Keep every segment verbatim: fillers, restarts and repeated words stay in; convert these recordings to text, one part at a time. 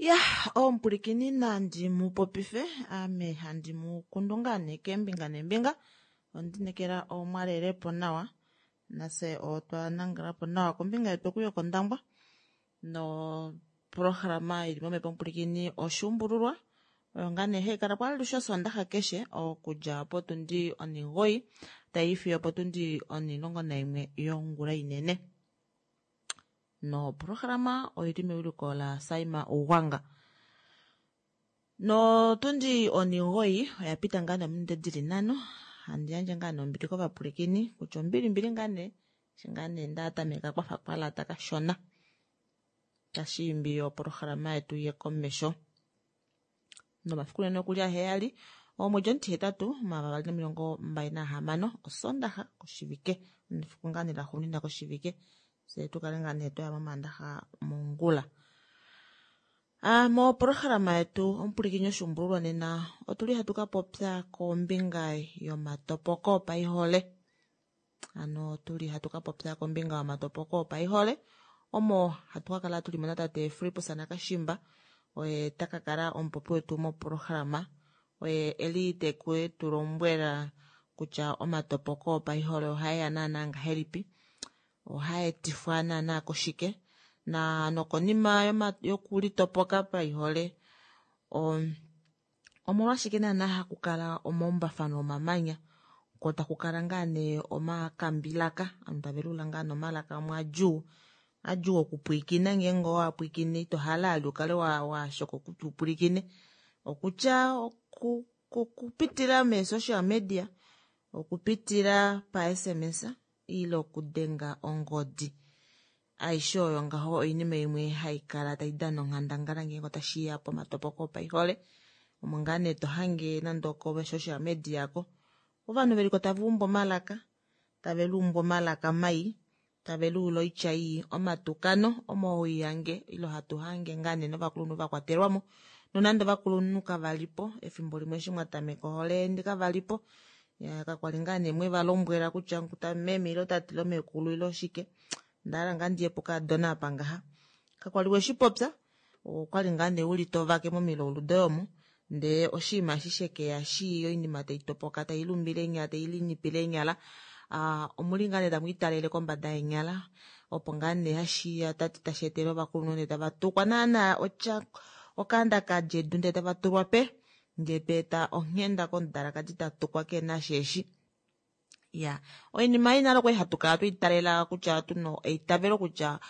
Ya omupulikini nandi mupopife ame handi mukundu ngaa nee keembinga neembinga ondinekela omwalelepo nawa nafye otwa nangalapo nawa kombinga yetu oku yokondangwa no programa ili momepo omupulikini oshuumbululwa oyo ngaa nee haikalapo alushe osondaxa keshe okudja potundi onimugoyi tayiifiyo opotundi onimulongo naimwe yongula inene noprograma oili mewiliko la Saima Ugwanga. Notundi onimugoyi oyapita ngaa nominute dili nhano handi yandje ngaa nee ombili kovapulikini kutya ombilimbili ngaa nee eshi ngaa nee ndatameka kwafa kwalata kashona tashiimbi oprograma yetu iye komesho. Nomafiku nene okuli aheyali omwedi omutihetatu omavali nomilongo mbali nahamano osondaxa koshivike efiku ngaa nee laxuuninwa koshivike fye tukale ngaa nee twaya momandaxa mongula. Ah, moprograma yetu omupulikini oshuumbululwa nena otuli hatu kapopya kombinga yomatopoko opaihole. Ano otuli hatu kapopya kombinga yomatopoko opaihole omo hatu kakala tuli mo natate Fillipus Nakashimba oye takakala omupopi wetu moprograma oye eli teku tulombwela kutya omatopoko opaihole ohaeya naana ngahelipi ohaetifwa naana koshike na nokonima yokulitopoka paihole omolwashike naana hakukala omaumbafano omamanya ko takukala ngaa nee omakambilaka ovanhu tave lula ngaa nomalaka amwe adjuu adjuu okupwiikina ngeenge owapwiikine ito hala vali ukale washoka kutya upwilikine okutya okupitila mee social media okupitila pa S M S ile okudenga ongodi aishe oyo ngaho oinima imwe haikala taidana onghandangala ngeenge otashiya pomatopoko opaihole omo ngaa nee tohange nande oko social media ko ovanhu veliko tava umbu omalaka tave luumbu omalaka mai tave luula oitya ii omatukano omo hoihange ile hatu hange ngaa nee novakulunhu vakwatelwamo nonande ovakulunhu kavalipo efimbo limwe eshi mwatameka ohole yeni kavalipo kakwali ngaa nee mwevalombwela kutya meme ile tate ile meekulu ile oshike ndahala ngaa ndiye pokaadona apa ngaha kakwali weshipopya okwali ngaa nee uli tovake momilaulu doye omo ndee oshinima eshi shekeya shii oinima taitopoka tailumbile eenyala tailinipile eenyala omuli ngaa nee tamwiitalele kombada yeenyala opo ngaa nee hashiya tashi etele ovakulunhu ndee tava tukwa naana otya okaanda kadja edu ndee tava tulwa pe ndee tweeta onghenda komudalakadi tatukwa kena sheeshi ya oinima ei nale okwali hatu kala twiitalela kutya tuna eitavelo kutya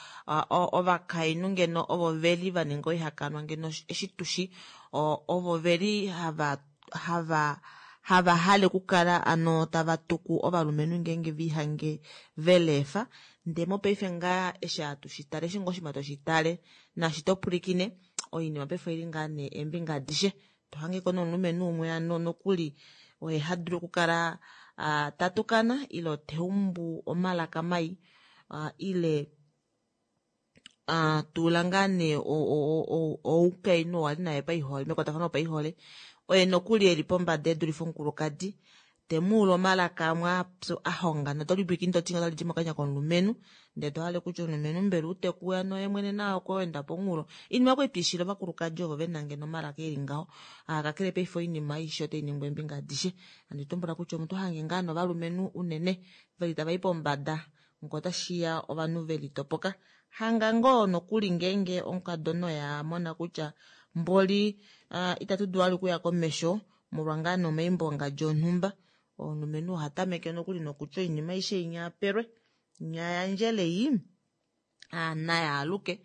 ovakainhu ngeno ovo veli vaninga oihakanwa ngeno eshi tushi ovo veli hava hava hava hale okukala ano tava tuku ovalumenhu ngeenge vihange velefa ndee mopaife ngaa eshi hatu shitale eshi ngoo oshinima toshitale naashi topwilikine Oinima paife oili ngaa nee eembinga adishe. Tohangeko nomulumenhu umwe ano nokuli oye hadulu okukala tatukana ile teumbu omalaka mai ile tuula ngaa nee oukainhu oo ali naye paihole mekwatafano lopaihole oye nokuli eli pombada edulife omukulukadi temuule omalaka amwe apyu ahonga notolipwilikine toti otalidi mokanya komulumenhu ndee tohale kutya omulumenhu mbela utekuya noye mwene naye okweenda pomunghulo. Oinima okwali tuishile ovakulukadi ovo vena ngeno omalaka eli ngaho. Kakele paife oinima aishe otainingwa eembinga adishe. Handi tumbula kutya omuntu hange ngaa novalumenhu unene veli tavai pombada ngee otashiya ovanhu velitopoka. Hanga ngoo nokuli ngeenge omukadona oye amona kutya mboli itatu dulu vali okuya komesho molwa ngaa nee omaimbo ongadji onhumba. Omulumenhu ohatameke nokuli nokutya oinima aishe inya apelwe inya yandjele ei nayaaluke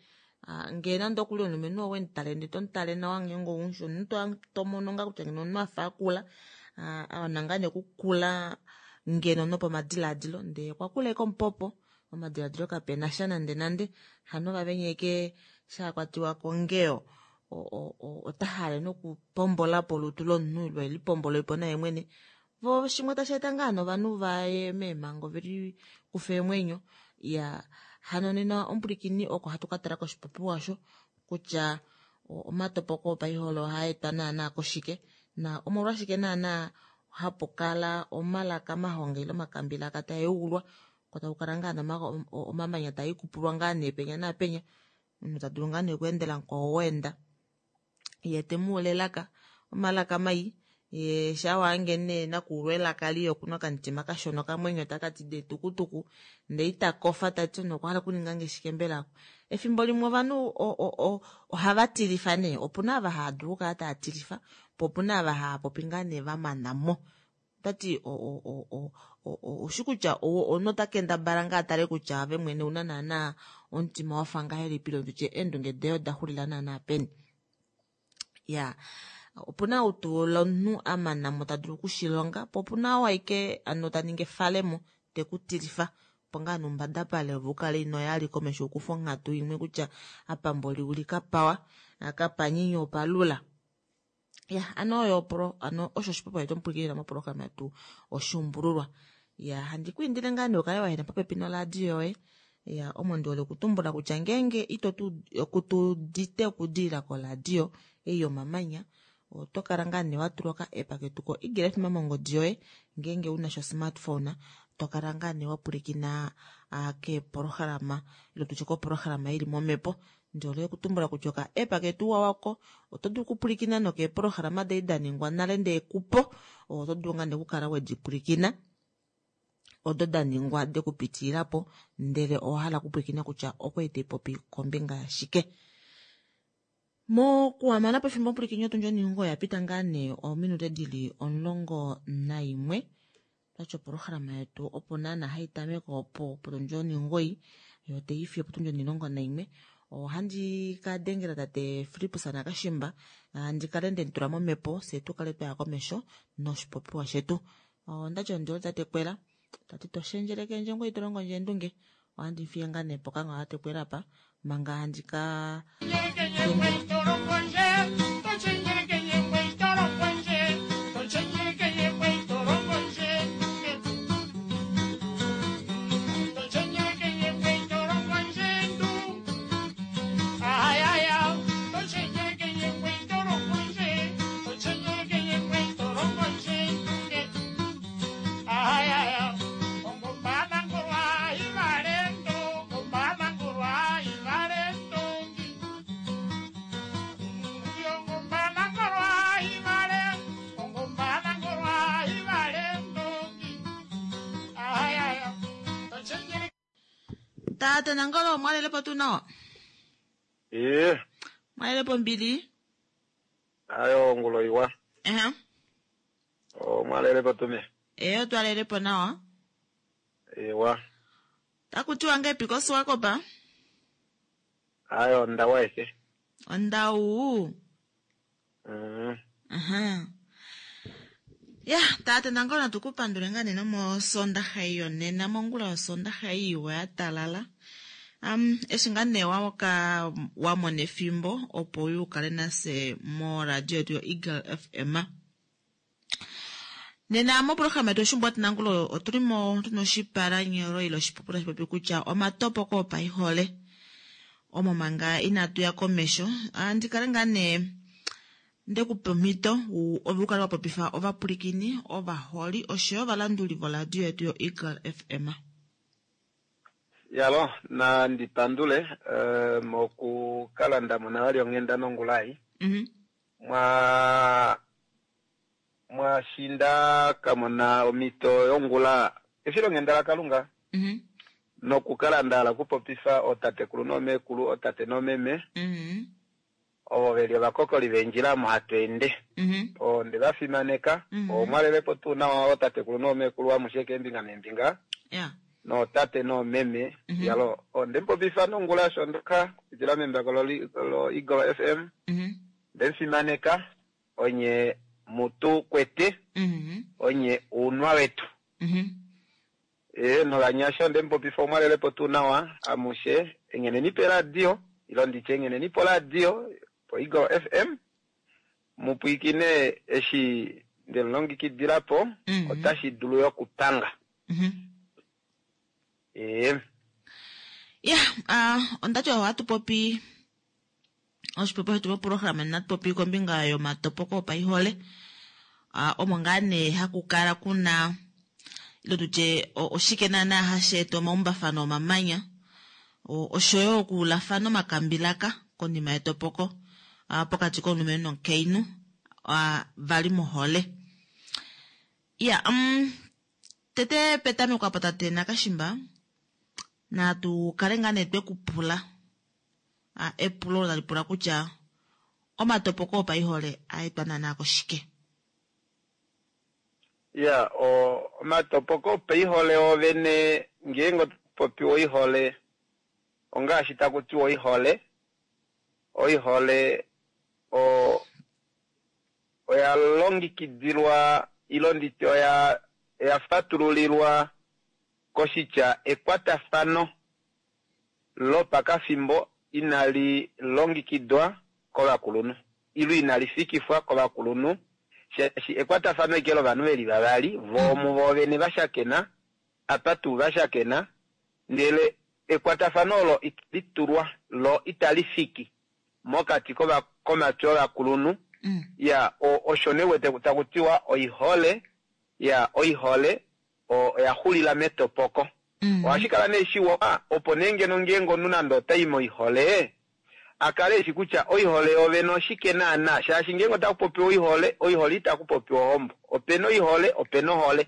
ngee nande okuli omulumenhu owemutale ndee tomutale nawa ngeenge oumushi omunhu tomono ngaa kutya ngeno omunhu afa akula awana ngaa nee okukula ngeno nopomadilaadilo ndee okwakula ashike omupopo omadilaadilo kapenasha nande nande hano vavenya ashike shakwatiwa kongeyo otahale nokupombolapo olutu lomunhu ile elipombolepo naye mwene vo shimwe tasheeta ngaa novanhu vaye meemango velikufe eemwenyo. Iya hano nena omupwilikini oko hatu katala koshipopiwa osho kutya omatopoko opaihole ohaetwa naana koshike na omolwashike naana hapukala omalaka mahonga ile omakambilaka taeulwa ko takukala ngaa omamanya taikupulwa ngaa nee penya naapenya omunhu tadulu ngaa nee okweendela mukwao weenda yee temuule elaka omalaka mai yee shawaange nee nakuulwa elaka lii okuna okamutima kashona okamwenyo takati dee tukutuku ndee itakofa tati omunhu okwahala okuningange shike mbela. Efimbo limwe ovanhu ohava tilifa nee opuna ava haadulu okukala taatilifa po opuna ava haapopi ngaa nee vamanamo. Otati oushi kutya omunhu otakendabala ngaa atale kutya ove mwene ouna naana omutima wafa ngahelipi ile tutye eendunge doye odaxulila naana peni. Ya opuna outuula omunhu amanamo tadulu okushilonga po opuna oo ashike ano taningi efalemo tekutilifa opo ngaa noumbadapale ove ukale inoya komesho ukufe onghatu imwe kutya apa mboli uli kapawa kapanyenye opalula. Ya ano oyo pro ano osho oshipopiwa shetu omupwilikini moprograma yetu oshuumbululwa. Ya handi kwiindile ngaa nee ukale wahena popepi noladio yoye. Ya omo ndihole okutumbula kutya ngeenge ito kutudite okudilila koladio ei yomamanya oto kala ngaa nee watulwa oka app ketu ko Eagle F M mongodi yoye ngeenge una sho smartphone tokala ngaa nee wapwilikina keeprograma ile tutye koprograma ili momhepo. Ndihole okutumbula kutya oka app ketu wawako oto dulu okupwilikina nokeeprograma dali daningwa nale ndee kupo oto dulu ngaa nee okukala wedipwilikina odo daningwa dekupitililapo ndele owahala okupwilikina kutya okwali taipopi kombinga yashike. Mokuhamana pefimbo omupwilikini otundi oningo yapita ngaa nee ominute dili omulongo naimwe twati oprograma yetu opo naana haitameke opo potundi oningoyi yo taifi opotundi onilongo naimwe. Ohandi kadengela tate Filippus Nakashimba handi kale ndemutula momhepo fyee tukale twaya komesho noshipopiwa shetu. Ondati ondihole tate Kwela tati toshendjelekendje ngoye tolongo ndje eendunge ohandi fiye ngaa nee pokango tate Kwela apa manga handi ka Tata Nangolo mwalelepo tuu nawa? Ee. Mwalelepo mbili? Ayo ongulo iwa. Ehe. O mwalelepo tume. Ee, otwalelepo nawa. Ewa. Takutiwa ngepi koSwakopa? Ayo ondawu aishe. Ondawu. Mm. Aha. Ya, tate Nangolo natukupandule ngaa nena mosondaxa ei yonena mongula yosondaxa ei iwa ya talala. Um, eshi ngaa nee waka wamona efimbo opo u kale nase moradio yetu yo-Eagle F M. Nena moprograma yetu Oshimbwati Nangulo otuli mo tuna oshipalanyolo ile oshipopiwa tashi popi kutya omatopoko opaihole. Omo manga inatu ya komesho, andi kale ngaa nee ndekupa omhito ove u kale wa popifa ovapwilikini, ovaholi oshoyo ovalanduli voradio yetu yo-Eagle F M. Yalo, nandi pandule uh, mokukala nda mona vali onghenda nongulai. Mm -hmm. Mwa mwashinda kamona omhito yongula efilonghenda laKalunga Mm -hmm. nokukala nda hala okupopifa ootatekulu noomekulu, ootate noomeme Mm -hmm. ovo veli ovakokoli veendjila omo hatu ende. Mm -hmm. Onde va fimaneka. Mm -hmm. Omwalelepo tuu nawa ootatekulu noomekulu amushe keembinga neembinga Yeah. nootate noomeme. Mm -hmm. Yalo, onde mupopifa nongula shondoka kupitila membako lo Eagle F M. Mm -hmm. Nde mufimaneka onye mutu kwete Mm -hmm. onye uunwa wetu. Mm -hmm. E, novanyasha onde mupopifa omwalelepo tuu nawa amushe, engheneni peradio ilo nditye engheneni poradio po Eagle F M mupwiikine eshi ndemulongekidilapo. Mm -hmm. Otashi dulu yokupanga. Mm -hmm. E, Ya, uh, ondati ohatu popi oshipopiwa shetu moprograma natu popi kombinga yomatopoko opaihole. uh, omo ngaa nee haku kala kuna ilo tutye oshike naana hashi eta omaumbafano omamanya oshoyo okuulafana omakambilaka konima yetopoko uh, pokati komulumenhu nomukainhu uh, vali mohole. Ya, um, tete petameko apo tate Nakashimba natu kale ngaa nee twe ku pula epulo olo tali pula kutya omatopoko opaihole aetwa naanaa koshike? Ya, omatopoko opaihole ovene, ngeenge otopopi oihole ongaashi taku tiwa oihole oihole o oya longekidilwa ilo nditye oya oya fatululilwa koshitya ekwatafano lopakafimbo inali longekidwa kovakulunhu ilo inali fikifwa kovakulunhu, shaashi ekwatafano ike lovanhu veli vavali voo muvo vene vashakena apa tuu vashakena, ndele ekwatafano olo itali tulwa lo itali fiki mokati komatwi ovakulunhu. Mm. Ya, osho nee wete taku tiwa oihole. Ya, oihole oya xulila metopoko. Mm. Ohashi kala nee shiwa opo nee ngeno ngeenge omunhu nande otai moihole a kale eshi kutya oihole yovene oshike naana, shaashi ngeenge otaku popiwa oihole, oihole itaku popiwa ohombo. Opena oihole, opena ohole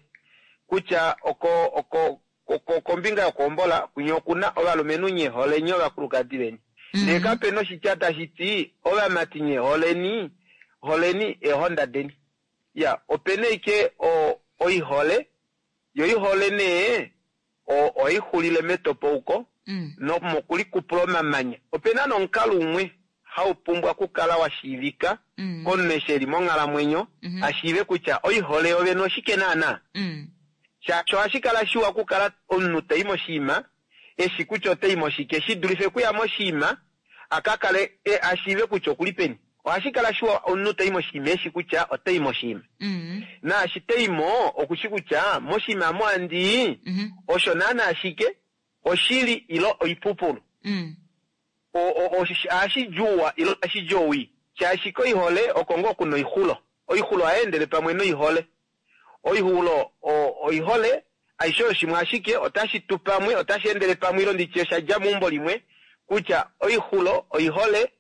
kutya oko oko oko kombinga yokuhombola kunye okuna ovalumenhu nye holeni ovakulukadi veni, ndee kapena oshitya tashi ti ovamati nye holeni holeni eehonda deni. Ya, opena ike oihole, yo oihole nee ohai xulile metopouko Mm. nomokulikupula omamanya. Opena nomukalo umwe hau pumbwa okukala wa shiivika Mm. komunhu eshi eli monghalamwenyo Mm -hmm. a shiive kutya oihole yovene oshike naana, Mm. shaashi ohashi kala shiwa okukala omunhu tai moshiima eshi kutya otai moshike shi dulife okuya moshiima a ka kale a shiive kutya okuli peni. Ohashi kala shiwa omunhu tai moshiima eshi kutya otai moshiima Mm. naashi taimo okushi kutya moshiima mo andii Mm -hmm. osho naana ashike oshili ilo oipupulu. Mm. Ohashi djuwa ilo ohashi di owii, shaashi koihole oko ngoo kuna oixulo. Oixulo ohai endele pamwe noihole. Oixulo oihole aishe oyo shimwe ashike otashi tu pamwe, otashi endele pamwe ilo nditye osha dja meumbo limwe kutya oixulo oihole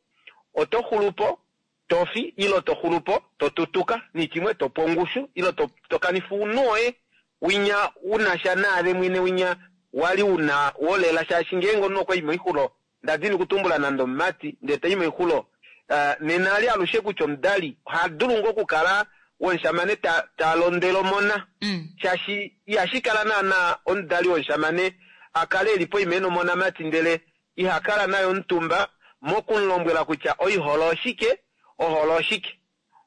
oto xulupo tofi ilo to xulupo to tutuka nichimwe topo ongushu ilo to, to kanifa ounhu woye winya unasha naave mwene winya wali una wolela, shaashi ngeenge omunhu okwa i moixulo, ndadini kutumbula nande omumati ndee tai moixulo uh, nena ali alushe kutya omudali oha dulu ngoo okukala womushamane ta, ta londwele omona Mm. shaashi ihashi kala naana omudali womushamane a kale eli poima ena omonamati ndele iha kala naye omutumba mokumulombwela kutya oihole oshike, ohole oshike,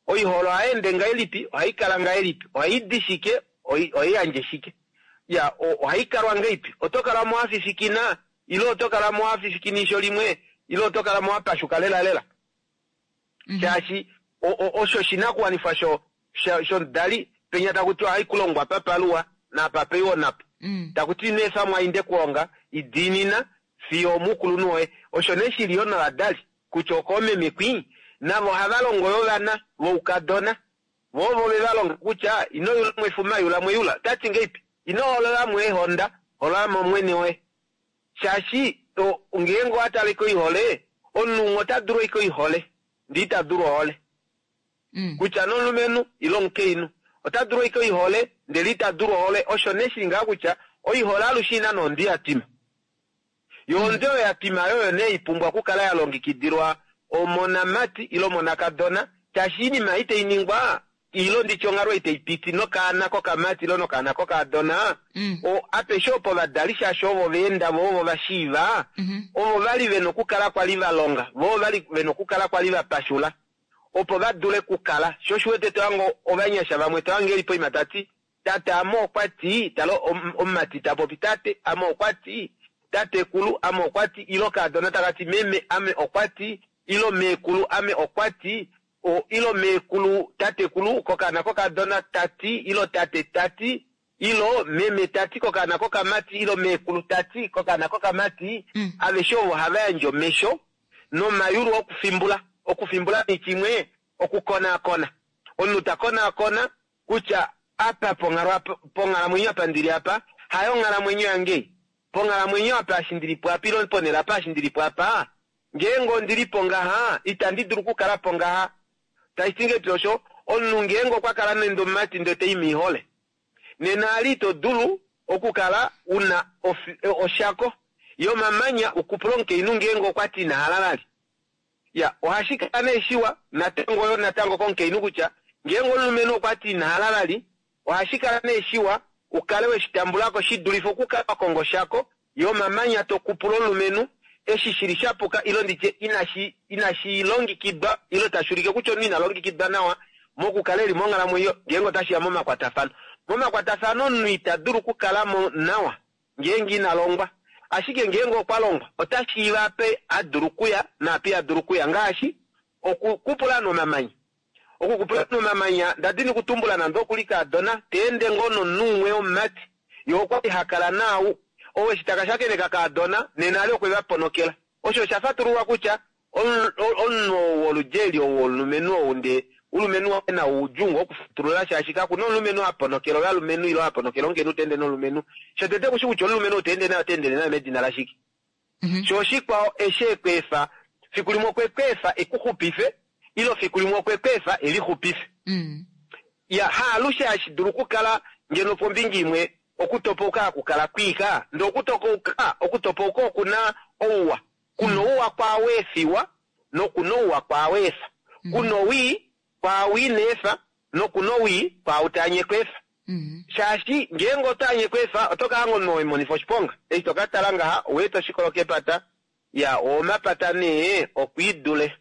oihole ohayi ende ngahelipi, ohai kala ngahelipi, ohai di shike, ohai yandje shike, ya ohayi kalwa ngahelipi, oto kala mo wafifikina Ile oto kala mo wa fifikina eisho limwe, ile oto kala mo wa pashuka lela lela. Shaashi osho oshinakuwanifwa shomudali, penya taku tiwa haikulongwa apa paluwa naapa paiwa onapo. Taku ti ino efa mwainde kuhonga, i diinina fiyo omuukulunhu woye. Osho nee shili yoo novadali kutya okoomeme kwii, navo ohava longo yoo ovana voukadona. Voo ovo ve va longa kutya ino yula mwefuma yula mweyula. Otati ngeipi? Ino holola mo eehonda, holola mo omwene woye. Shaashi ngeenge owa tale koihole, omunhu umwe ota dulu ashike oihole, ndee ita dulu ohole. Kutya nomulumenhu ile omukainhu ota dulu ashike oihole ndele ita dulu ohole. Osho nee shili ngaha kutya oihole alushe ina nondi ya twima. Yo ondwi oyo ya twima oyo nee ipumbwa okukala ya longekidilwa omonamati ile omonakadona, shaashi oinima ei tai ningwa ile nditye onghalo ei taipiti nokaana kokamati ile nokaana kokaadona, o apeshe opo ovadali shaashi ovo vaenda vo ovo vashiiva, ovo vali vena okukala kwali valonga, vo vali vena okukala kwali vapashula opo va dule kukala. Sho oshiwete tohango ovanyasha vamwe tohange eli poima tati tate ame okwati, tala omumati tapopi tate ame okwati, tatekulu ame okwati, ile okaadona takati meme ame okwati, ile meekulu ame okwati, ile meekulu tatekulu kokaana kokaadona tati, ile tate tati, ile meme tati kokaana kokamati, ile meekulu tati kokaana kokamati. Aveshe ovo hava yandje omesho nomayulu okufimbula. Okufimbula nechimwe okukonaakona. Omunhu ta konaakona kutya apa ponghalamwenyo apa ndili apa hayo onghalamwenyo yange, ponghalamwenyo apa eshi ndilipo apa ile ponhele apa eshi ndilipo apa, ngeenge ondilipo ngaha itandi dulu okukala po ngaha. Tashi ti ngeipi osho omunhu ngeenge okwa kala nande omumati ndele tai moihole, nena ali ito dulu okukala una oshako yomamanya ukupula omukainhu ngeenge okwa ti ina hala vali. Ya, ohashi kala nee shiwa natango yo natango komukainhu kutya ngeenge omulumenhu okwa ti ina hala vali, ohashi kala nee shiwa ukale weshitambulako shi dulife okukala wa konga oshako yomamanya to kupula omulumenhu eshi shili shapuka ile nditye inashi inashi longekidwa ile tashi ulike kutya omunhu ina longekidwa nawa mokukala eli monghalamwenyo ngeenge otashi ya momakwatafano. Momakwatafano omunhu ita dulu okukala mo nawa ngeenge ina longwa, ashike ngeenge okwa longwa ota shiiva ape a dulu okuya naape iha dulu okuya, ngaashi okukupula nomamanya. Okukupula nomamanya ndadini kutumbula nande okuli kaadona teende ngoo nomunhu umwe womumati, ye okwali hakala naau ou eshi taka shakeneka kaadona nena ali okwe va ponokela. Osho osha fatululwa kutya omunhu ou woludji eli ou womulumenhu ou ndee ulumenhu waye nau udjuu ngoo okufatulula shaashi kakuna omulumenhu a ponokela ovalumenhu ile a ponokela omukainhu ta ende nomulumenhu. Shotete kushi kutya omulumenhu ou ta ende naye ota endele naye medina lashike. Sho oshikwao eshi ekweefa fiku limwe okwe kweefa ekuxupife ile fiku limwe okwe kweefa elixupife. Ya, haalushe hashi dulu okukala ngeno pombinga imwe okutopauka hakukala kwiika, ndee okutokauka okutopauka okuna ouwa. Kuna ouwa kwaao efiwa nokuna ouwa kwaao efa. Kuna owii kwaao ina efa nokuna owii kwaao taanye kweefa. Shaashi ngeenge oto anye kweefa oto ka hanga omunhu wemonifa oshiponga. Eshi toka tala ngaha oweeta oshikolo kepata, ya omapata nee okwiidule.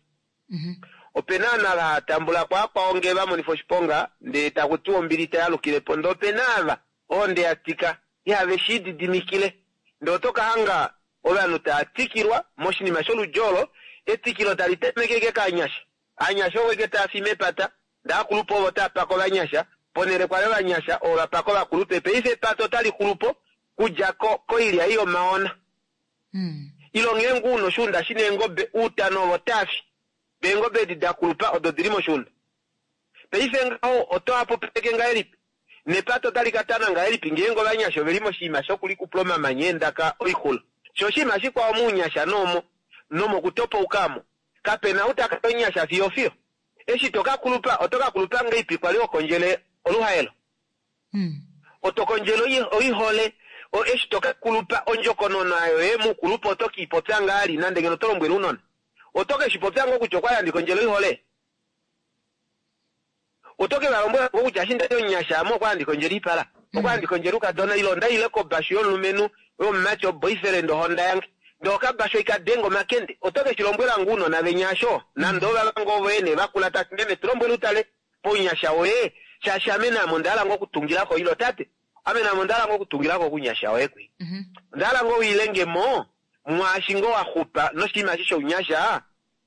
Opena ovanhu ava hava tambula ko akwao ngee va monifa oshiponga ndee taku tiwa ombili itayalukilepo, ndee opena ava ohonde ya tika ihave shi didimikile, ndee oto ka hanga ovanhu tava tikilwa moshinima sholudji olo. Etikilo tali tameke ashike kaanyasha, aanyasha ovo ashike tava fi mepata, ndee akulupe ovo tava paka ovanyasha ponhele kwali ovanyasha ovo va paka ovakulupe. Paife epata otali xulupo kudja koilya ei yomaona. Ile ngeenge una oshuunda shina eengobe, outano ovo tava fi, eengobe edi da kulupa odo dili moshuunda. Paife ngaho oto hapupaleke ngahelipi? Nepata otali ka tana ngahelipi ngeenge ovanyasha oveli moshinima shokulikupula omamanya eendaka oixulo? Sho oshinima shikwao mounyasha noomo nomokutopauka amo, kapena ou taka omunyasha fiyo fiyo. Eshi to ka kulupa, oto ka kulupa ngeipi kwali ho kondjele oluhaelo? Oto kondjele oihole, eshi to ka kulupa ondjokonona yoye mukulupa oto kiipopya ngaali nande ngeno oto lombwele ounona. Oto ke shi popya ngoo kutya okwali handi kondjele oihole? Oto ke va lombwela ngoo kutya eshi ndali omunyasha ame okwali handi kondjele oipala, okwali handi kondjele oukadona ile onda ile kobashu yomulumenhu yomumati oboyfriend ohonda yange ndee okabashu ikadenga omakende. Oto ke shi lombwela ngoo ounona venya asho nande ovava ngoo voye nee vakula tati meme tu lombwele utale pounyasha woye shaashi ame naame onda hala ngoo okutungilako ile tate ame naame onda hala ngoo okutungilako kounyasha woye kwi. Onda hala ngoo wiilengemo Mwaashi ngoo wa xupa noshinima eshi shounyasha,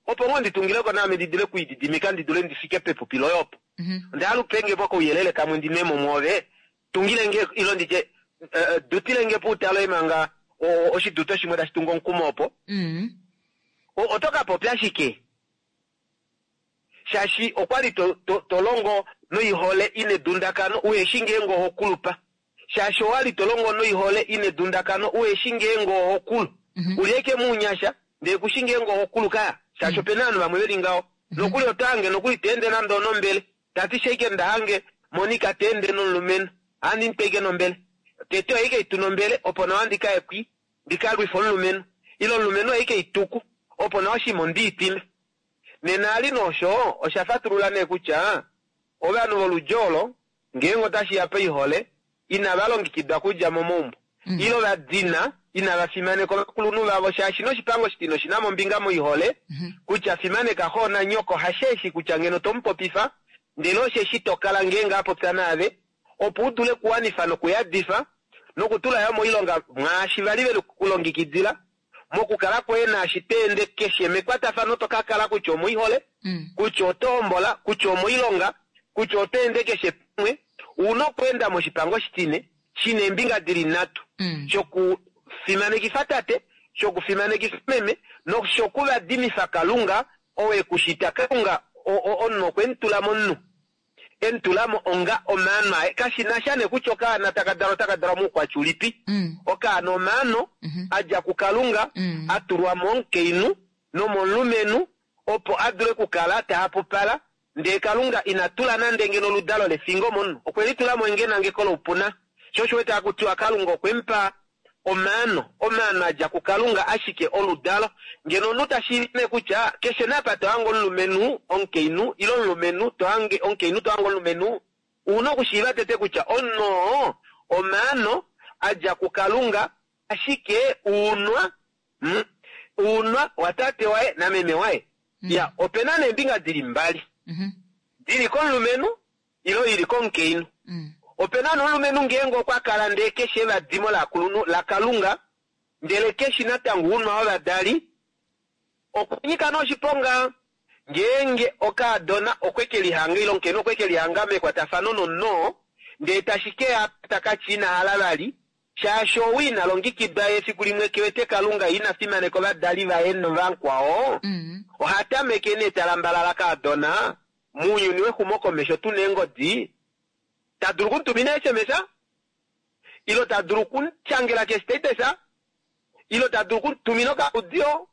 opo ngoo ndi tungileko naame ndi dule okwiididimika ndi dule ndi fike pepupi loye opo. Onda hala upenge po kouyelele kamwe ndi nwemo mwoove, tungile nge ilo nditye eh, dutile nge puutalo manga oshiduto shimwe tashi tungu omukumo opo. Mm. O- Oto ka popya shike? Shaashi okwali to, to, to longo noihole ine dundakano uheshi ngeenge oho kulupa. Shaashi owali to longo noihole ine dundakano uheshi ngeenge oho kulu. Uli eke muunyasha ndee kushi ngeenge oho kulu kaya. Shaashi opena ovanhu vamwe veli ngaho. Nokuli oto hange nokuli te ende nande onombele. Tati sheike nda hange Monica te ende nomulumenhu. Ohandi mu pe nombele. Tete ohaike itu nombele opo nawa ndi kaye kwi ndi ka lwife omulumenhu. Ile omulumenhu ohaike ituku opo nawa oshinima ondiitime. Nena ali nosho osha fatulula nee kutya ovanhu voludji olo ngeenge otashi ya paihole inava longekidwa kudja momaumbo ile va dina inava fimaneka ovakulunhu vavo shaashi noshipango shitino oshina mo ombinga moihole kutya fimaneka xo nanyoko hasheeshi kutya ngeno tomupopifa ndele osheshi tokala ngeenge apopya naave opo u dule okuwanifa nokuyadifa nokutula yo moilonga mwaashi vali veli kulongekidila mokukala kwoye naashi to ende keshe mekwatafano to ka kala kutya omoihole Mm. kutya oto hombola kutya omoilonga kutya oto ende keshe pamwe una okweenda moshipango shitine shina eembinga dili nhatu Mm. shokufimanekifa tate shokufimanekifa meme noshokuvadimifa kalunga ou ekushita kalunga omunhu okwe mutula momunhu emutulamo onga omaano aye kashina sha nee kutya okaana taka dalwa otaka dalwa moukwatya ulipi Mm. okaana omaano Mhm. a dja kukalunga Mm. a tulwa momukainhu nomomulumenhu opo a dule okukala tahapupala ndee kalunga ina tula nande ngeno oludalo lefingo momunhu okwe litulamo ngenangeko loupuna sho osho wete hakutiwa kalunga okwe mupa omaano omaano a dja kukalunga ashike oludalo ngeno omunhu tashiive kutya keshe napa to hange omulumenhu omukainhu ile omulumenhu to hange omukainhu to hange omulumenhu una okushiiva tete kutya omunhu oo omaano a dja kukalunga ashike uunwa mm, uunwa watate waye nameme waye ya opena neembinga dili mbali Mhm. dili komulumenhu ilo ili komukainhu Mm. opena nomulumenhu ngeenge okwa kala ndee keshe evadimo lakulunhu lakalunga ndele keshi natango uunwa wovadali okunyika noshiponga ngeenge okaadona okwe ke lihanga ile omukainhu okwe ke lihanga mekwatafano nomunhu oo ndee tashi keya takati ina hala vali shaashi ou ina longekidwa efiku limwe kewete kalunga ina fimaneka ovadali vaye novankwao Mm. oha tameke nee talambalala kaadona mounyuni wexumokomesho tuna eengodi ta dulu okumutumina sms ilo ta dulu okumushangela kestatus ilo ta dulu okumutumina okaudio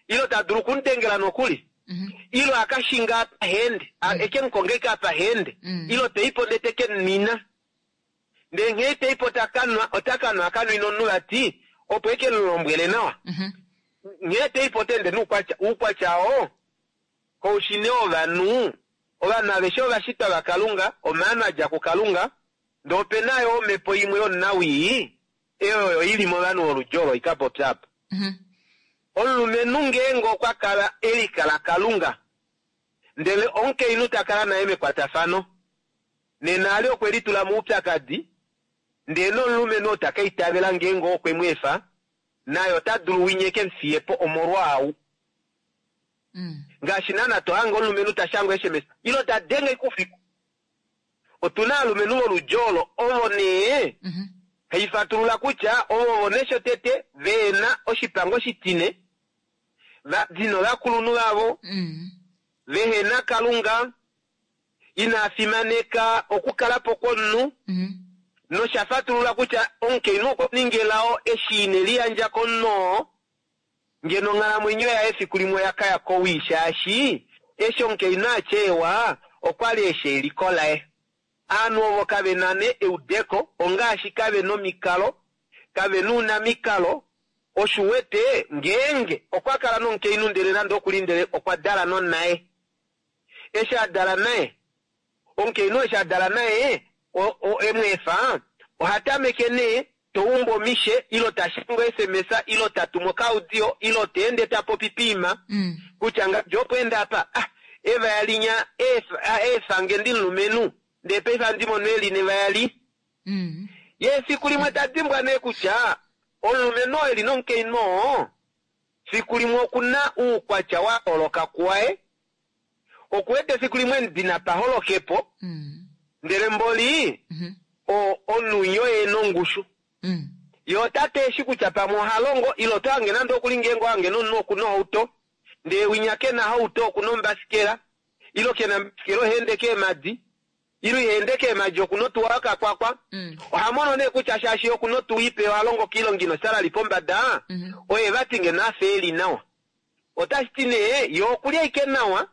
ilo ta dulu okumudengela nokuli Mhm. ilo akashinga apahende mm. eke mukonge apahende Mm. ilo teipo ndee teke nina ndee nghee teipo takanwa otakanwa akanwina omunhu vati opo eke mulombwele nawa Mhm. nghee teipo tende noukwatya oukwatya oo koushine wovanhu ovanhu aveshe ovashitwa vakalunga omaano a dja kukalunga ndee opena yo omhepo imwe yomunawii eyo oyo ili movanhu voludji olo ikapopya apa Mhm. omulumenhu ngeenge okwa kala elikala kalunga ndele omukainhu ta kala naye mekwatafano nena ali okwe litula moupyakadi ndee nomulumenhu oo taka itavela ngeenge okwe mu efa naye ota dulu winye ke mufiye po omolwaau Mm. ngaashi naana to hange omulumenhu ta shangwa sms ilo ta denge kufiku otuna aalumenhu voludji olo ovo nee Mhm. haifatulula kutya ovo vo neshotete veena oshipango shitine va dina ovakulunhu vavo Mm. vehena kalunga ina fimaneka okukala po kwomunhu Mhm. nosha fatulula kutya omukainhu okwa ninga elao eshi ine liyandja komunhu oo ngeno onghalamwenyo yaye efiku limwe oya kaya kowii shaashi eshi omukainhu atyeewa okwali eshi eliko laye aanhu ovo kave na ne eudeko ongaashi kave nomikalo kave nuunamikalo oshuwete ngeenge okwa kala nomukainhu ndele nande okuli ndele okwa dala nonaye eshi a dala naye omukainhu eshi a dala naye o- o- emweefa oha tameke nee toumba omishe ilo tashanga sms ilo tatuma okaudio ilo teende tapopi piima Mm. kutya ngajo opo ende apa ah, evaya linya efa- ah, eefange ndi mulumenhu ndee paife andi mono eli nevaya li Mm. ye efiku limwe ta dimbwa nee kutya omulumenhu oo eli nomukainhu oo Fiku limwe okuna uukwatya wa yooloka kuwaye. Okuwete fiku limwe emudina pa holokepo Mm. ndele mboli Mhm. o- omunhu winya oye nongushu. Mm. Ye otate eshi kutya pamwe oha longo ile oto hange nande okuli ngeenge ohange nomunhu okuna ohauto ndee winya kena hauto okuna ombasikela ile kena ombasikela oha ende keemadi ile iha ende keemadi okuna otuwa yokakwakwa Mm. oha mono nee kutya shaashi okuna otuwa ipe oha longo koilonga ina osalali pombada Mhm. oye vati ngeno afa eli nawa otashi ti nee ye okuli ashike nawa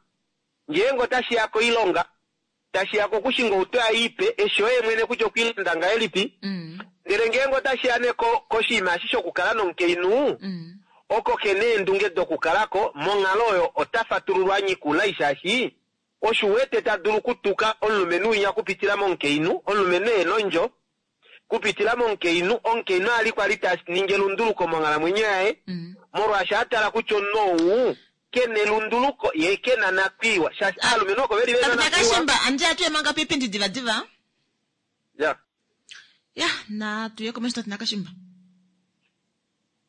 ngeenge otashi ya koilonga tashi ya kokushinga outo yaye ipe eshi oye mwene kutya okwiilanda ngahelipi Mm. ndele ngeenge otashi ya nee ko- koshinima eshi shokukala nomukainhu Mm. oko kena eendunge dokukalako monghalo oyo ota fatululwa nyikula shaashi osho wete ta dulu kutuka omulumenhu winya kupitila momukainhu omulumenhu e nondjo kupitila momukainhu omukainhu ali kwali ta ningi elunduluko monghalamwenyo yaye Mm. molwaashi a tala kutya omunhu ou kena elunduluko ye kena nakwiiwa shaashi aalumenhu oko veli vena Tate nakwiiwa Nakashimba, andi atuye manga piipindi divadiva. ya Ya, na tuye komesho Tate Nakashimba.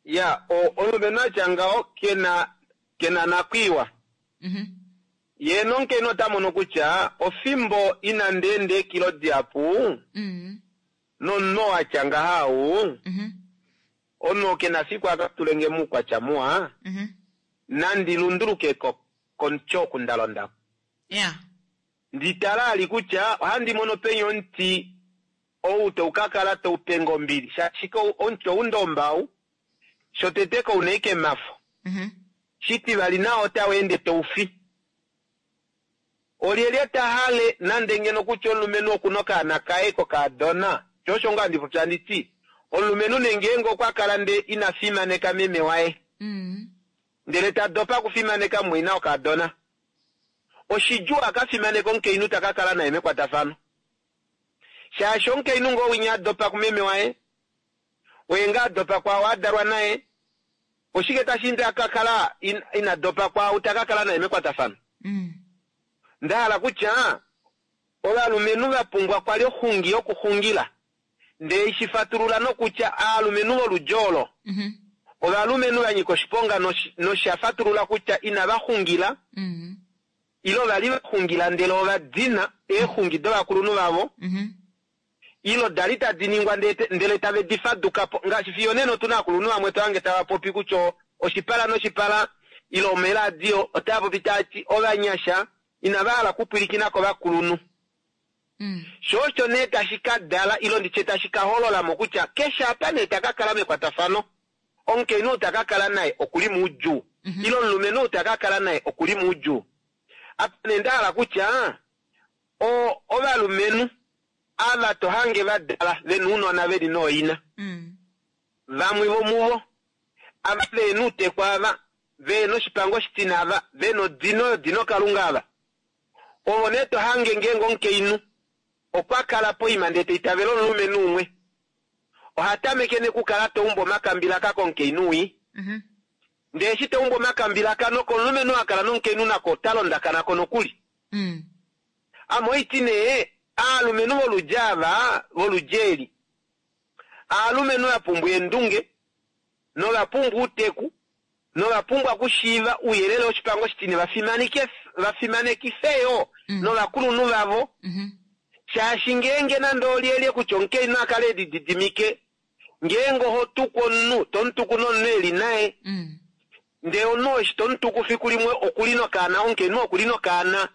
ya o- omulumenhu atya ngaho kena kena nakwiiwa Mhm. ye nomukainhu ota mono kutya ofimbo inandi enda eekilo dihapu Mm. nomunhu atya ngaha ou Mhm. omunhu oo kena fiku aka tulenge muukwatya muwa Mhm. nandi lunduluke ko komuti oku ndalonda Ya. nditala ali kutya ohandi mono penya omuti ou tau ka kala tau penge ombili shaashi ko- omuti ou ndombau shotete kouna ike mafo Mhm. shitivali nao otau ende tau fi olyelye ta hale nande ngeno kutya omulumenhu okuna okaana kaye kokaadona sho osho ngaa ndipopya nditi omulumenhu nengeenge okwa kala nde ina fimaneka meme waye Mm. ndele ta dopa okufimaneka mumwaina wokaadona oshidjuu aka fimaneka omukainhu ta ka kala naye mekwatafano shaashi omukainhu ngoo winya a dopa kumeme waye oye ngaa a dopa kwaao a dalwa naye oshike tashi inde aka kala in- ina dopa kwaao ta ka kala naye mekwatafano Mm. ndahala kutya ovalumenhu va pumbwa kwali oxungi yokuxungila ndee shifatulula nokutya aalumenhu voludji olo Mhm. ovalumenhu va nyika oshiponga noshi- nosha fatulula kutya inava xungila Mm. ile ovali va xungila ndele ova dina eexungi dovakulunhu vavo Mhm. ilo dali tadi ningwa ndele ndele tave di faduka po ngaashi fiyo nena otuna aakulunhu vamwe tohange tava popi kutya oshipala noshipala ile omeladio otava popi taati ovanyasha inava hala kupwilikina kovakulunhu Mm. sho osho nee tashi ka dala ilo nditye tashi ka holola mo kutya keshe apa nee ta ka kala mekwatafano omukainhu ou ta ka kala naye okuli muudjuu Mhm. ile omulumenhu ou ta ka kala naye okuli muudjuu apa nee nda hala kutya o- ovalumenhu ava to hange va dala vena ounona veli nooina Mm. vamwe vomuvo ava vena uuteku ava vena oshipango oshitina ava vena odino yodino kalunga ava ovo nee to hange ngeenge omukainhu okwa kala poima ndee taitavela omulumenhu umwe oha tameke nekukala taumba omakambilaka komukainhu wii Mhm. ndee eshi taumba omakambilaka nokomulumenhu a kala nomukainhu nako ota londakanako nokuli Mm. ame oiti nee aalumenhu voludji ava voludji eli aalumenhu va pumbwa eendunge nova pumbwa uuteku nova pumbwa okushiiva ouyelele woshipango shitine vafimaneke vafimanekife yo Mm. novakulunhu vavo Mhm. shaashi ngeenge nande olyelye kutya omukainhu a kale elididimike ngeenge oho tuku omunhu tomutuku nomunhu eli naye Mm. ndee omunhu eshi tomutuku fiku limwe okuli nokaana omukainhu okuli nokaana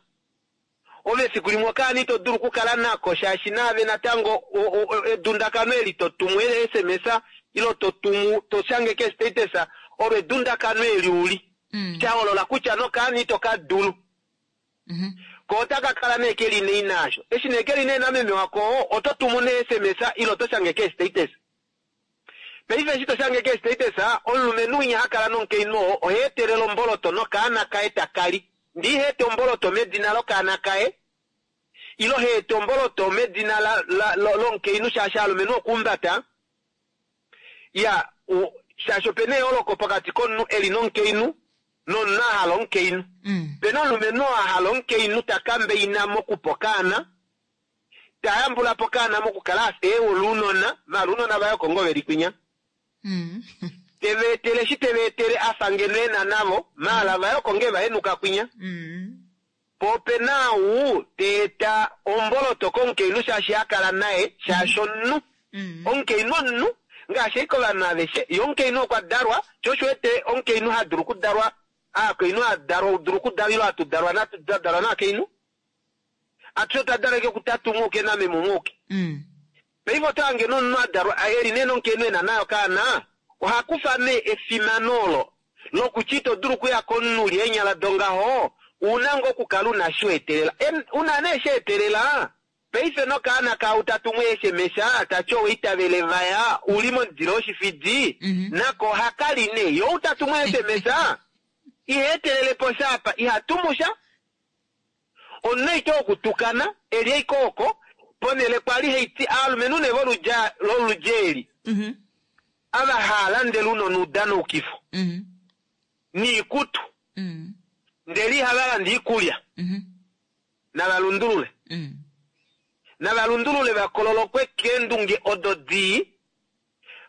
ove fiku limwe okaana ito dulu okukala nako shaashi naave natango o- o- o- edundakano eli totumu ele sms ilo totumu toshange kestatus olo edundakano eli uli Mm. shaholola kutya nokaana ito ka dulu Mhm. ko otaka kala nee keli nei naasho eshi nee keli nee nameme wako oto tumu ne sms ilo to shange kestatus paife eshi to shange kestatus omulumenhu winya ha kala nomukainhu oo oha etelele omboloto nokaana kaye takali ndi iha ete omboloto medina lokaana kaye ilo ha ete omboloto medina la- la- lo- lomukainhu shaashi alumenhu okumbata ya u- shaashi opena eyooloko pokati komunhu eli nomukainhu nomunhu a hala omukainhu Mm. pena omulumenhu oo a hala omukainhu ta kambeina mokupa okaana ta yambula po okaana mokukala afa eewola ounona maala ounona vaye oko ngoo veli kwinya Mm. Teva etele eshi teva etele afa ngeno ena navo, maala vaye oko ngee vahenuka kwinya. Mm. Po opena ou ta eta omboloto komukainhu shaashi hakala naye, shaashi omunhu. Mm. Omukainhu omunhu, ngaashi ashike ovanhu aveshe, ye omukainhu okwa dalwa, sho osho wete omukainhu ha dulu okudalwa, aakainhu hadalwa, dulu okudalwa ile hatu dalwa natu dalwa naakainhu. Atushe otwa dalwa ashike kutatu umwe auke nameme umwe auke. Mm. Paife oto hange nee omunhu a dalwa eli nee nomukainhu ena naye okaana, oha kufa nee efimano olo lokutya ito dulu okuya komunhu uli eenyala dongaho, una ngoo okukala una shi weetelela. Una nee shi etelela, paife nokaana kaau tatumu SMS tati oweitavele vaya, uli momudile woshifidi, Mhm. nako ohakali nee. Ye ou tatumu SMS, iha etelele po sha apa, iha tumu sha. Omunhu ashike wokutukana, eli ashike oko, ponhele kwali haiti aalumenhu nee voludja loludja eli. Mhm. Ava haalandele ounona oudanoukifo. Mhm. Niikutu. Mm. Ndele ihava landa iikulya. Mhm. Nava lundulule. Mm. Nava lundulule vakololokwe keendunge odo dii,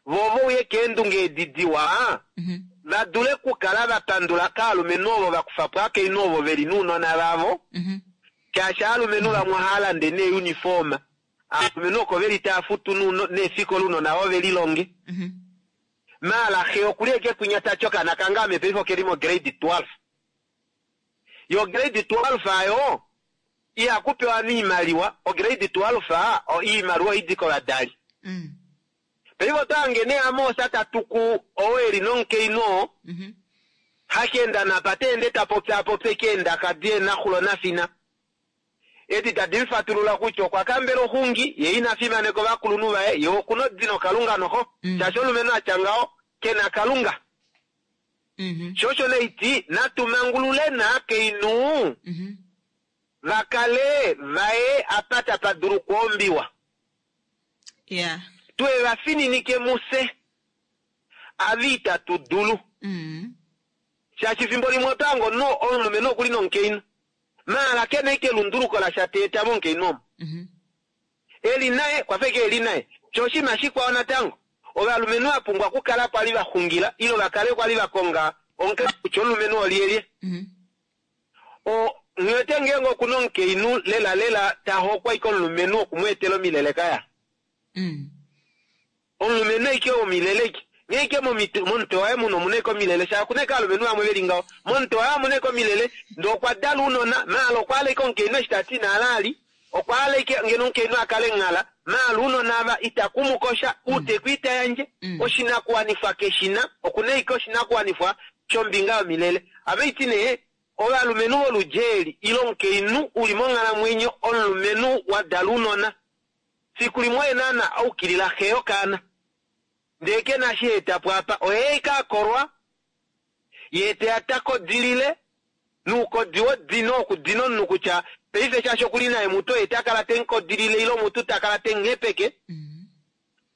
vo vouye keendunge edi diwa, Mhm. va dule okukala va pandula kaalumenhu ovo va kufa po aakainhu ovo veli nounona vavo. Mhm. Shaashi aalumenhu vamwe ohava lande neeuniform. Aalumenhu oko veli tava futu neefikola ounona vavo velilonge. Mhm. Maala xe okuli eke kwinya tati okaana kange ame paife okeli mo grade twelve. Yo grade twelve ayo ihaku pewa iimaliwa, o grade twelve iimaliwa oidi kovadali. Mm. Paife oto hange nee Amos ta tuku oo eli nomukainhu oo, Mhm. hakeenda napa ta ende ta popya popya eke eendaka di naxulo nafina. Edi tadi mufatulula kutya okwa kambela oxungi, ye ina fimaneka ovakulunhu vaye, ye okuna odino kalunga noxo. Mm. Shaashi omulumenhu atya ngaho, kena kalunga. Mhm. Sho osho neiti, natu mangulule naakainhu, Mhm. vakale vaye apa tapa dulu okwoombiwa. Yeah. Tuye vafininike muse, ava itatu dulu. Mm. Shaashi fimbo limwe oto hange omunhu omulumenhu okuli nomukainhu. Maala kena ike elunduluko lasha ta eta momukainhu omo. Mhm. Eli naye, kwafa ike eli naye. Sho oshinima shikwao natango, ovalumenhu vapumbwa okukala kwali vaxungila, ile vakale kwali vakonga omukalo kutya omulumenhu olyelye. Mhm. O, nghiwete ngeenge okuna omukainhu lela lela ta hokwa ike omulumenhu okumweetela omilele kaya. Mm. Omulumenhu ike omilele ike. Nghee ike momutwe waye muno omuna ike omilele, shaashi okuna ike ovalumenhu vamwe veli ngaho. Momutwe waye omuna ike omilele, ndee okwa dala ounona, maala okwa hala ike omukainhu eshi tati ina hala ali, okwa hala ike ngeno omukainhu akale nghala, maala ounona ava itakumukosha, outeku ita yandje, Mm. oshinakuwanifwa keshina, okuna ike oshinakuwanifwa shombinga yomilele. Ava iti nee, ovalumenhu voludja eli, ile omukainhu uli monghalamwenyo, omulumenhu wa dala ounona. Fiku limwe oye naana aukilila xe yokaana. Ndee kena shi eta po apa, oye ike akolwa, ye teya ta kodilile, nuukodi wodino okudina omunhu kutya paife shaashi okuli naye mutu oye takala temukodilile ile omutu takala temuhepeke. Mm.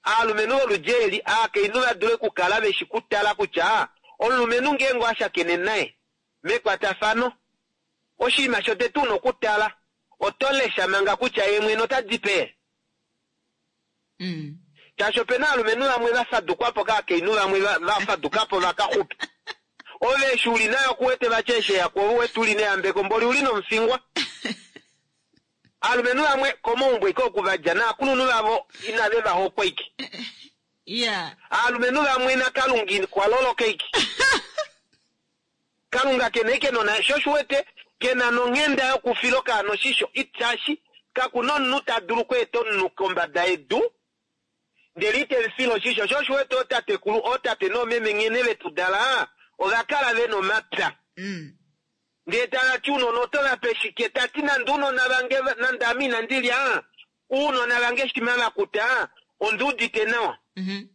Aalumenhu voludja eli, aakainhu va dule okukala veshi kutala kutya omulumenhu ngeenge owashakene naye mekwatafano, oshinima shotete una okutala, oto lesha manga kutya ye mwene ota di pe. Mm. Shaashi opena aalumenhu vamwe va fadukwapo kaakainhu vamwe va fadukapo vakaxupe. Ove eshi uli nayo kuwete vati eshi eya kuove uwete uli neyambeko mboli uli nomufingwa. Aalumenhu vamwe komaumbo ike oku vadja naakulunhu vavo inave va hokwa ike. Yeah. Aalumenhu vamwe nakalunga kwa loloka ike. Kalunga kena ike nona sho osho uwete kena nonghenda yokufila okaana oshisho, shaashi kakuna omunhu ta dulu okweeta omunhu kombada yedu ndele ite mufile oshisho. Sho osho uwete ootatekulu, ootate noomeme nghene vetu dala, ova kala vena omapya. Mm. Ndee tavati ounona oto vape shike, tati nande ounona vange, nande ame inandi lya, ounona vange shima vakuta, ondiudite nawa. Mhm.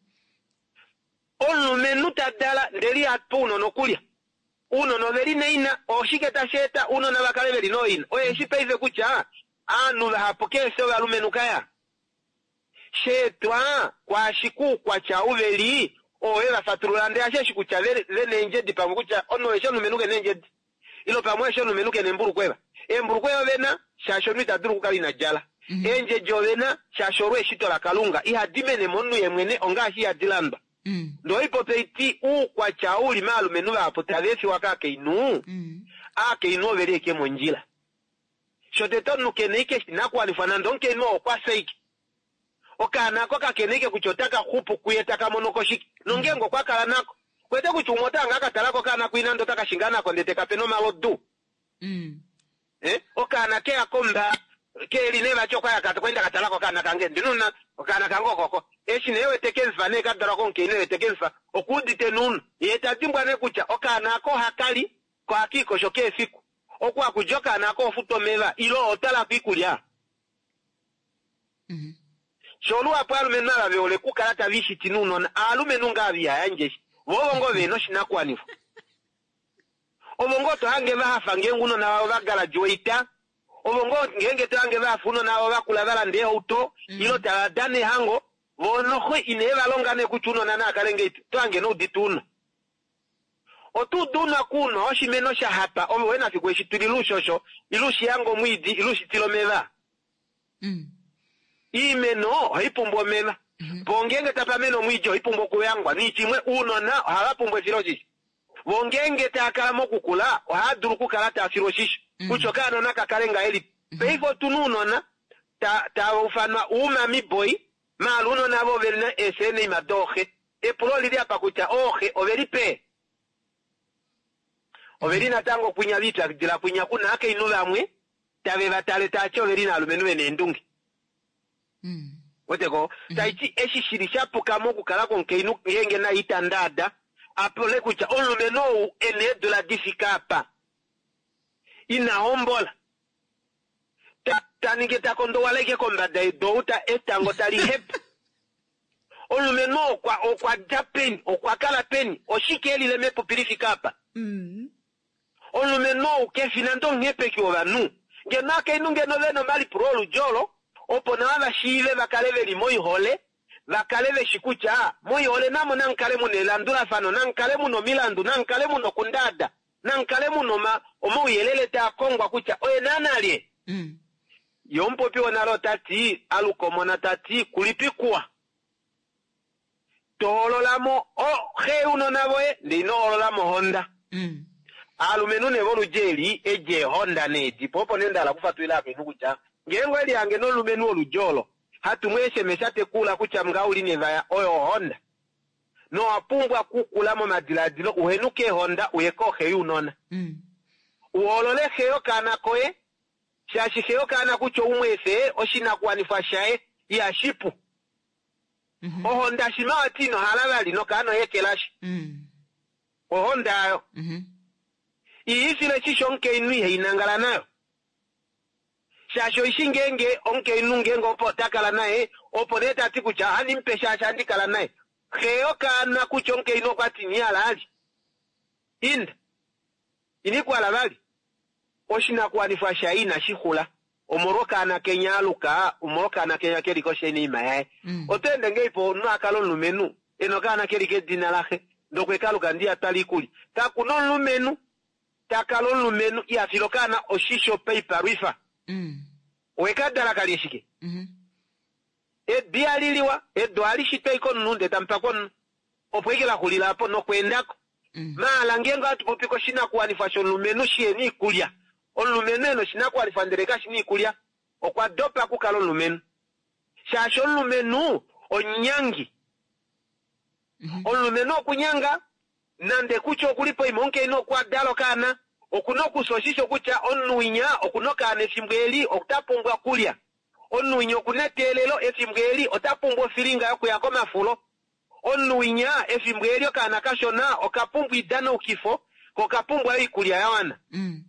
Omulumenhu ta dala ndele ihape ounona okulya. Ounona oveli naina, oshike tashi eta ounona vakale veli nooina? Oye eshi paife kutya aanhu vahapu keefye ovalumenhu kaya. Sheetwa kwaashi kuukwatya uveli oo ve va fatulula ndele asheshi kutya vena eendjedi pamwe kutya omunhu eshi omulumenhu kena eendjedi. Ile pamwe eshi omulumenhu kena embulukweva. Eembulukweva ovena shaashi omunhu ita dulu okukala ina djala. Mhm. Eendjedi ovena shaashi olwo eshito lakalunga ihadi mene momunhu ye mwene ongaashi ihadi landwa. Mm. Mm. Ndee oipopi oiti uukwatya ou uli maalumenhu vahapu tava efiwa kaakainhu, Mm. aakainhu oveli ashike mondjila. Shotete omunhu kena ashike oshinakuwanifwa nande omukainhu oo okwa fya ashike. Okaana ako kakena ashike kutya otaka xupu kuye taka mono ko shike. Nongeenge okwa kala nako, kwete kutya umwe otanga ka talako okaana kuina ndee otaka shinga nako ndee tekape nomalodu. Mm. Eh? Okaana keya komba keli nee vati okwaya kwenda katalako okaana kange ndinuna okaana kange okoko. Eshi nee wete kemufa nee kadalwa komukainhu wete kemufa okuudite nuunu. Ye ta dimbwa nee kutya okaana ako ohakali ko ohakiikosho keefiku. Oku hakudja okaana ako ofuta omeva ile otalako iikulya. Mm. Sho luhapu aalumenhu ava vehole okukala tava ishiti nounona, aalumenhu ngaa ava ihayandje shi. Vo ovo ngoo vena oshinakuwanifwa. Ovo ngoo tohange vahafa ngeenge ounona vavo va graduate, ovo ngoo ngeenge tohange vahafa ounona vavo vakula valanda eehauto, Mm. ile tava dana ehango, vo noxo inee valonga nee kutya ounona naa kale ngeipi, tohange noudite ounwa. Otuudu ounwa kuunwa oshimeno sha hapa, ove wena fiku eshi tulile oushosho, ile ushiyanga omwiidi, ile ushitile omeva. Mm. Iimeno ohai pumbwa omeva. Mm-hmm. Po ngeenge tapa mene omwiidi ohai pumbwa okuyangwa. Niiti imwe ounona ohava pumbwa efiloshisho. Vo ngeenge taa kala mokukula ohava dulu okukala taa filwa oshisho. Mm. Kutya okaana naka kale ngahelipi. Mm-hmm. Paife otuna ounona ta-, tava ufanwa uumami boy, maala ounona avo ove na eeseeneima dooxe. Epulo olili apa kutya ooxe oveli pe? Oveli natango kwinya viipyakidila kwinya kuna aakainhu vamwe tave va tale taati oveli naalumenhu vena eendunge. Mm. Weteko, Mm. taiti eshi shili shapuka mokukala kwomukainhu ngeenge naye ita ndaada, apule kutya omulumenhu ou ena eedula difika apa ina hombola, ta, ta ningi ta kondowala ashike kombada yedu ou ta etango tali hepa. Omulumenhu okwa, okwa dja peni, okwa kala peni, oshike elile mepupi lifika apa? Mm. Omulumenhu ou kefi nande omuhepeki wovanhu. Ngeno akainhu ngeno vena omalipulo oludji olo, opo nawa va shiive va kale veli moihole, va kale veshi kutya moihole namo namukale muna elandulafano, namukale muna omilandu, namukale muna okundaada, namukale muna oma-, omauyelele taa kongwa kutya oye naana lye. Mm. Ye omupopi wonale ota ti, alukomona ta ti, kulipikuwa. Tohololamo oxe younona voye, ndee ino hololamo ohonda. Mm. Aalumenhu nee voludji eli, edi eehonda nee di po, opo nee nda hala okufatulila akainhu kutya, ngeenge owe lihange nomulumenhu woludji olo, hatu mu S M S tekula kutya mga uli nevaya, oyo ohonda. Nowa pumbwa kukula momadiladilo, uhenuke eehonda, uye kooxe younona. Mm. Uholole xe yokaana koye, shaashi xe yokaana kutya oumwe efe, oshinakuwanifwa shaye ihashipu. Mm-hmm. Ohonda shima wati ino hala vali nokaana oye kelashi. Mm. Ohonda ayo. Mm-hmm. Iifile shisho omukainhu ihai nangala nayo. Shaashi oishi ngeenge omukainhu ngeenge opo ota kala naye, opo nee ta ti kutya ohandi mupe shaashi handi kala naye. Xe yokaana kutya omukainhu okwa ti ini hala ali. Inda. Ini ku hala vali. Oshinakuwanifwa shaye inashi xula. Omolwokaana kenya aluka, omolwokaana kenya keli koshenima yaye. Mm. Oto ende ngei po omunhu a kala omulumenhu, ena okaana keli kedina laxe, ndokwe kaluka ndiya twala iikulya. Kakuna omulumenhu ta kala omulumenhu iha file okaana oshisho paipalwifa. Mm. Owe ka dala kalye shike? Mm-hmm. Edu ihali liwa, edu ohali shitwa ashike omunhu ndele tamu pakwa omunhu. Opo ike la xulila apo nokweendako. Mm. Maala ngeenge ohatu popi koshinakuwanifwa shomulumenhu shi yena iikulya. Omulumenhu ena oshinakuwanifwa ndele kashi na iikulya, okwa dopa okukala omulumenhu. Shaashi omulumenhu onyangi. Mm-hmm. Omulumenhu okunyanga, nande kutya okuli poima omukainhu okwa dala okaana, okuna okufya oshisho kutya omunhu winya okuna okaana efimbo eli ota pumbwa okulya. Omunhu winya okuna eteelelo efimbo eli ota pumbwa ofilinga yokuya komafulo. Omunhu winya efimbo eli okaana kashona oka pumbwa idanaukifo, ko oka pumbwa oikulya ya wana. Mm.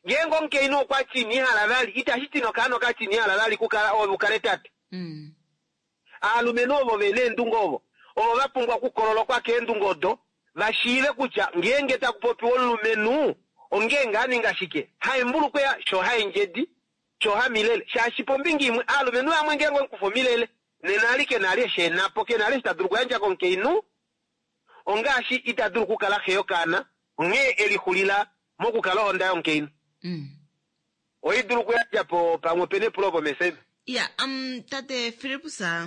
Ngeenge omukainhu okwa ti ini hala vali, itashi ti nokaana oka ti ini hala vali kukala ove ukale tate. Mm. Aalumenhu ovo vena eendunge ovo, ovo va pumbwa okukololokwa keendunge odo, va shiive kutya ngeenge taku popiwa omulumenhu, ongeenge a ninga shike, haembulukweya sho haendjedi, sho hamilele. Shaashi pombinga imwe, aalumenhu vamwe ngeenge omukufa omilele, nena ali ke na ali eshi ena po, ke na ali eshi ta dulu okuyandja komukainhu, ongaashi ita dulu okukala xe yokaana, onghee e lixulila mokukala ohonda yomukainhu. Mm. Oi dulu okuyandja po pamwe opena epulo pomesema. Ya, um, tate Philipus, o,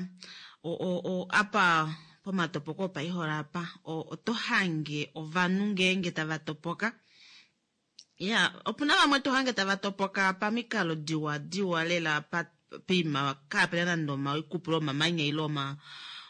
o, o, apa pomatopoko opaihole apa oto hange ovanhu ngeenge tava topoka. Ya, opuna vamwe to hange tava topoka pamikalo diwa diwa lela pa poima kaapena nande omaikupulo omamanya ile oma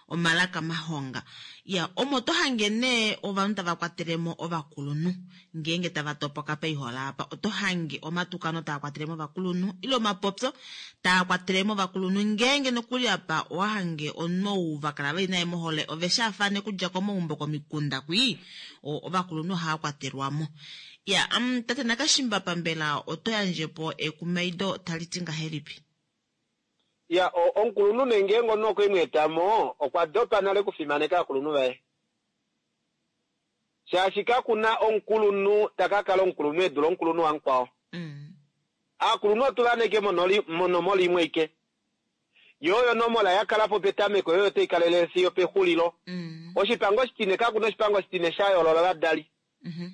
omalaka mahonga. Ya, omo to hange nee ovanhu tava kwatelemo ovakulunhu ngeenge tava topoka paihole apa oto hange omatukano taa kwatelemo ovakulunhu ile omapopyo taa kwatelemo ovakulunhu ngeenge nokuli apa owa hange omunhu ou va kala veli naye mohole ove shaafane okudja komaumbo komikunda kwii ovakulunhu ohava kwatelwamo. Ya, um, tate Nakashimbapa mbela oto yandjepo ekumaido tali ti ngahelipi? Ya, omukulunhu nee ngeenge omunhu okwe mu eta mo, okwa dopa nale okufimaneka aakulunhu vaye. Shaashi kaku na omukulunhu ta ka kala omukulunhu e dule omukulunhu wamukwao. Mm. Aakulunhu otu va neke monomola imwe ike. Yo oyo onomola ya kala po petameko, yo oyo tai kalelele fiyo pexulilo. Mm. Oshipango oshitine, kaku na oshipango oshitine sha yoolola ovadali. Mm-hmm.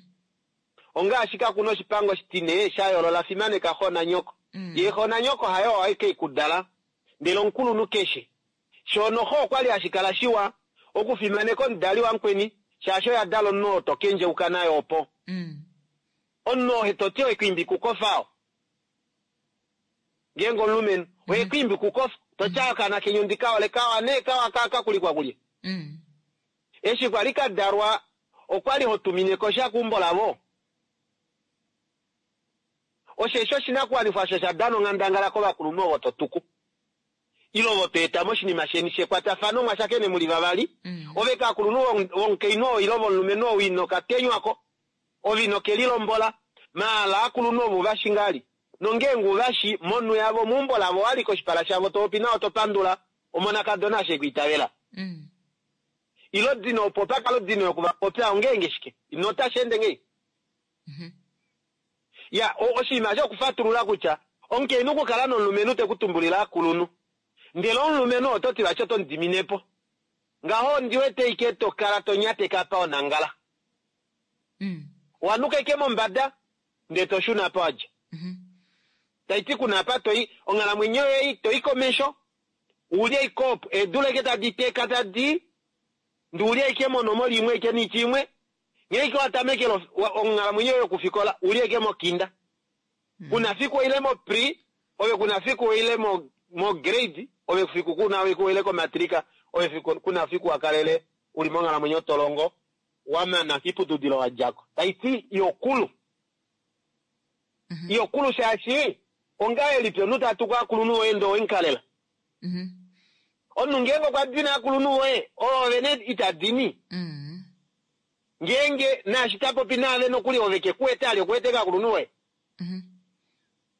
Ongaashi kaku na oshipango oshitine sha yoolola fimaneka xo nanyoko. Mm. Ye xo nanyoko hayo aike ikudala, ndele omukulunhu keshe. Shono xo okwali hashi kala shiwa okufimaneka omudali wamukweni, shaashi oya dala omunhu oo to kendjeuka naye opo. Mm. Omunhu oo to ti oye kukofa oo. Ngeenge omulumenhu, oye kwiimbi kukofa, to tya okaana kenyu ndika ole kawa nee kawa ka kakulikwa kulye. Mm. Eshi kwali ka dalwa, okwali ho tumine ko sha keumbo lavo. Osheshi oshinakuwanifwa osho sha dana onghandangala kovakulunhu ovo to tuku. Ile ovo to eta moshinima sheni shekwatafano mwa shakene muli vavali. Mm. Ove kaakulunhu vomukainhu oo ile vomulumenhu oo ino ka tenywako, ove ino ke lilombola, maala aakulunhu ovo uvashi ngali. Nongeenge uvashi monhu yavo meumbo lavo wali koshipala shavo to popi nao to pandula omonakadona ashe kwiitavela. Mm. Ilo dino opo pa kala odino yokuvapopya ongeenge shike? Ino otashi ende ngei? Mm-hmm. Ya, oshinima shokufatulula kutya omukainhu okukala nomulumenhu te ku tumbulile aakulunhu. Ndele omulumenhu oto ti vati oto mu diminepo. Ngaho ondi wete ike to kala to nyateka pa onangala. Mm. Wanuka ike mombada, ndele to shuna pa wadja. Mm-hmm. Tai ti kuna apa toi, onghalamwenyo yoye toi komesho, ulye ikopo, eedula ike tadi teka tadi, ndi ulye ike monomola imwe ike niiti imwe, ngee ike wa tamekele onghalamwenyo yoye yokufikola, ulye ike mokinda. Mm. Kuna fiku ile mo pre, ove kuna fiku ile mo, mo grade, ove fiku kuna fiku ile komatrika, ove fiku kuna fiku wa kalele, uli monghalamwenyo tolongo, wa mana kiputudilo wa djako. Tai ti yokulu. Mm-hmm. Yokulu shaashi, ongahelipi omunhu ta tuku aakulunhu voye ndee owenkalela? Mm-hmm. Omunhu ngeenge okwa dina aakulunhu voye, ove ne ita dini. Mm. Ngeenge naashi ta popi naave nokuli ove ke ku wete ali okuwete kaakulunhu voye. Mm-hmm.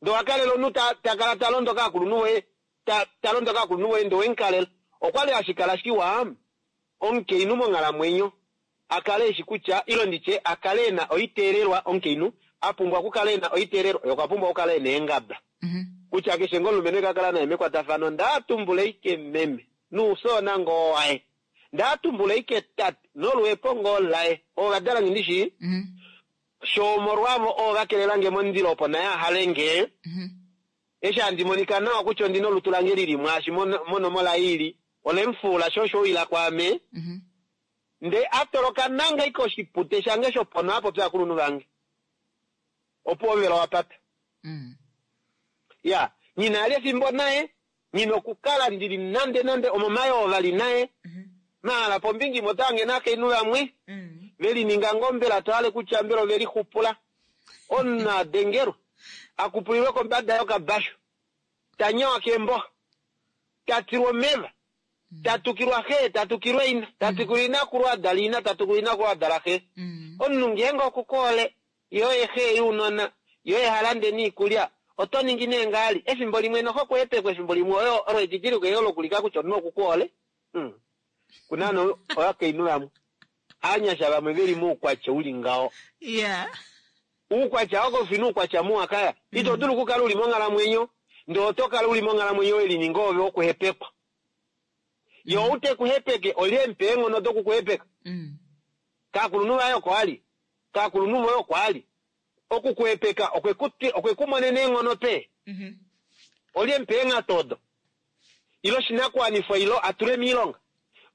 Ndee owa kalela omunhu ta, ta kala ta londo kaakulunhu voye, ta, ta londo kaakulunhu voye ndee owenkalela. Okwali hashi kala shiwa omukainhu monghalamwenyo a kale eshi kutya, ilo nditye a kale e na oiteelelwa, omukainhu a pumbwa okukala e na oiteelelwa, ye okwa pumbwa okukala e na eengaba. Mm-hmm. Kutya keshe ngoo omulumenhu eka kala naye mekwatafano, ndaa tumbula ike meme, nuusoona ngoo waye. Ndaa tumbula ike tate, noluhepo ngoo laye. Ovadala nge ndishi, Mm-hmm. sho omolwavo oo va kelela nge mondilo opo naye a hale nge. Mm-hmm. Eshi handi monika nawa kutya ondina olutu lange lili mwaashi monomola ili, olemufula sho osho ila kwaame. Mm-hmm. Nde a toloka nanga ike oshipute shange shopono a popya aakulunhu vange. Opo omuvelo wa pata. Mm. Ya, nyina ali efimbo naye, nyina okukala ndili nande nande omomayo vali naye. Mm-hmm. Maala pombinga imwe otange nakainhu vamwe, Mm. veli ninga ngoo mbela to hale kutya mbela oveli xupula. Omunhu a dengelwa, a kupulilwe kombada yokabashu, ta nyawa keemboxa, ta tilwa omeva, ta tukilwa xe, ta tukilwa ina, ta tukilwa inakulu a dala ina, ta tukilwa inakulu a dala xe. Mm. Omunhu ngeenge okukoole, ye oye xe younona, ye oye ha lande niikulya, oto ningi nee ngaali. Efimbo limwe noho kuhepekwa, efimbo limwe oyo olo edidiliko olo lokulika kutya omunhu okukoole. Mm. Kuna no ovakainhu vamwe, aanyasha vamwe veli moukwatya uli ngaho. Yeah. Uukwatya oko fina uukwatya muwa kaya. Ito dulu okukala uli monghalamwenyo, ndee oto kala uli monghalamwenyo we lininga ove wokuhepekwa. Ye ou te ku hepeke, olye mupe eenghono dokukuhepeka. Mm. Kaakulunhu vaye oko ali, kaakulunhu voye oko ali. Okukuhepeka okwe ku monena eenghono pe. Mm-hmm. Olye mupe eenghato odo. Ilo oshinakuwanifwa ilo a tule miilonga.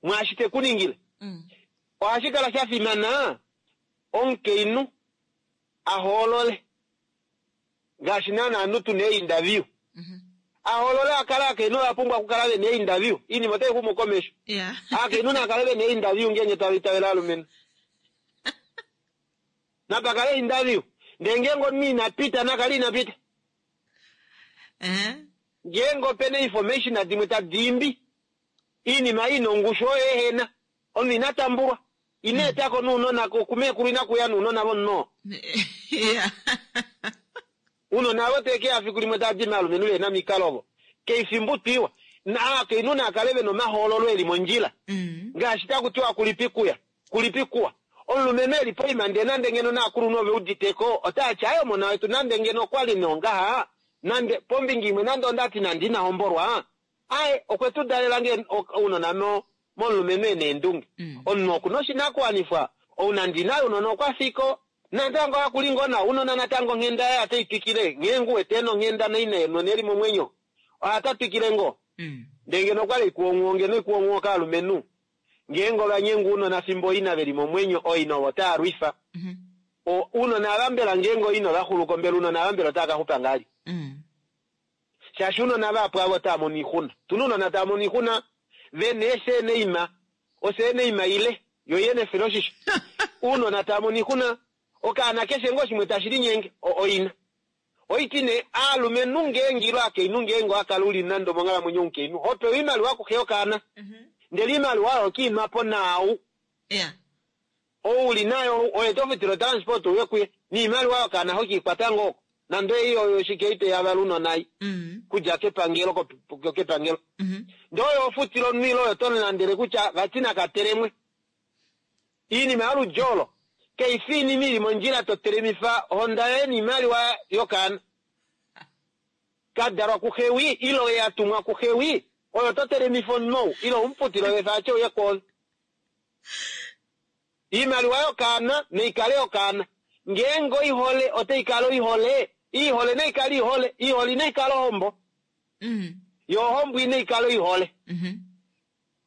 Mwaashi te ku ningile. Mm. Ohashi kala sha fimana omukainhu a hoolole ngaashi naana ovanhu tuna ee-interview. Mhm. A hoolole a kale aakainhu ova pumbwa okukala vena ee-interview. Oinima otai xumu komesho. Yeah. Aakainhu naa kale vena ee-interview ngeenge tava itavele alumenhu. Napa kale interview. Ndee ngeenge omunhu ina pita nakale ina pita. Eh? Ngeenge opena information dimwe tadi imbi oinima ina ongushu oyo ehena omunhu ina tambulwa ina etako nounona kumeekulu ina kuya nounona vomunhu oo. Yeah. Ounona avo teke ya fiku limwe tadi maalumenhu vehena omikalo ovo keifi mbutwiwa aakainhu naakale vena omahoololo eli mondjila. Mm. Ngaashi taku tiwa kulipi kuya kulipi kuwa omulumenhu eli poima ndee nande ngeno naakulunhu ove uditeko otaati aye omona wetu nande ngeno okwali nongaha nande pombinga imwe nande ondati nande ina hombolwa aye okwe tu dalela nge ounona momulumenhu ena eendunge. Mm. Omunhu okuna oshinakuwanifwa ou nande inaye ounona okwa fiko natango hakuli ngoo nawa ounona natango onghenda yaye otei twikile ngeenge uwete ena onghenda noina nona eli momwenyo ohata twikile ngoo. Mm. Ndee ngeno okwali ikuonguwo ngeno ikuonguwo kaalumenhu ngeenge ovanyengwa ounona fimbo ina veli momwenyo oina ovo taa lwifa. Mhm. Ounona ava mbela ngeenge oina ovaxuluko mbela ounona ava mbela otava kaxupa ngahali. Mm. Shaashi ounona vahapu avo otava mono oixuna. Tuna ounona tava mono oixuna vena eeseeneima oseeneima ile yo yene efiloshisho. Ounona tava mono oixuna okaana keshe ngoo shimwe tashi linyenge oina. Oiti nee aalumenhu ngeenge ilo akainhu ngeenge owakala uli nande omonghalamwenyo omukainhu hopewa oimaliwa kuxe yokaana. Mhm. Ndele oimaliwa oyo kiimapo naau. Yeah. Ou uli nayo oye tofutile otransport uye kuye niimaliwa yokaana hokiikwata ngoo oko. Nande ei oyo shike iteyavala ounona ei Mm. kudja kepangelo kepangelo. Mhm. Ndee oyo ofutile omunhu ile oyo tomulandele kutya vati nakatelemwe. Iinima yoludji olo kaifi oinima ili mondjila totelemifa ohonda yoye niimaliwa yokaana. Kadalwa kuxewi ile oye atumwa kuxewi oyo totelemifa omunhu ou ile umufutile olefa atye uye kwoove. Iimaliwa yokaana naikale yokaana. Ngeenge oihole otaikala oihole, iihole naikale ihole, ihole inaikala ohombo. Mm. Yo ohombo inaikala oihole. Mhm.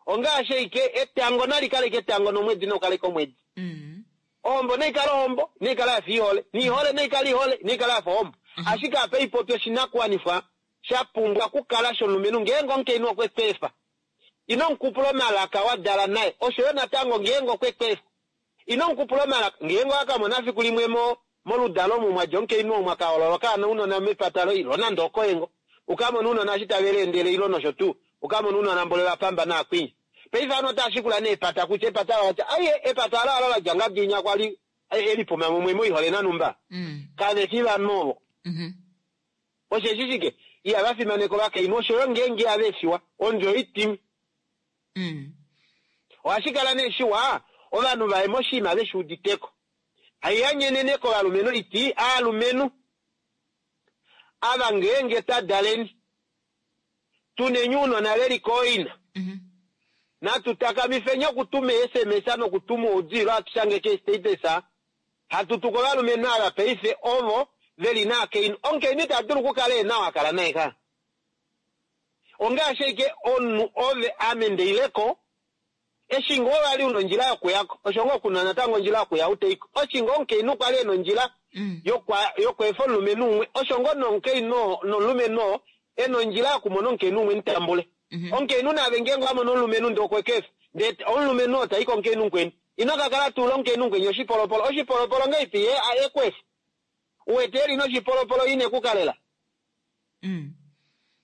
Ongaashi ashike etango nali kaleke etango nomwedi naukaleke omwedi. Mm. Ohombo naikale ohombo, naikale yafa ihole, niihole naikale ihole, naikale yafa ohombo. Ashike apa ipopi oshinakuwanifwa sha pumbwa okukala shomulumenhu ngeenge omukainhu okwe ku efa. Ino mukupula omalaka wa dala naye, osho yo natango ngeenge okwe ku efa. Ino mukupula omalaka ngeenge owakamona fiku limwe mo moludalo omu mwadja omukainhu oo mwakahoolola okaana ounona mepata loye ilo nande okoye ukamona ounona eshi tave liendele ilo nosho tuu ukamona ounona mbole vapamba naakwinya. Paife ovanhu otava shikula nee epata kutya epata olo latya aiye epata alo alo ladja ngadinya kwali elipuma mumwe moihole nanumba. Mm. Kave fi vanhu ovo. Mhm. Osheshi shike ihava fimaneka ovakainhu osho yo ngeenge ihava efiwa ondjo oitimi. Mm. Ohashi kala nee shiwa ovanhu vaye moshinima veshi uditeko. Haiyanyenene kovalumenhu iti aalumenhu ava ngeenge tadaleni tuneni ounona veli kooina. Mhm. Natu takamifeni okutuma SMS nokutuma oudilo hatu shange keestatus hatu tuka ovalumenhu ava paife ovo veli naakainhu. Omukainhu ita dulu okukala ena oo akala naye ka. Ongaashi ashike omunhu ove ame ndeileko eshi ngoo vali una ondjila yokuyako osho ngoo kuna natango ondjila yokuya uteiko. Oshi ngoo omukainhu kwali ena ondjila Mm. yokweefa omulumenhu umwe osho ngoo nomukainhu nomulumenhu oo ena ondjila yokumona omukainhu umwe mutambule. Mhm. Omukainhu naave ngeenge wamona omulumenhu ndee okwe ku efa ndee omulumenhu oo tai komukainhu mukweni ino kakala tuula omukainhu mukweni oshipolopolo oshipolopolo ngahelipi ye eku efa uwete eli noshipolopolo ine kukalela. Mm.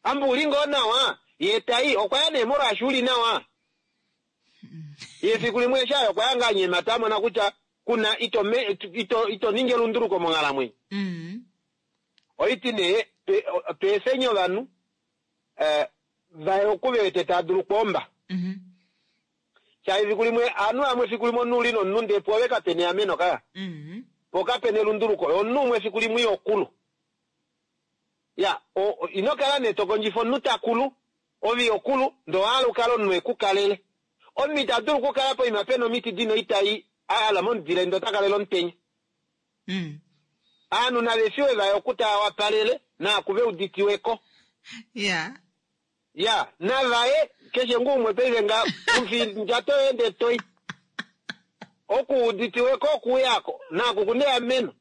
Amba uli ngoo nawa ye tai okwaya nee molwaashi uli nawa. Ye fiku limwe eshi aya okwaya ngaa nyemata amona kutya kuna ito ito ito ningi elunduluko monghalamwenyo. Mm. Oiti nee tweefeni ovanhu eh, vaye oku vewete tava dulu okwoomba. Mhm. Shaashi fiku limwe ovanhu vamwe fiku limwe omunhu uli nomunhu ndee pwoove kapena eameno ka. Mm. Po kapena elunduluko. Omunhu umwe fiku limwe ihokulu. Ya, ino kala nee tokondjifa omunhu takulu, ove ihokulu, ndee owahala ukale omunhu ekukalele. Omunhu ita dulu okukala poima pena omiti dina oitai ahala momudile ndee ota kalele omutenya. Mm. Ovanhu nave fiwe vaye oku tava wapalele naaku veuditiweko. Yeah. Ya, navaye keshe ngumwe paife nga ndjato ende toi. Okuuditiwe ko okuyako naku kuna eameno.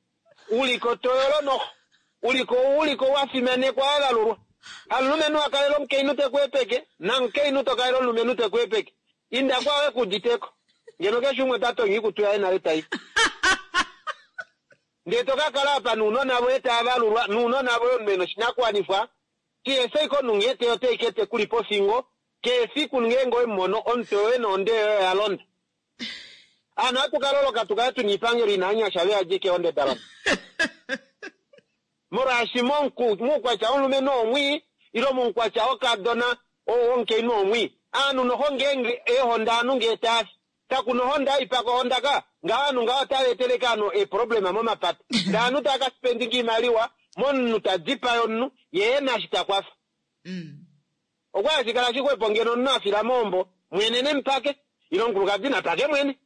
Uliko toyolo noho. Uliko uliko wa fimanekwa wa valulwa. Hamulumenhu wa kalela omukainhu te ku epeke, namukainhu to kalela omulumenhu te ku epeke. Inda kwawe kuuditeko. Ngeno keshe umwe ota tonya oikutu yaye nale tai. Ndee to ka kala apa nounona voye tava valulwa, nounona voye omunhu ena oshinakuwanifwa, kehe ike omunhu nghee teya oteyi kete kuli pofingo, kehe efiku ngeenge owemumono omutwe woye nohonde yoye oya londa. Aanhu ohatu ka loloka tu kale tuna iipangelo ina anyasha ve yadje keehonde da londa. Molwaashi muukwatya womulumenhu omwii, ile muukwatya wokadona womukainhu omwii. Aanhu noho ngeenge eehonda aanhu ngee taafi, kakuna ohonda haipaka ohonda ka, ngaho aanhu ngaho otava eteleke aanhu eeproblema momapata. Ndee aanhu tava ka spendinga iimaliwa momunhu ta dipaya omunhu, yee ena eshi ta kwafa. Okwa hashi kala shixwepo ngeno omunhu afila mohombo, mwene nemupake, ile omukulukadi napake mwene.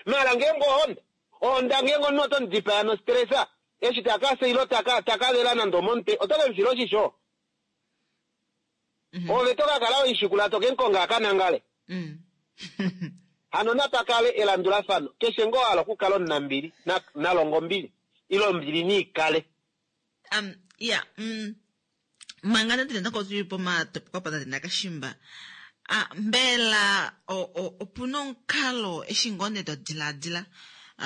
Maala ngeenge ohonda, ohonda ngeenge omunhu oto mudipaya nostresa, eshi takafya ile taka taka vela nande omomutwe, oto ke mufila oshisho. Ove to ka kala weishikula to ke mukonga a ka nangale. Hano napa kale elandulafano, keshe ngoo hala okukala omunambili, nalonga ombili, ile ombili niikale. Um, ya, mm, manga nande natango tuli pomatopoko apa tate Nakashimba, ah, mbela opuna omukalo eshi ngoo nee to diladila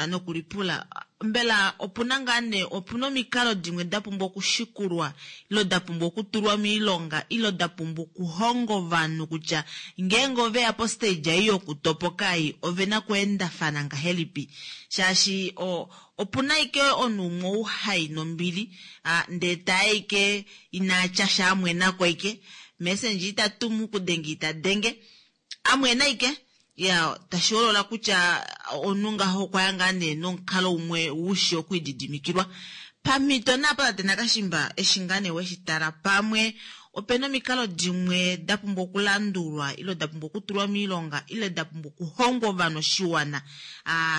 nokulipula, mbela opuna ngaa nee opuna omikalo dimwe da pumbwa okushikulwa ile da pumbwa okutulwa moilonga ile da pumbwa okuhonga ovanhu kutya ngeenge oveya postage ei yokutopoka ei ovena okuendafana ngahelipi, shaashi opuna ike omunhu umwe ou hai nombili ndee taye ike inatya sha amwenako ike messenger ita tumu kudenge ita denge amwena ike ya tashi holola kutya omunhu ngaho okwa ya ngaa nee nomukalo umwe ushi okwiididimikilwa. Pamhito naapa tate Nakashimba eshi ngaa nee weshi tala pamwe opena omikalo dimwe da pumbwa okulandulwa ile da pumbwa okutulwa moilonga ile da pumbwa okuhongwa ovanhu oshiwana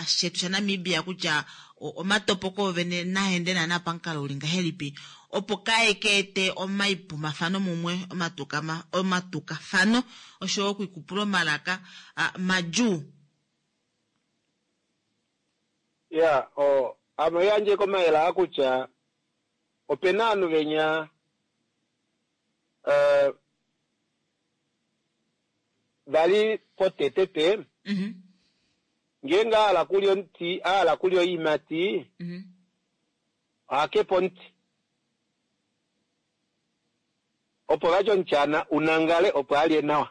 shetu shaNamibia kutya omatopoko ovene naende naana pamukalo uli ngahelipi opo kae ka ete omaipumafano mumwe omatukafano oshoyo okwiikupula omalaka madjuu. Ya, ame oyandje komayele aa kutya opena ovanhu venya uh, vali potete pe ngeenge ahala kulya omuti ahala kulya oiimati ohakepo omuti opo vati omutyana unangale opo alye nawa.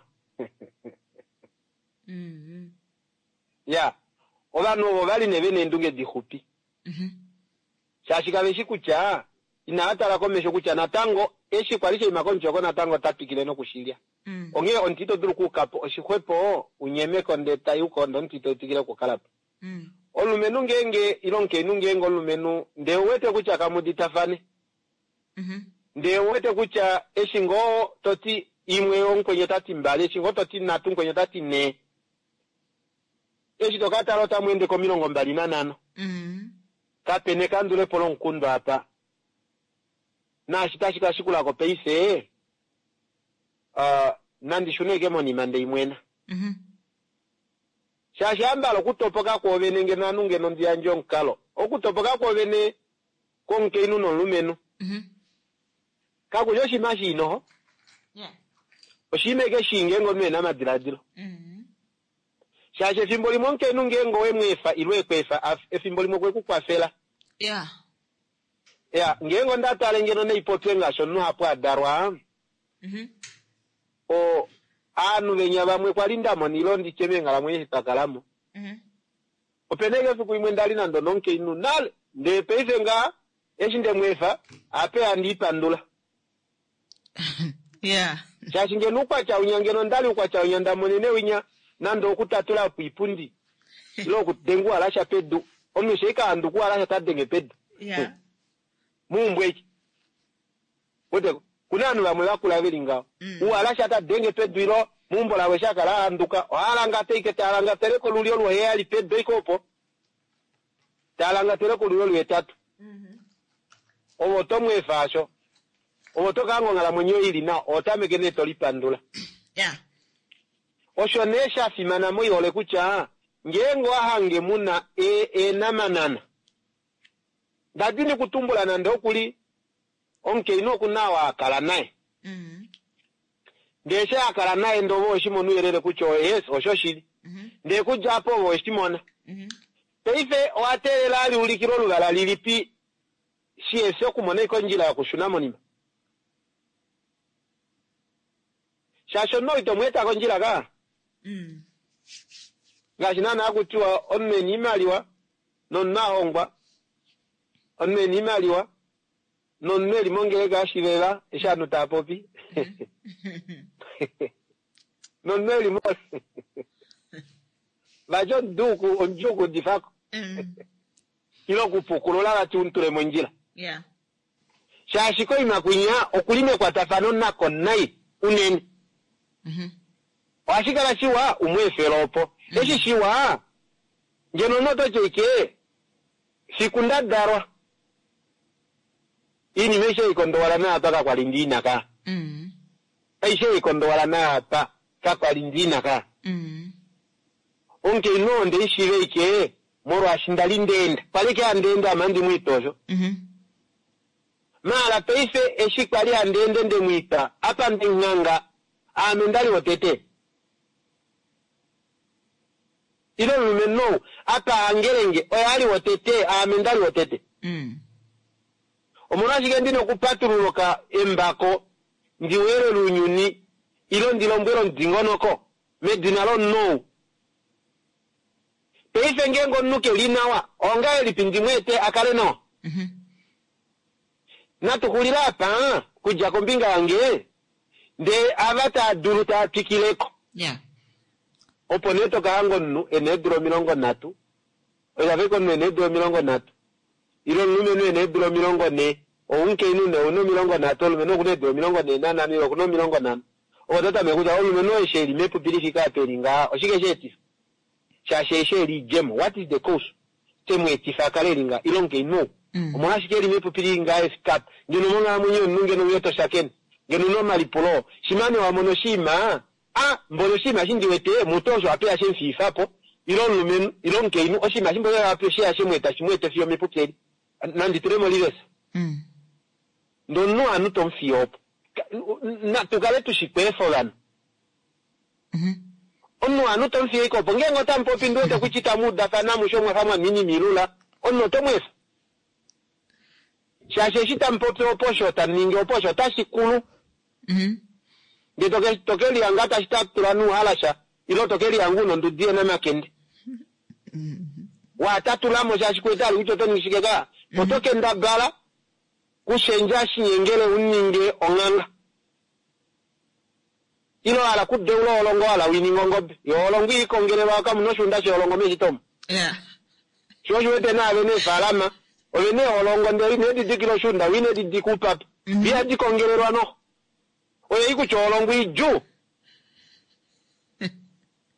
Ya, ovanhu ovo vali nee vena eendunge dixupi shaashi kaveshi kutya inava tala komesho kutya natango eshi kwali shaima komuti oko natango ota twikile nokushilya. Onghee omuti ito dulu okuukapo oshixwepo unyemeko ndee tayuko ndee omuti ito twikile okukalapo. Omulumenhu ngeenge ile omukainhu ngeenge omulumenhu ndee uwete kutya kamuditafane ndee uwete kutya eshi ngoo toti imwe omukwenye otati mbali eshi ngoo toti nhatu omukwenye otati nhee eshi tokatala otamu ende komilongo mbali nanhano kapena ekandulepo lomukundu apa naashi tashi ka shikulako paife uh, nandi shune ike monima ndeimwena shaashi ambala okutopoka kwoovene ngeno ovanhu ngeno ndiyandje omukalo okutopoka kwoovene kwomukainhu nomulumenhu kakushi oshinima shiinoho oshinima eke shii ngeenge omunhu ena amadiladilo shaashi efimbo limwe omukainhu ngeenge owemweefa ile ekweefa efimbo limwe okwe ku kwafela ya ngeenge onda tale ngeno neipopye ngaashi omunhu hapo adalwa o aanhu venya vamwe kwali ndamona ile nditye meenghalamwenyo eshi twakalamo opena ike efiku limwe ndali nande onomukainhu nale ndee paife ngaa eshi ndemweefa ape handiipandula shaashi ngeno uukwatya winya ngeno ndali uukwatya winya ndamonene winya nande okutatula po iipundi ile okudenga uhalasha pedu omunhu sheika handuka uhalasha ta denge pedu muumbwe eke weteko kuna ovanhu vamwe vakula veli ngaho uhalasha ta denge pedu ilo meumbo lavo eshi akala ahanduka ohalangata ike talangatele kolulyo luheyali pedu ike opo talangatele kolulyo luhetatu ovo otomweefa asho Ovo to ka hanga onghalamwenyo ili nawa, oho tameke nee to lipandula. Ya. Osho nee sha fimana moihole kutya ngeenge owa hange muna eenamanana, ndadini kutumbula nande okuli omukainhu oku na wa kala naye. Mm. Ndee eshi a kala naye ndee ove oweshi mona ouyelele kutya yes oshoshili. Mhm. Ndee kudja apo ove oweshimona. Mhm. Paife owa teelela aliulikile oluvala lilipi shihefi okumona ashike ondjila yokushuna monima. Shaashi omunhu ito mweeta kondjila ka. Mm. Ngaashi naana hakutiwa omunhu ena oimaliwa nomunhu a hongwa, omunhu ena oimaliwa nomunhu eli mongeleka yashiveva eshi ovanhu tava popi. Nomunhu eli mo vati omuduu omudjuu okuudifako. Mm. Ile okupukulula vati umutule mondjila. Yeah. Shaashi koima kwinya okuli mekwatafano nako nai unene. Mhm. Ohashi kala shiwa umweefele opo. Eshi shiwa ngeno omunhu oto ti ashike fiku nda dalwa iinima aishe haikondowala naapa kakwali ndiina ka. Mm. Aishe haikondowala naapa kakwali ndiina ka. Mm. Omukainhu oo ndeishiiva ashike molwaashi ndali ndeenda. Kwali ashike handi ende ame handi mwiita osho. Mhm. Maala paife eshi kwali handi ende ndemwiita apa ndemuhanga aame ndali wotete. Ile omulumenhu ou apa hangelenge oye ali wotete aame ndali wotete. Mm. Omolwashike ndina okupatulula embako ndi weelele ounyuni ile ndi lombwele omudingonoko medina lomunhu ou. Paife ngeenge omunhu keli nawa ongahelipi ndimweete a kale nawa? Mhm. Natu xulile apa kudja kombinga yange ndee ava taa dulu taa twikileko. Yeah. Opo nee toka hanga omunhu ena eedula omilongo nhatu, oya omunhu ena eedula omilongo nhatu ile omulumenhu ena eedula omilongo nhee, oumukainhu nee ouna omilongo nhatu, omulumenhu okuna eedula omilongo nhee nanhano ile okuna omilongo nhano. Opo totameke kutya omulumenhu oo eshi eli mepupi lifike apa eli ngaha oshike sheetifa? Shaashi eshi eli idjemo, what is the cause? Temweetifa a kale eli ngaha ile omukainhu ou. Mm. Omolwashike eli mepupi lili ngaha efike apa? Ngeno monghalamwenyo yomunhu ngeno uye toshakene, ngeno una omalipulo, shimane wa mona oshiima, a mboli oshiima eshi ndiwete mutu osho apeya shemufiifapo ile omulumenhu ile omukainhu oshiima eshi mboli sheya shemweeta shimweete fiyo mepupi eli. Nandi tule mo reverse. Mm. Ndee omunhu ovanhu tomufiye opo. Tukale tushikweefa ovanhu. Mhm. Omunhu ovanhu tomufiye ashike opo. Ngeenge otamupopi ndiwete kutya itamu udafana amushe omwafa mwaminimilula, omunhu otomweefa. Shaashi eshi tamupopi opo osho tamuningi opo osho otashi kulu. Mhm. Ndee toke lihanga tashi tatula nouhalasha ile toke lihanga una ondudi yenamakende. Watatulamo shaashi kuwete ali kutya oto ningi shike ka. Oto kendabala kushendja shinyengele uninge onghanga. Ile wahala kudeula olongo wahala wininga ongobe. Yo olongo iikongelelwa kamuna oshuunda sholongo meshito omo. Yeah. Sho oshiwete naave neefalama ove neeholongo ndele ine didikila oshuunda wine didika upapa. Mhm. Ihadi kongelelwa noho. Oye kutya olongo idjuu.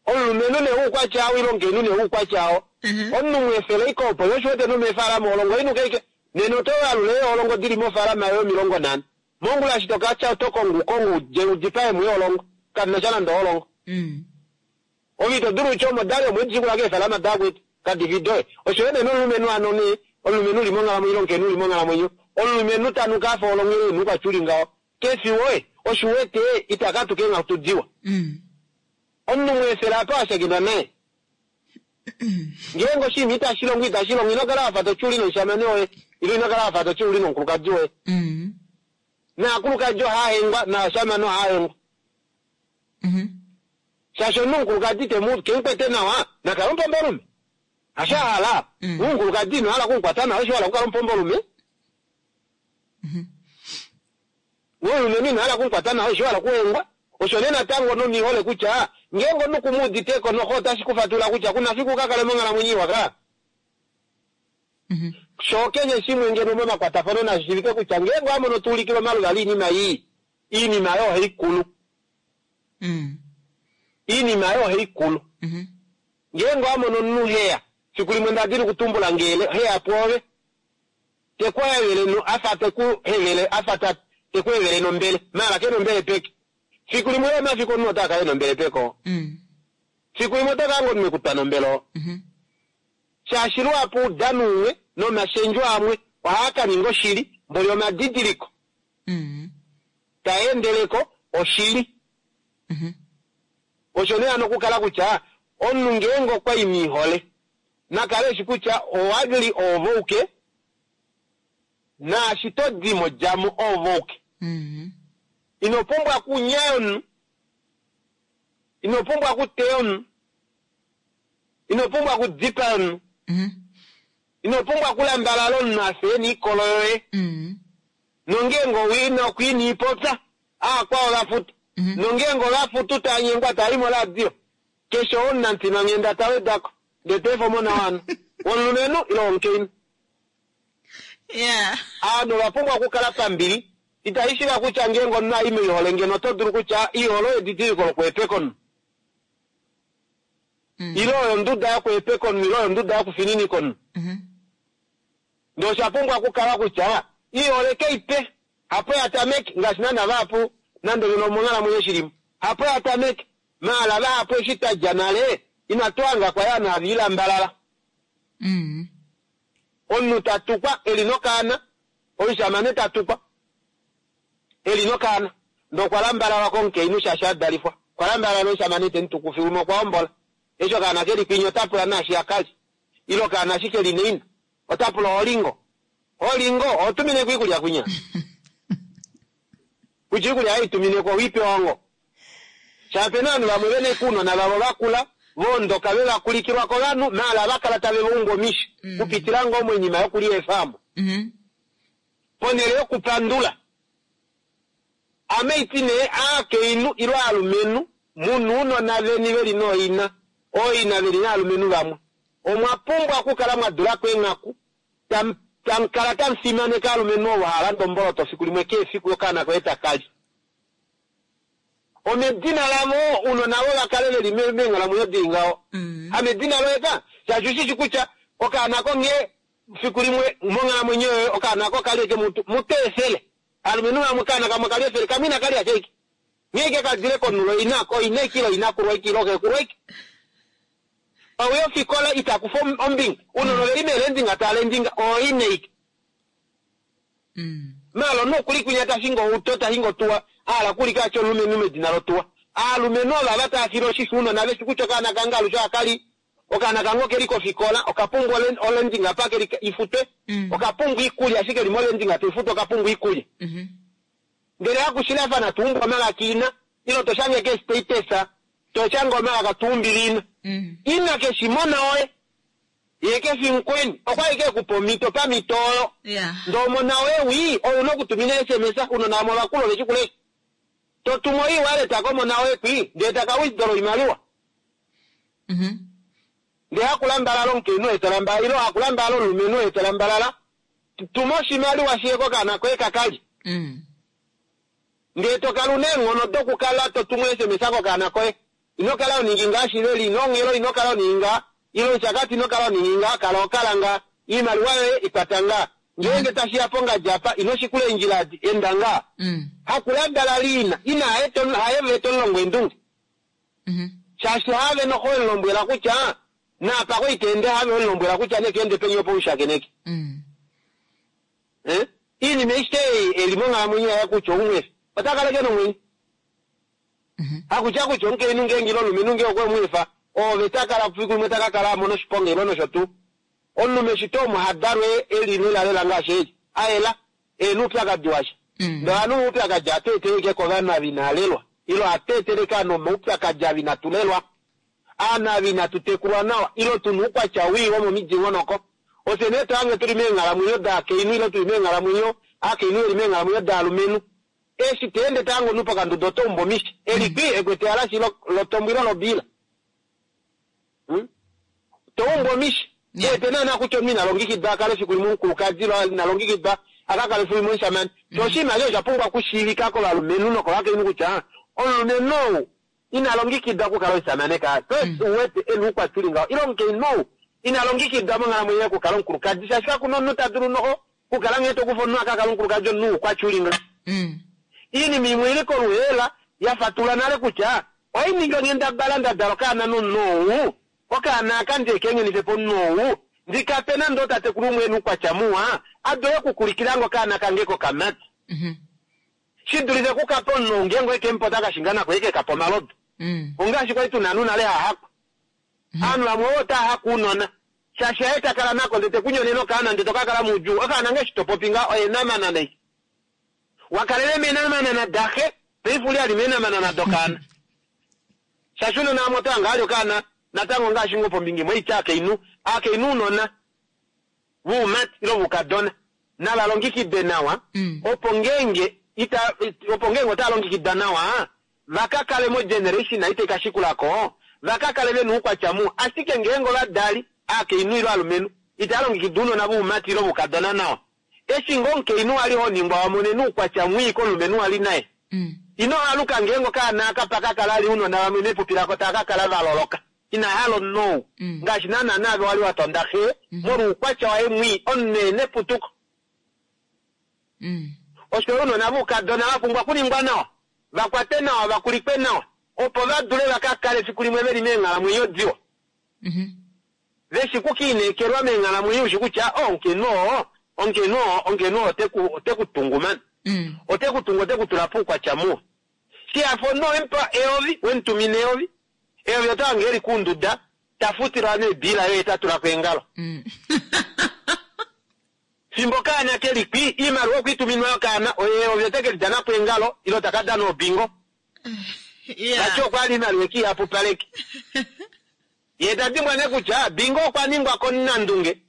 Omulumenhu nee oukwatya ile omukainhu nee oukwatya Mhm. omunhu mweefele ashike opo yo oshiwete nomeefalama olongo inuka ashike nena oto yalula eeholongo dili mofaalama yoye omilongo nhano. Mongula eshi tokatya oto kongo ukongo udje udipae mo eeholongo kadina sha nande oholongo. Mm. Ove ito dulu kutya omo dali omo edishikula keefalama dakwetu kadifi doye. Osho yo nee nomulumenhu hano nee omulumenhu uli monghalamwenyo ile omukainhu uli monghalamwenyo omulumenhu tanuka afa olongo ile enuka tyuli ngaho kefi woye oshiwete ita katuka eenghatu diwa. Mm. Omunhu mweefela apa washakenwa naye. Ngeenge oshinima itashi longo itashi longo ino kala wafa totyuli nomushamane woye ile ino kala wafa totyuli nomukulukadi woye. Mm. Naakulukadi ohaahengwa naashamane ohaahengwa. Mhm. Shaashi omunhu omukulukadi temu kemukwete nawa nakala omupombolume. Hasho ahala. Mm. Omukulukadi ino hala okumukwata nawa osho wahala okukala omupombolume. Mhm. Omulumenhu ino hala okumukwata nawa osho wahala okuhengwa. Osho nee natango nomihole kutya ngeenge omunhu kumuuditeko noho otashi kufatula kutya kuna fiku ukakale monghalamwenyo iwa ka. Mhm. Sho keshe shimwe ngeno momakwatafano nashi shivike kutya ngeenge owamono tuulikile omaluvalo oinima ii, iinima oyo ohaikulu. Mm. Iinima oyo ohaikulu. Mhm. Ngeenge owamono omunhu heya, fiku limwe ndadili okutumbula ngele heya pwoove, tekuhevele afa tekuhevele afa ta Te ku evele nombele. Maala ke nombele peke. Fiku limwe lomafiku omunhu ota kala e nombele peko. Mm. Fiku limwe ota kala omunhu ekutwa nombele oo. Mhm. Shaashi luhapu oudano umwe nomashendjo amwe ohaa ka ninga oshili, mboli omadidiliko Mm. taa endeleko oshili. Mhm. Osho nee hano okukala kutya omunhu ngeenge okwa i moihole nakale eshi kutya owali oovouke naashi to dimo djamo oovouke. Mm. Ino pumbwa okunyaya omunhu, ino pumbwa okuteya omunhu, ino pumbwa okudipaya omunhu, Mhm. ino pumbwa okulambalala omunhu afye niikolo yoye. Mm. Nongeenge owina okwiina ipopya aakwao vafutu. Mhm. Nongeenge ovafutu taa nyengwa taa i moradio keshe omunamutimanghenda ta wedako ndee teefa omona wano womulumenhu ile womukainhu. Yeah. Aanhu ova pumbwa okukala pambili. Itashi shiva kutya ngeenge omunhu ai moihole ngeno oto dulu kutya iihole oyo edidiliko lokuhepeka omunhu. Mm. Ile oyo onduda yokuhepeka omunhu ile oyo onduda yokufininika omunhu. Mhm. Ndee osha pumbwa okukala kutya iihole keipe hapo ya tameke ngaashi naana vahapu nande ngeno omonghalamwenyo shilimo hapo ya tameke maala vahapu eshi twadja nale inatu hanga kwali ovanhu have ilambalala. Mm. Omunhu tatukwa eli nokaana, omushamane tatukwa eli nokaana ndee okwa lambalalwa komukainhu shaashi adalifwa, okwa lambalala nomushamane temutuku fiku limwe okwa hombola eshi okaana keli kwinya ota pula naashi akali ile okaana ashike keli neina ota pula olingo olingo oho tumineko iikulya kwinya kutya iikulya haitumineko owiipewa ngo shaapena ovanhu vamwe vena kuunona vavo vakula voondoka vevakulikilwa kovanhu maala vakala tave vaumba omishi Mm. kupitila ngoo moinima yokulya eefamo Mhm. ponhele yokupandula ame iti nee aakainhu ile aalumenhu muna uunona veni veli nooina ooina veli naalumenhu vamwe omwa pumbwa okukala mwa dulako eenghaku tam- tamukala tamufimaneke aalumenhu ovo haalanda omboloto fiku limwe keefiku okaana koye takali omedina lavo uunona vo vakale veli me- meenghalamwenyo dili ngaho. Mm. Hamedina loye ka shaashi ushishi kutya okaana konghee fiku limwe monghalamwenyo yoye okaana ko kali eke mutu muteefele alumenhu vamwe okaana kamwe kali efele kamwe ina kalya shaike nghee ike kadile konulo ina oina ikilo inakulwa ike ile kekulwa ike pauya ofikola itakufa ombinga uunona oveli meelendinga taalendinga oine ike Mm. maala omunhu okuli kwinya tashinga outo tashinga otuwa ahala kulika atya omulumenhu medina lotuwa aalumenhu ova va taafile oshisho uunona veshi kutya okaana kange alushe ohakali okaana kange okeli kofikola okapumbwa olendinga pa keli ifutwe Mm. okapumbwa iikulya ashike li molendinga toifutwa okapumbwa iikulya Mhm. ndele hakushilafana tuumbwa omalaka ina ilo toshange ke status toshanga omalaka tuumbile ina Mm. ina keshimona oye ye kefi mukweni okwali kekupa omhito pamhito oyo Yeah. ndee omona woye wii ouna okutumina S M S unona vamwe ovakulu oveshi kulesha totuma oiwallet komona woye kwii ndee taka withdraw oimaliwa Mhm. ndee hakulambalala omukainhu oye tolambalala ile hakulambalala omulumenhu oye tolambalala tuma oshimaliwa shiye kokaana koye kakali Mm. ndee tokala una eenghono dokukala totuma S M S kokaana koye ino kala oningi ngaa shiveli ino onghelo ino kala oningi ngaa ile oshakati ino kala oningi ngaa kala okala ngaa iimaliwa yoye ikwata ngaa ngeenge tashiya pongadi apa ino shikula eendjila adi enda ngaa Mm. hakulambalala ina ina haye tomulongo eendunge Mhm. shaashi have noho emulombwela kutya naapa koiteende have emulombwela kutya nekeende peni opo ushakeneke Mm. Eh? Iinima aishe ei eli monghalamwenyo yaye kutya oumwefi ota kala ke nomwenyo Mhm. hakutya kutya omukainhu ngeenge ile omulumenhu ngee okwe mweefa oove takala fiku limwe takakala amona oshiponga ile nosho tuu omunhu meshito omo hadalwe eli lelalela ngaashi eli aela ena oupyakadi washa Mm. ndee ovanhu oupyakadi ateeteleke kovanhu ava inaalelwa ile ateeteleke ovanhu omaupyakadi ava inatulelwa aanhu ava inatutekulwa nawa ile tuna oukwatya wii womomidingonoko ofye nee tohange tuli meenghalamwenyo daakainhu ile tuli meenghalamwenyo aakainhu veli meenghalamwenyo daalumenhu eshi teende tahange omunhu pokanduda otoumba omishi eli kwi ekwete alashi lotombo ile lobiila Hmm? toumba omishi Yeah. epe naana kutya omunhu ina longekidwa akale fiku limwe omukulukadi ile ina longekidwa akakale fiku limwe omushamane sho oshinima osho osha pumbwa okushiivika kovalumenhu nokovakainhu kutya omulumenhu ou ina longekidwa okukala omushamane kaa so Mm. uwete ena oukwatya uli ngaho ile omukainhu ou ina longekidwa monghalamwenyo yaye okukala omukulukadi shaashi kakuna omunhu ta dulu noho okukala nghee tokufa omunhu akakala omukulukadi omunhu oukwatya uli ngaho. Mm. Iinima imwe ili koluheela ya fatula nale kutya ohai ningi onghendabala nda dala okaana nomunhu ou, okaana aka ndi ekeengenife po omunhu ou, ndi kape nande otatekulu umwe ena oukwatya muwa, a dule okukulikilange okaana kange kokamati. Mhm. Shi dulife okukapa omunhu ou ngeenge oeke mupa ota kashinga nako eke kapa omalodu. Mm. Ongaashi kwali tuna ovanhu nale hahakwa. Ovanhu vamwe ovo otava haka ounona. Shaashi haye ta kala nako ndele te kunyonene okaana ndele to ka kala moudjuu. Okaana ngee eshi to popi ngaho oye enamanana eshi. Wakalele meenamanana daxe, paife uli ali meenamanana dokaana. Shaashi ounona vamwe oto hange ali okaana natango ngaashi ngoo pombinga imwe oitya aakainhu, aakainhu ounona voumati ile voukadona nava longekidwe nawa Mm. opo ngeenge ita opo ngeenge otava longekidwa nawa va ka kale mogeneration ei tai ka shikulako va ka kale vena oukwatya muwa. Ashike ngeenge ovadali aakainhu ile ovalumenhu itava longekida ounona voumati ile voukadona nawa, eshi ngoo omukainhu wali ho ningwa wa monene oukwatya mwii komulumenhu wali naye, Mm. ino haluka ngeenge okaana aka pa ka kala ali ounona vamwe mepupi lako tava ka kala va loloka ina hala omunhu ou. Mm. Ngaashi naana naave wali wa tonda xe molwa oukwatya waye mwii, omunhu ena eputuko. Mm. Osho ounona voukadona va pumbwa okuningwa nawa, va kwate nawa, va kulikwe nawa, opo va dule va ka kale efiku limwe veli meenghalamwenyo diwa. Mhm. Veshi kukiinekelwa meenghalamwenyo ushi kutya, oh, omukainhu oo, omukainhu oo, omukainhu oo ote ku, ote ku tungu mani. Mm. Ote ku tungu, ote ku tula poukwatya muwa. Shiyafo omunhu owemupa eyovi, wemutumina eyovi. Eyovi oto hange eli kuunduda, ta futilwa neebila yoye ta tula ko eengalo. Mm. Fimbo kaana ke li kwi, iimaliwa okwa ituminwa yokaana, oye eyovi ote ke li dana po eengalo, ile taka dana obingo. Yeah. Vati okwa li iimaliwa eke ihapupaleke. Ye ta dimbwa nee kutya bingo okwa ningwa komunandunge,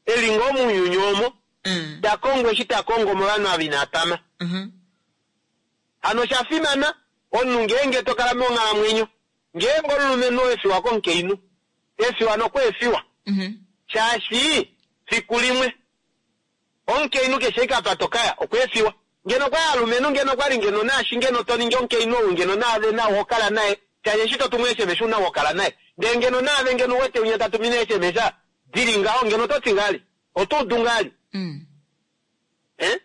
e li ngoo mounyuni omo, Mm. ta kongo eshi ta kongo movanhu ava ina pama. Mhm. Hano osha fimana omunhu ngeenge to kala monghalamwenyo, ngeenge omulumenhu oo efiwa komukainhu, efiwa nokweefiwa, Mhm. shaashi fiku limwe omukainhu keshe eka pa tokaya okweefiwa. Ngeno kwa alumenhu ngeno kwali ngeno naashi ngeno to ningi omukainhu ou ngeno naave nawe ho kala naye, shaashi eshi to tumu S M S una ho kala naye. Ndele ngeno naave ngeno wete unya ta tumine S M S dili ngaho ngeno oto ti ngali, oto udu ngali. Mm. Eh?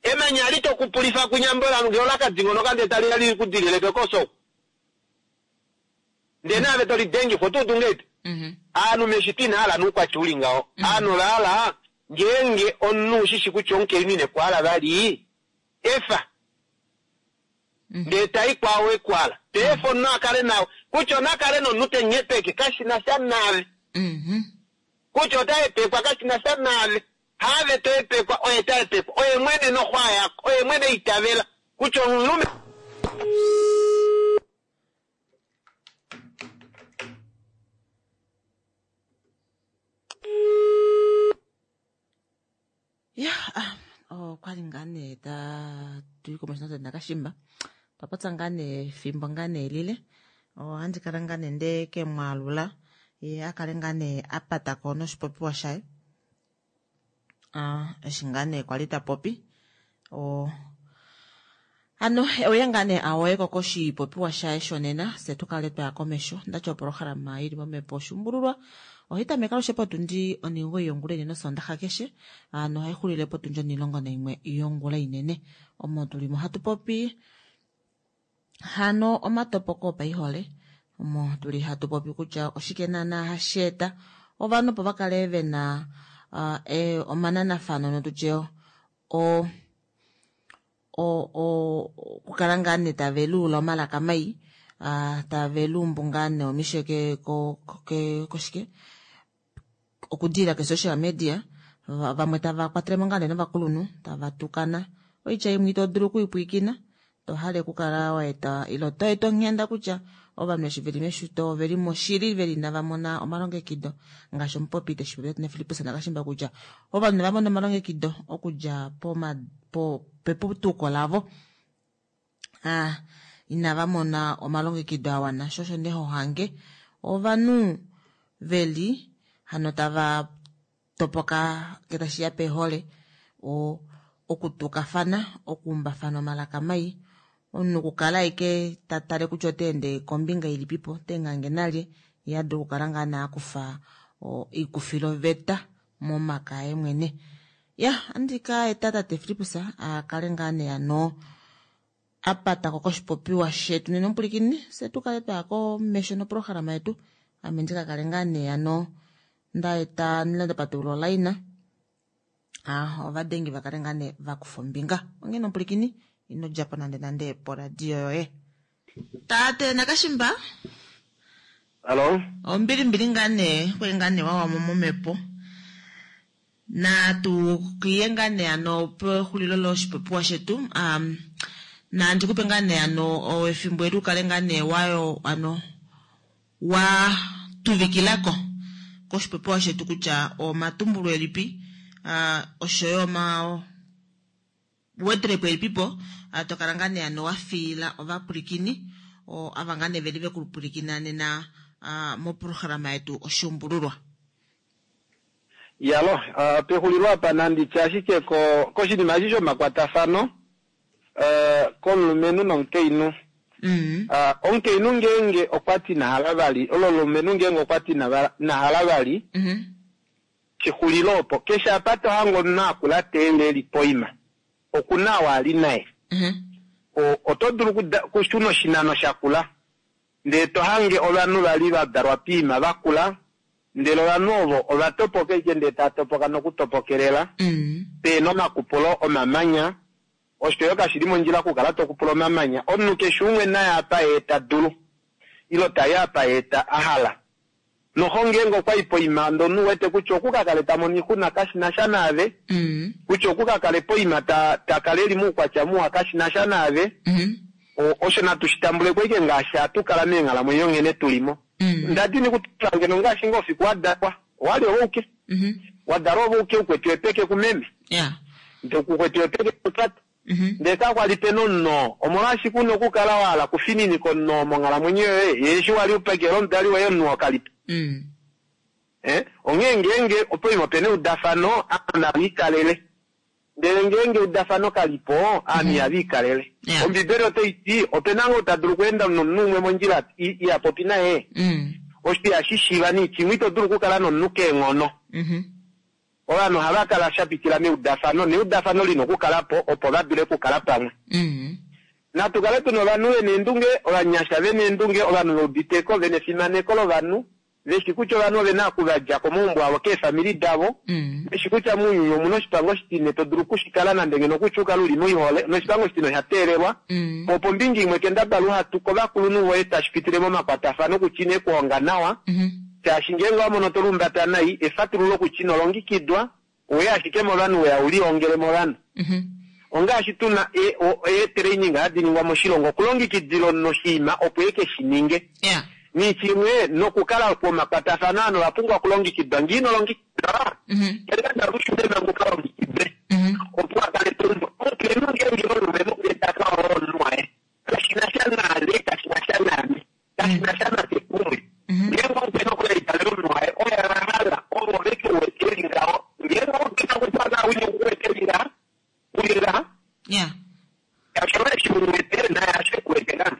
Emanya li to kupulifa kunyambola ngeno ola ka dingonoka ndele tali ya li ku dilile kekoso. Ndele naave to li dengifa, oto udu ngahelipi? Mhm. Aanhu meshito ina hala noukwatya uli ngaho. Aanhu ova hala ngeenge omunhu ushishi kutya omukainhu ine ku hala vali, efa. Mhm. Ndele tai kwao e ku hala. Te efa omunhu a kale nawe. Kutya ona kale nomunhu te nyepeke, kashi na sha naave. Mhm. Kutya ota hepekwa, kashi na sha naave. Haave to hepekwa, oye ta hepekwa. Oye mwene noxwa yako, oye mwene itavela. Kutya omulume Ya, ah, okwali ngaa nee ta tuyi komesho nate nakashimba. Twa popya ngaa nee efimbo ngaa nee lile. Ohandi kala ngaa nee nde ke mwaalula, ye a kale ngaa nee a patako noshipopiwa shaye. Ah, eshi ngaa nee kwali ta popi. O, hano, oye ngaa nee awoyeko koshipopiwa shaye shonena, fye tu kale twaya komesho. Ndati opolohalama ili momhepo oshuumbululwa. Ohai tameke alushe potundi onhingoyi yongula inene osondaxa keshe, hano ohai xulile potundi onhilongo naimwe yongula inene. Omo tulimo hatu popi hano omatopoko opaihole, omo tuli hatu popi kutya oshike naana hashi eta ovanhu opo va kale vena, ah, e, omananafano notutye o, o, o, okukala ngaa nee tave luula omalaka mai, ah, tave luumbu ngaa nee omishe ke, ko, ko, ke, koshike? Okudila ke social media, va-, vamwe tava kwatelemo ngaa nee novakulunhu, tava tukana. Oitya imwe ito dulu okuipwiikina, to hale okukala wa eta, ile to eta onghenda kutya ovanhu eshi veli meshito, oveli moshili, veli inava mona omalongekido. Ngaashi omupopi te shi popi na Filippus Nakashimba kutya ovanhu inava mona omalongekido okudja poma-, po-, peputuko lavo. Ah, inava mona omalongekido a wana. Sho osho nee ho hange ovanhu veli hano tava topoka ke tashi ya pehole, o, okutukafana, okuumbafana omalaka mai, omunhu okukala aike ta tale kutya ota ende kombinga ilipipo, ota engange nalye, ye a dule okukala ngaa nee a kufa, o, oikufiloveta momaka aye mwene. Ya andi ka eta tate Filippus a kale ngaa nee ano a patako koshipopiwa shetu nena omupulikini fye tu kale twaya komesho noprograma yetu ame ndi ka kale ngaa nee ano nda eta nda patulula olaina ah ovadengi va kale ngaa nee va kufa ombinga onghene omupulikini ino djapo nande nande poradio yoye tate Nakashimba Hallo ombilimbili ngaa nee kweli ngaa nee wawamo momhepo natu kiye ngaa nee ano pexulilo loshipopiwa shetu um, nandi kupe ngaa nee ano efimbo eli ukale ngaa nee wayo ano wa tuvikilako koshipopiwa shetu kutya omatumbulo elipi uh, oshoyo oma wedrepo elipipo uh, tokala ngaa nee ano wa fiila ovapulikini o ava ngaa nee veli vekupulikina nena uh, moprograma yetu oshuumbululwa. Yalo, uh, pexulilo apa nanditya ashike ko koshinima eshi shomakwatafano uh, komulumenhu nomukainhu. Mm. Uh, omukainhu ngeenge okwa ti nahala vali, olo omulumenhu ngeenge okwa ti nahala vali, Mm -hmm. shixulilo opo keshe apa to hange omunhu akula teende eli poima, okuna oo ali naye. Mm -hmm. Oto dulu kushuna oshinano shakula, ndele to hange ovanhu vali va dalwa poima vakula, ndele ovanhu ovo ova topoka ike ndele tava topoka nokutopokelela, Mm. pena omakupulo omamanya, osho yo kashili mondjila okukala tokupula omamanya. Omunhu keshe umwe naye apa ye ta dulu, ilo tayi apa ye ta ahala. Noho ngeenge okwa i poima ndele omunhu wete kutya okukakale ta mono oixuna kashina sha naave, Mm. kutya okukakale poima ta ta kale eli moukwatya muwa kashina sha naave, Mm -hmm. osho natu shi tambuleko ike ngaashi hatu kala meenghalamwenyo nghene tulimo. Mm. Ndadini kutula ngeno ngaashi ngoo fiku wadalwa, owali owouke. Mm -hmm. Wadalwa owouke ukwetiwe peke kumeme. Yeah. Ndele kukwetiwe peke kutate. Mm -hmm. Ndele kakwali pena omunhu, omolwashike una okukala wa hala kufininika omunhu monghalamwenyo yoye, ye eshi wali upekela omudali woye omunhu oo kalipo. Mm. Eh, onghee ngeenge opoima opena eudafano, aanhu nava ikalele. Ndele ngeenge eudafano kalipo, aanhu ihava ikalele. Yeah. Ombibeli otai ti, opena ngoo ta dulu okweenda nomunhu umwe mondjila iha popi naye. Mm. Osho ihashi shiiva niichimwe ito dulu okukala nomunhu keenghono. Mm -hmm. Ovanhu ohava kala sha pitila meudafano, neudafano lina okukala po opo va dule okukala pamwe. Mm. Natu kale tuna ovanhu vena eendunge, ovanyasha vena eendunge, ovanhu ve uditeko, vena efimaneko lovanhu, veshi kutya ovanhu ovena okuvadja komaumbo avo keefamili davo, Mm. veshi kutya mounyuni omuna oshipango oshitine to dulu okushikala nande ngeno kutya ukale uli moihole, noshipango oshitine osha teelelwa. Mm. Po pombinga imwe kendabala uhatu kovakulunhu voye tashi pitile momakwatafano kutya ine kuhonga nawa, Mm -hmm. shaashi ngeenge wa mono to lumbata nai, efatululo kutya ino longekidwa, owe ashike movanhu weya ulihongele movanhu. Mm -hmm. Ongaashi tuna eetraining hadi ningwa moshilongo okulongekidila omunhu oshinima opo eke shi ninge. Yeah. Nichimwe nokukala pomakwatafano ano owa pumbwa okulongekidwa. Ngee ino longekidwa, Mm -hmm. kendabala ushune manga ukalongekidwe. Mm -hmm. Opo akale to omukainhu ngeenge omulumenhu ta ka hoolola omunhu waye, kashina sha naave, kashina sha naame, kashina sha nafye kumwe. Mm -hmm. Ngeenge omukainhu okwe litalela omunhu waye, oye a hala, ovo veke wete eli ngaho. Ngeenge omukainhu okwa kala wine kuwete eli ngaha, uli ngaha, Yeah. osho eshi uwete naye ashe kuwete ngaha.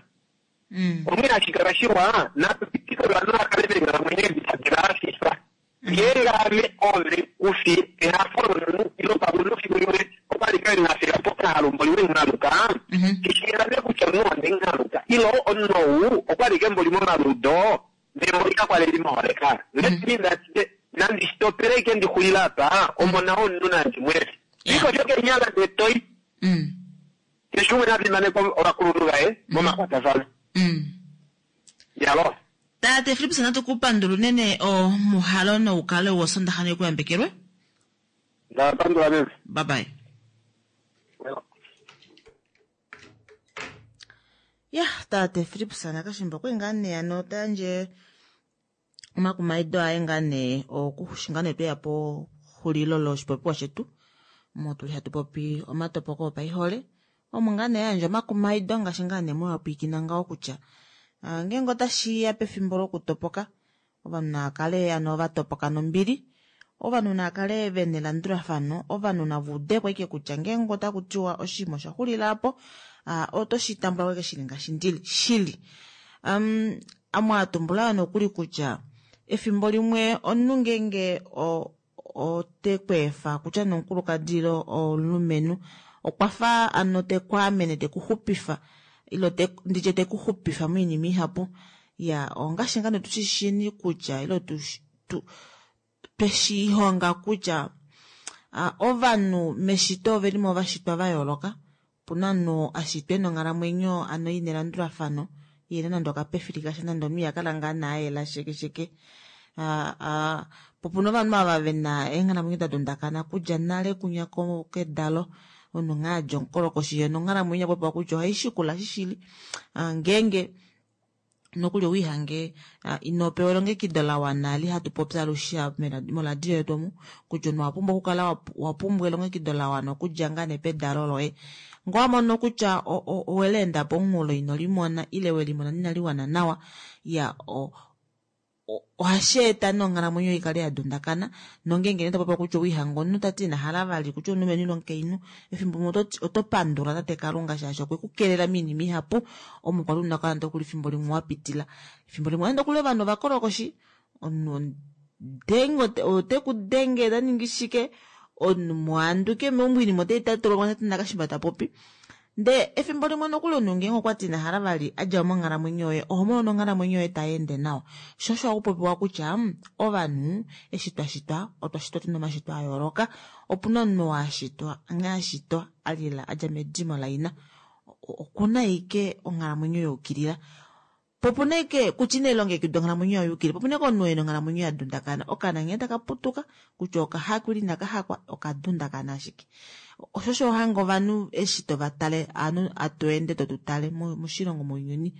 Mm. Onghee hashi kala shiwa, natu pitike ovanhu va kale meenghalamwenyo edi tadi va hafifa. Ngeenge ame ove kufi ehafo lomunhu ilo pamwe omunhu fiku limwe okwali ka enghafela pokahalu mboli wenghaluka, Mm -hmm. kishiilame kutya omunhu onde nghaluka ilo omunhu ou okwali ke mboli momaludo ndele mboli kakwali eli moholeka. Let me that nandi stopele ike ndixulile apa, omona womunhu nandi mwefi. Yeah. Iko sho kenyala ndee toi. Mm. Keshe umwe na fimaneka ovakulunhu vaye momakwatafano. Mm. Yalo. Tate Filippus natu kupandula unene omuhalo noukale wosondaxa nekuyambekelwe. Ndapandula meme. Bye bye. Ya, tate Filippus Nakashimba okwe ngaa nee ano ta yandje omakumaido aye ngaa nee okushinga nee tweya po xulilo loshipopiwa shetu omo tuli hatu popi omatopoko opaihole omo ngaa nee yandje omakumaido ngaashi ngaa nee mwapwiikina ngaho kutya uh, ngeenge otashi ya pefimbo lokutopoka ovanhu nava kale ano va topoka nombili, ovanhu nava kale vena elandulafano, ovanhu nava udeko ashike kutya ngeenge otaku tiwa oshinima osha xulila apo uh, oto shi tambula ko shili ngaashi ndili shili. Um, amwe atumbula nokuli kutya efimbo limwe omunhu ngeenge ote kweefa kutya nomukulukadi ile omulumenhu okwa fa ano tekwaamene tekuxupifa ile te, nditye tekuxupifa moinima ihapu. Ya ongaashi ngaa tushishini kutya ile tu, tu tweshihonga kutya uh, ovanhu meshito ovelimo vashitwa va yooloka. Opuna omunhu ashitwa ena onghalamwenyo ano ina elandulafano yena nande okapefili kasha nande omunhu ihakala ngaa naayela shekesheke. Uh, uh, po opuna ovanhu ava vena eenghalamwenyo da dundakana kudja nale kunya kedalo omunhu ngaa adja omukolokoshi ye nonghalamwenyo yapopiwa kutya ohaishikula shishili uh, ngeenge nokuli owiihange uh, ino pewa elongekido la wana li hatu popi alushe moradio yetu omu kutya omunhu owa pumbwa okukala wa pumbwa elongekido la wana okudja ngaa nepedalo loye. Ngoo wamono kutya oweleenda pomunghulo ino limona ile welimona inali wana nawa ya o, ohashi eta nonghalamwenyo ikale ya dundakana nongeenge nee topopiwa kutya owiihanga omunhu tati ina hala vali kutya omulumenhu ile omukainhu efimbo limwe oto pandula tate Kalunga shaashi okwe ku kelela moinima ihapu omo kwali una okukala nokuli efimbo limwe wa pitila. Efimbo limwe nokuli ovanhu ovakolokoshi omunhu denge ote ku denge ta ningi shike omunhu muhanduke meumbo oinima otai tatulwa tati nakashimba ta popi. Ndee efimbo limwe nokuli omunhu ngeenge okwati ina hala vali adja monghalamwenyo yoye oho mono nonghalamwenyo yoye tai ende nawa. Sho osho hakupopiwa kutya ovanhu eshi twashitwa otwa shitwa tuna omashitwa a yooloka. Opuna omunhu ashitwa nghee ashitwa alila adja medimo laina okuna ashike onghalamwenyo yaukilila. Po opuna ashike kutya ina elongekidwa onghalamwenyo yayukilila po opuna ashike omunhu ena onghalamwenyo ya dundakana okaana nghee taka putuka kutya okahakwa ile inakahakwa okadundakana ashike. Osho osho hanga ovanhu eshi tovatale ovanhu atu ende totutale moshilongo mounyuni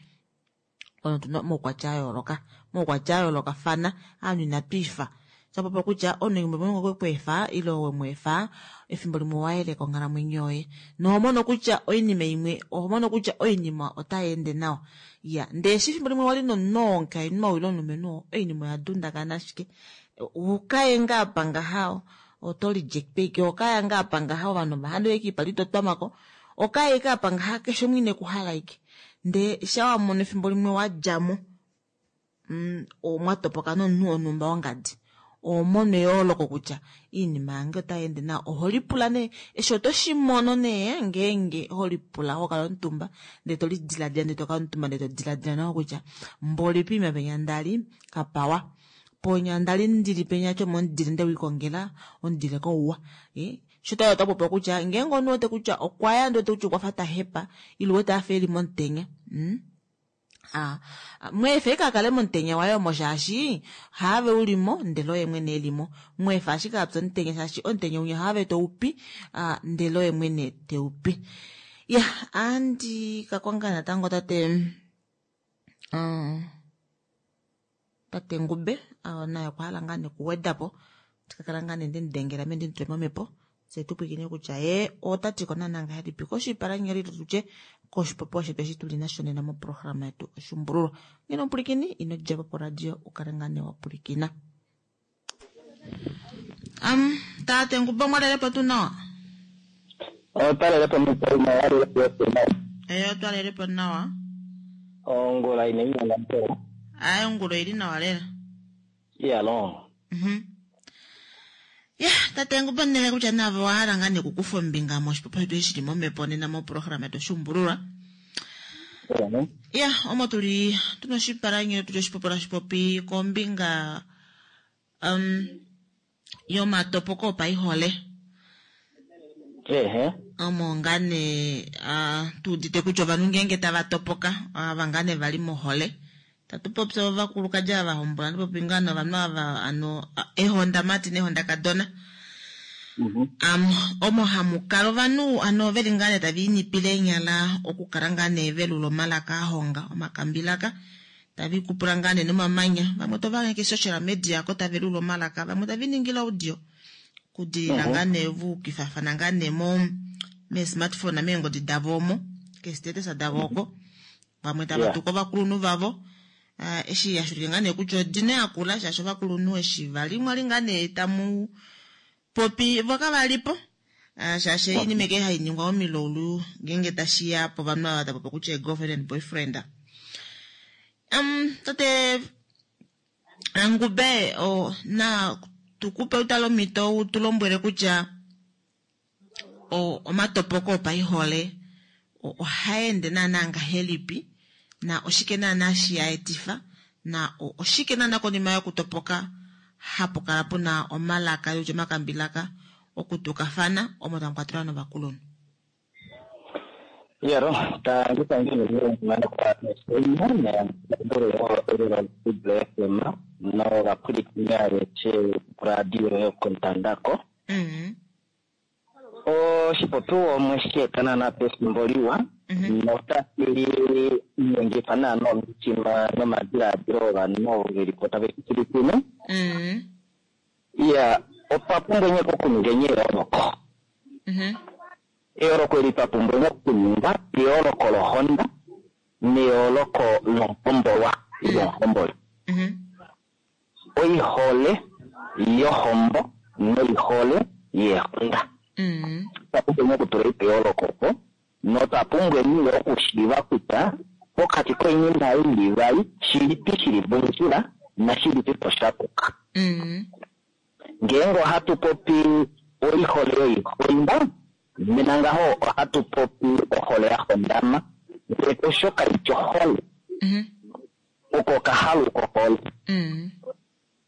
ono tuna omaukwatya a yooloka omaukwatya a yoolokafana ovanhu inatwiifa shapopiwa kutya omunhu limwe okwe kweefa ile wemweefa efimbo limwe owayeleka onghalamwenyo yoye noho mono kutya oinima imwe oho mono kutya oinima otai ende nawa. Ya ndee eshi efimbo limwe wali nomunhu oo omukainhu ou ile omulumenhu oo oinima oya dundakana ashike ukaye ngaa apa ngaha oto reject ike okaya ngaa apa ngaha ovanhu ovahandu ike ipali totwamako okaye ike apa ngaha keshe umwe ine kuhala ike ndee shawamono efimbo limwe wadjamo mm, mwatopoka nomunhu wonhumba wongadi oho mono eyooloko kutya iinima yange otai ende nawa. Oho lipula nee eshi oto shimono nee ngeenge holipula hokala omutumba ndee tolidiladila ndee tokala omutumba ndee todiladila nawa kutya mboli poima penya ndali kapawa ponya ndali ndili penya tyo momudile ndewiikongela omudile kouwa. Sho otapopiwa kutya ngeenge omunhu wete kutya okwaya ndee wete kutya okwafa tahepa ile wete afa eli momutenya mm? Ah, mweefa ashike akale momutenya waye omo shaashi haave ulimo ndele oye mwene elimo mweefa ashike apya omutenya shaashi omutenya unya haave toupi ah, ndele oye mwene teupi. Ya andi kakonga natango tate um, tate Ngube uh, naye okwa hala ngaa nekuwedapo tikakala ngaa nee ndemudengela me ndimutule momhepo fye tupwiikine kutya ye otati ko naana ngahelipi koshipalanyole tutye koshipopiwa shetu eshi tuli nasho nena moprograma yetu Oshuumbululwa. Ngeno omupulikini ino djapo poradio ukale ngaa nee wapulikina. Um, tate Ngube omwalelepo tuu nawa? Otwalelepo nawa. Ee otwalelepo nawa. Ongula ina inyanga mpela. Ayi ongula oili nawa lela. Iyalo. Mhm. Ya tate Ngube nele kutya nave owahala ngaa nekukufa ombinga moshipopiwa shetu eshi shili momhepo nena moprograma yetu Oshuumbululwa. Ya omo tuli tuna oshipalanyole tutye oshipopiwa tashi kombinga um, yomatopoko opaihole. Ehe. Omo ngaa nee uh, tuudite kutya ovanhu ngeenge tava topoka ava ngaa nee vali mohole tatu popi ovakulukadi ava vahombola atu popi ngaa novanhu ava ano ehondamati nehondakadona. Um, omo hamukala ovanhu ano veli ngaa nee tava inipile eenyala okukala ngaa nee velula omalaka ahonga omakambilaka tava ikupula ngaa nee nomamanya vamwe tova ke social media ko tava lula omalaka vamwe tava iningile audio kudilila ngaa nee vuukifafana ngaa nee mo mee-smartphone meengodi davo omo keestatus davo oko vamwe tava tuku ovakulunhu vavo uh, eshi yashulike ngaa nee kutya odina yakula shaashi ovakulunhu eshi vali mwali ngaa nee tamu popi vo kavalipo uh, shaashi oinima eke hai ningwa momilaulu ngeenge tashiya povanhu ava tapopi kutya girlfriend and boyfriend. Um, tate Ngube o na Tukupe utale omhito u tu lombwele kutya omatopoko opaihole ohaende naana ngahelipi na oshike naana shi a etifa na oshike naana konima yokutopoka hapu kala puna omalaka ile omakambilaka okutukafana omo tamu kwatelwa novakulunhu. Yaro, tangi tangi no radio yokontandako. Oshipopiwa omwe shi eta naana pefimbo liwa notashi ningifa naana omitima nomadilaadilo ovanhu ovo veli po tave shi pwilikine. Iya, otwa pumbwa nye okuninga eyooloko. Eyooloko eli twa pumbwa okuninga eyooloko lohonda neyooloko lomuhombolwa ile omuhomboli. Oihole yohombo noihole yeehonda. Otwa pumbwa okutula eyooloko opo notwa pumbwa nee okushiiva kutya pokati koinima ei ivali shilipi shili mondjila nashilipi po sha puka. Ngeenge ohatu popi oihole yoihonda, nena ngaho ohatu popi ohole ya hondama, ndele osho kaifi ohole. Oko okahalu kohole.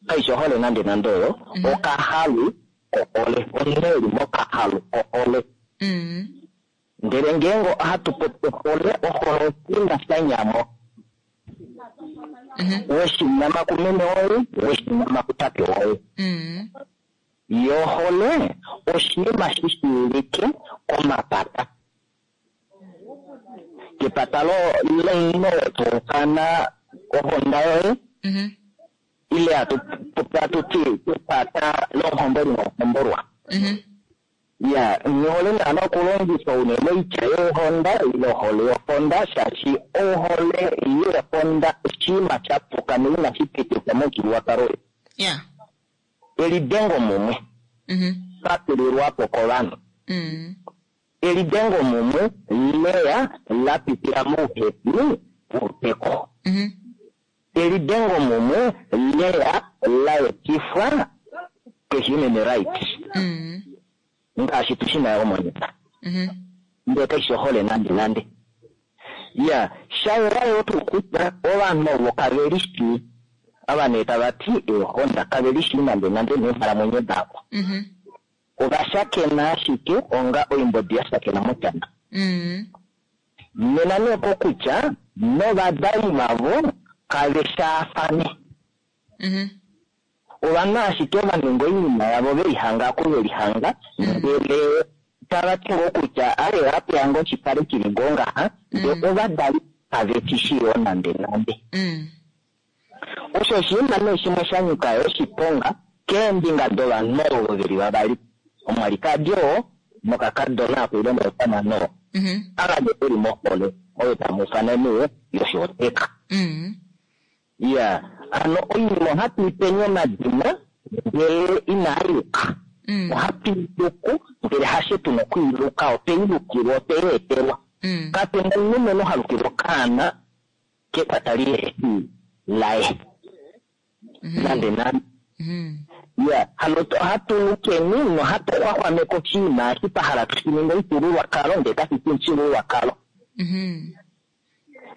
Kaifi ohole nande nande oyo, okahalu kohole. Omunhu eli mokahalu kohole. Ndele ngeenge ohatu popi ohole, ohole oshinima sha nyamo. Weshinyama kumeme woye, weshinyama kutate woye. Yo ohole oshinima shi shiivike komapata. Kepata lomunhu toufana ohonda yoye, ile hatu popi hatu ti kepata lomuhomboli nomuhombolwa. Ya, ngihole naana okulongifa unene oitya yeehonda ile ohole yohonda, shaashi ohole yeehonda oshinima sha puka noinashi pitikwa momufyuululwakalo wetu. Elidengo mumwe patulilwapo kovanhu. Elidengo mumwe leya la pitila mouhepi wouteko. Elidengo mumwe leya la etifwa ke-human rights. Ngaashi tushi nayo monena. Ndele kaishi ohole nande nande. Ya, shayela yo tuu kutya ovanhu ovo kave lishii. Ava nee tava ti eehonda kave lishii nande nande neenghalamwenyo davo. Ova shakena ashike onga oimbodi ya shakena moshana. Nena nee kokutya novadali vavo kave shaafane. Ovanhu ashike va ninga oinima yavo velihanga aku velihanga, ndele tava ti ngoo kutya aye apeya ngoo oshipale shili ngoo ngaha, ndele ovadali kave shi shii yoo nande nande. Osho oshinima nee shimwe sha nyika yo oshiponga keembinga dovanhu ovo veli vavali, omwalikadi oo nokakadona ako ile omushamane oo. Ava nee veli mohole oyo tamu ufana nee yoshooteka. Ya, ano oinima ohatu i peni omadina ndele inaa yuka. Ohatu i luku ndele hashe tuna okuiluka, otwe i lukilwa, otwe i etelwa. Kape na omulumenhu ha lukilwa okaana kepata lihefi laye. Nande nande. Ya, hano ohatu lukeni nohatu xwaxwameke oshinima eshi twa hala tushi ninge omufyuululwakalo ndele kashi fi omufyuululwakalo.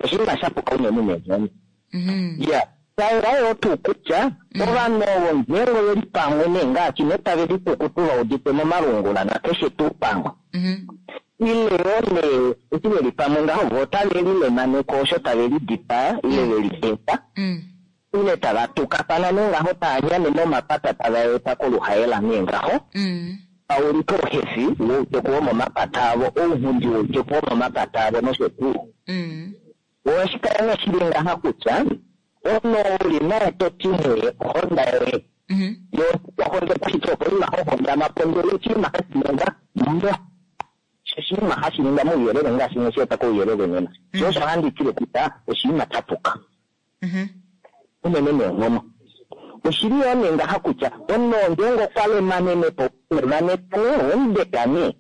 Oshinima sha puka unene neenghono. Ya, shayela yo tuu kutya ovanhu ovo ngeenge oveli pamwe nee ngaashi nee tave likukutu va udite momalungula nakeshe tuu pamwe. Ile yoo nee eshi veli pamwe ngaho vo otave lilemaneke osho tave lidipaa ile veli deta. Ile tava tukafana nee ngaho tava nyane momapata tava eta koluhaela nee ngaho. Paulike ouhefi wouteku womomapata avo, ounghundi wouteku womomapata avo nosho tuu. Ohashi kala nee shili ngaha kutya omunhu uli naye to ti nee ohonda yoye. Yo ohonda otashi ti opo ima hohondama po ndele oshinima hashi ningwa mo. Oshinima hashi ningwa mouyelele ngaashi mwe shi eta kouyelele nena. Sho osho handi tile kutya oshinima sha puka. Unene neenghono. Oshili yoo nee ngaha kutya omunhu ngeenge okwa lemanene po, lemaneka nee, omudeka nee.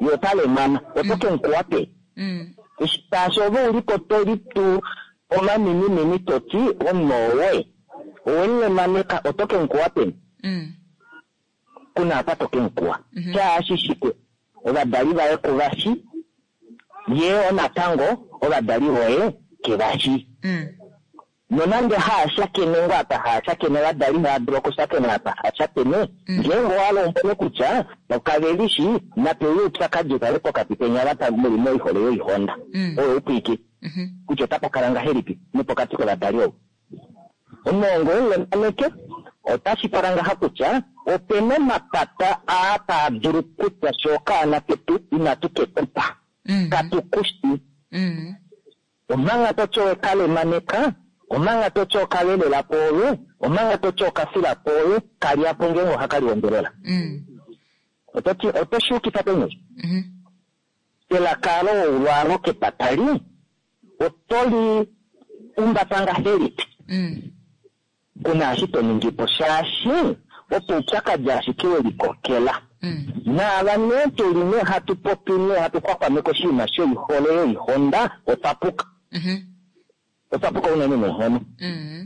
Ye ota lemana, oto ke mu kuwa peni? Shaashi ove uli po to litu omaminimini to ti omunhu owoye. Owe mu lemaneka, oto ke mu kuwa peni? Mm. Kuna apa to kemukuwa. Shaashi shike ovadali vaye kuvashi ye onatango ovadali voye kevashi. Mm. Nonande haashakene ngoo apa haashakene ovadali haadulu okushakena apa haashakene ngeenge owalombwele kutya okavelishi nape uye oupyakadi ukale pokati kenya ava muli moihole yoihonda Mm. oyo upwike Mhm. kutya otapa kala ngahelipi nopokati kovadali ovo. Omunongo womulemaneke otashi kala ngaha kutya opena omapata aa taa dulu kutya sho okaana ketu inatu kekupa Mm. katukushi Mm. omanga toti owekalemaneka omanga toti okalelela pwoove omanga toti okafila pwoove kalyapo ngeenge ohakali ombelela. Mm. Ototi otoshi yukifa peni? Mhm. Elaka loulwalo kepatali otoli umbata ngahelipi? Mm. Kuna eshi to ningi po shaashi opo oupyakadi ashike welikokela. Mm. Naava nee tuli nee hatu popi nee hatu xwaxwameke oshinima shoihole yoihonda otwa puka. Mhm. Otwa puka unene neenghono. Mm.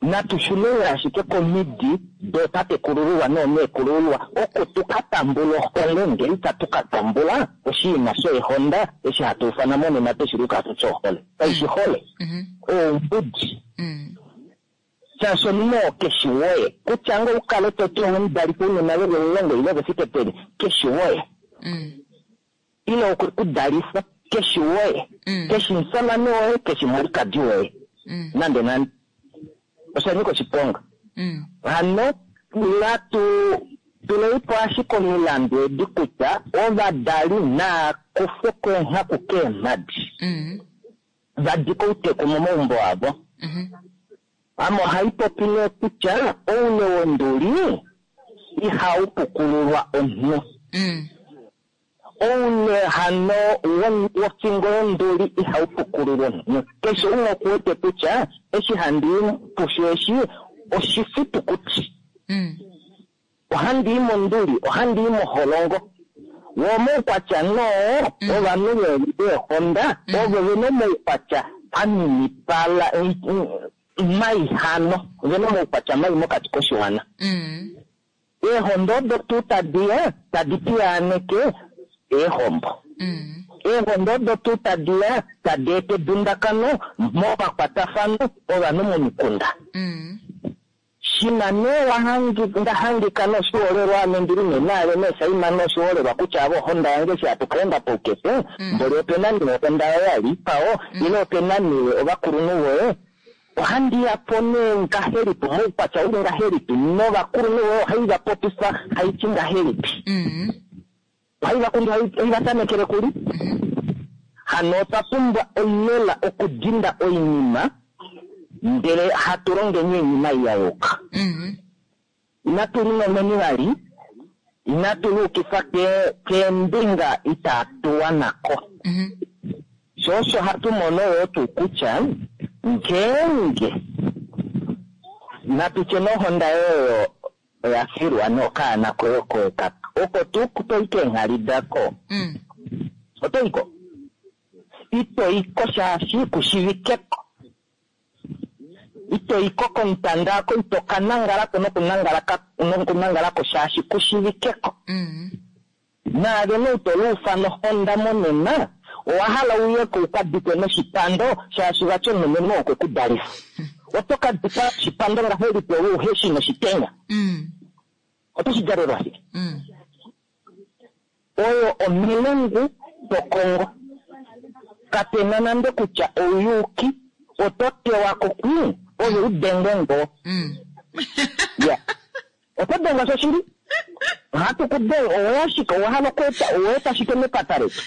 Natu shuneni ashike komidi dootatekulululwa noomeekulululwa oko tuka tambula ohole ngele itatu ka tambula oshinima shoihonda eshi hatu ufana monena tweshi luka hatu ti ohole. Kaishi hole. Mhm. Oumbudi. Mm. Shaashi omunhu oo keshi woye kutya ngoo ukale toti owemudalifa ounona veli omulongo ile vefike peni keshi woye. Mm. Ile okwe ku dalifa keshi woye. Mm. Keshi musamane woye keshi mulikadi woye. Mm. Nande nande. Osha nyika oshiponga. Mm. Hano natu tuleipo ashike omilandu edi kutya ovadali naa kufe keenghaku keemhadi. Mm. Vadike outeku momaumbo avo. Mhm. Ame ohai popi nee kutya oule wonduli ihau pukululwa omunhu. Mm. Oule hano wofingo yonduli ihau pukululwa omunhu. Keshe umwe okuwete kutya eshi handi pushu eshi oshifitukuti. Mm. Ohandi i monduli, ohandi i moholongo. Wo omaukwatya noo ovanhu veehonda ovo vena omaukwatya aminipala mai hano vena omaukwatya mai mokati koshiwana. Mm. Eehonda odo tuu tadiya tadi piyaaneke eehombo. Mm. Eehonda odo tuu tadiya tadi eta edundakano momakwatafano ovanhu momikunda. Mm. Shima nee wahangi ndahangika noshiholelwa ame ndili nee naave nee Saima noshiholelwa kutya avo ohonda yange eshi hatu kaenda poukefe mboli opena nee ohonda yoye yali ipawo ile opena nee ovakulunhu voye ohandi yapo nee ngahelipi moukwatya uli ngahelipi novakulunhu voye ohai vapopifa haiti ngahelipi. Mm. Ohai vakundu ohai vatamekele kuli. Hano otwa pumbwa olela okudinda oinima ndele hatu longeni oinima ei ya yuka. Mm. Inatu linomeni vali inatu liukifa keembinga itatu wanako. Mhm. Sho osho hatu mono yoo tuu kutya ngeenge natutye nohonda yoyo oya filwa nokaana koye oko oko tuu toi keenghali dako. Mm. Otoiko? Itoiko shaashi kushivikeko. Itoiko komutanda ako ito kanangalako nokunangalako shaashi kushivikeko. Mm. Naave nee ito luufa nohonda monena owa hala uyeko ukadikwe noshipando shaashi vati omulumenhu okwe ku dalifa. Oto ka dikwa oshipando ngahelipi ove uheshi noshitenya? Mm. Oto shi djalelwa shike? Mm. Oyo omilungu tokongo. Kapena nande kutya ouyuki oto tewako kwi ove udengwe ngoo. Mm. Ya. Oto dengwa shoshili? Ohatu ku denga oweya shike owa hala okweeta oweeta shike mepata letu?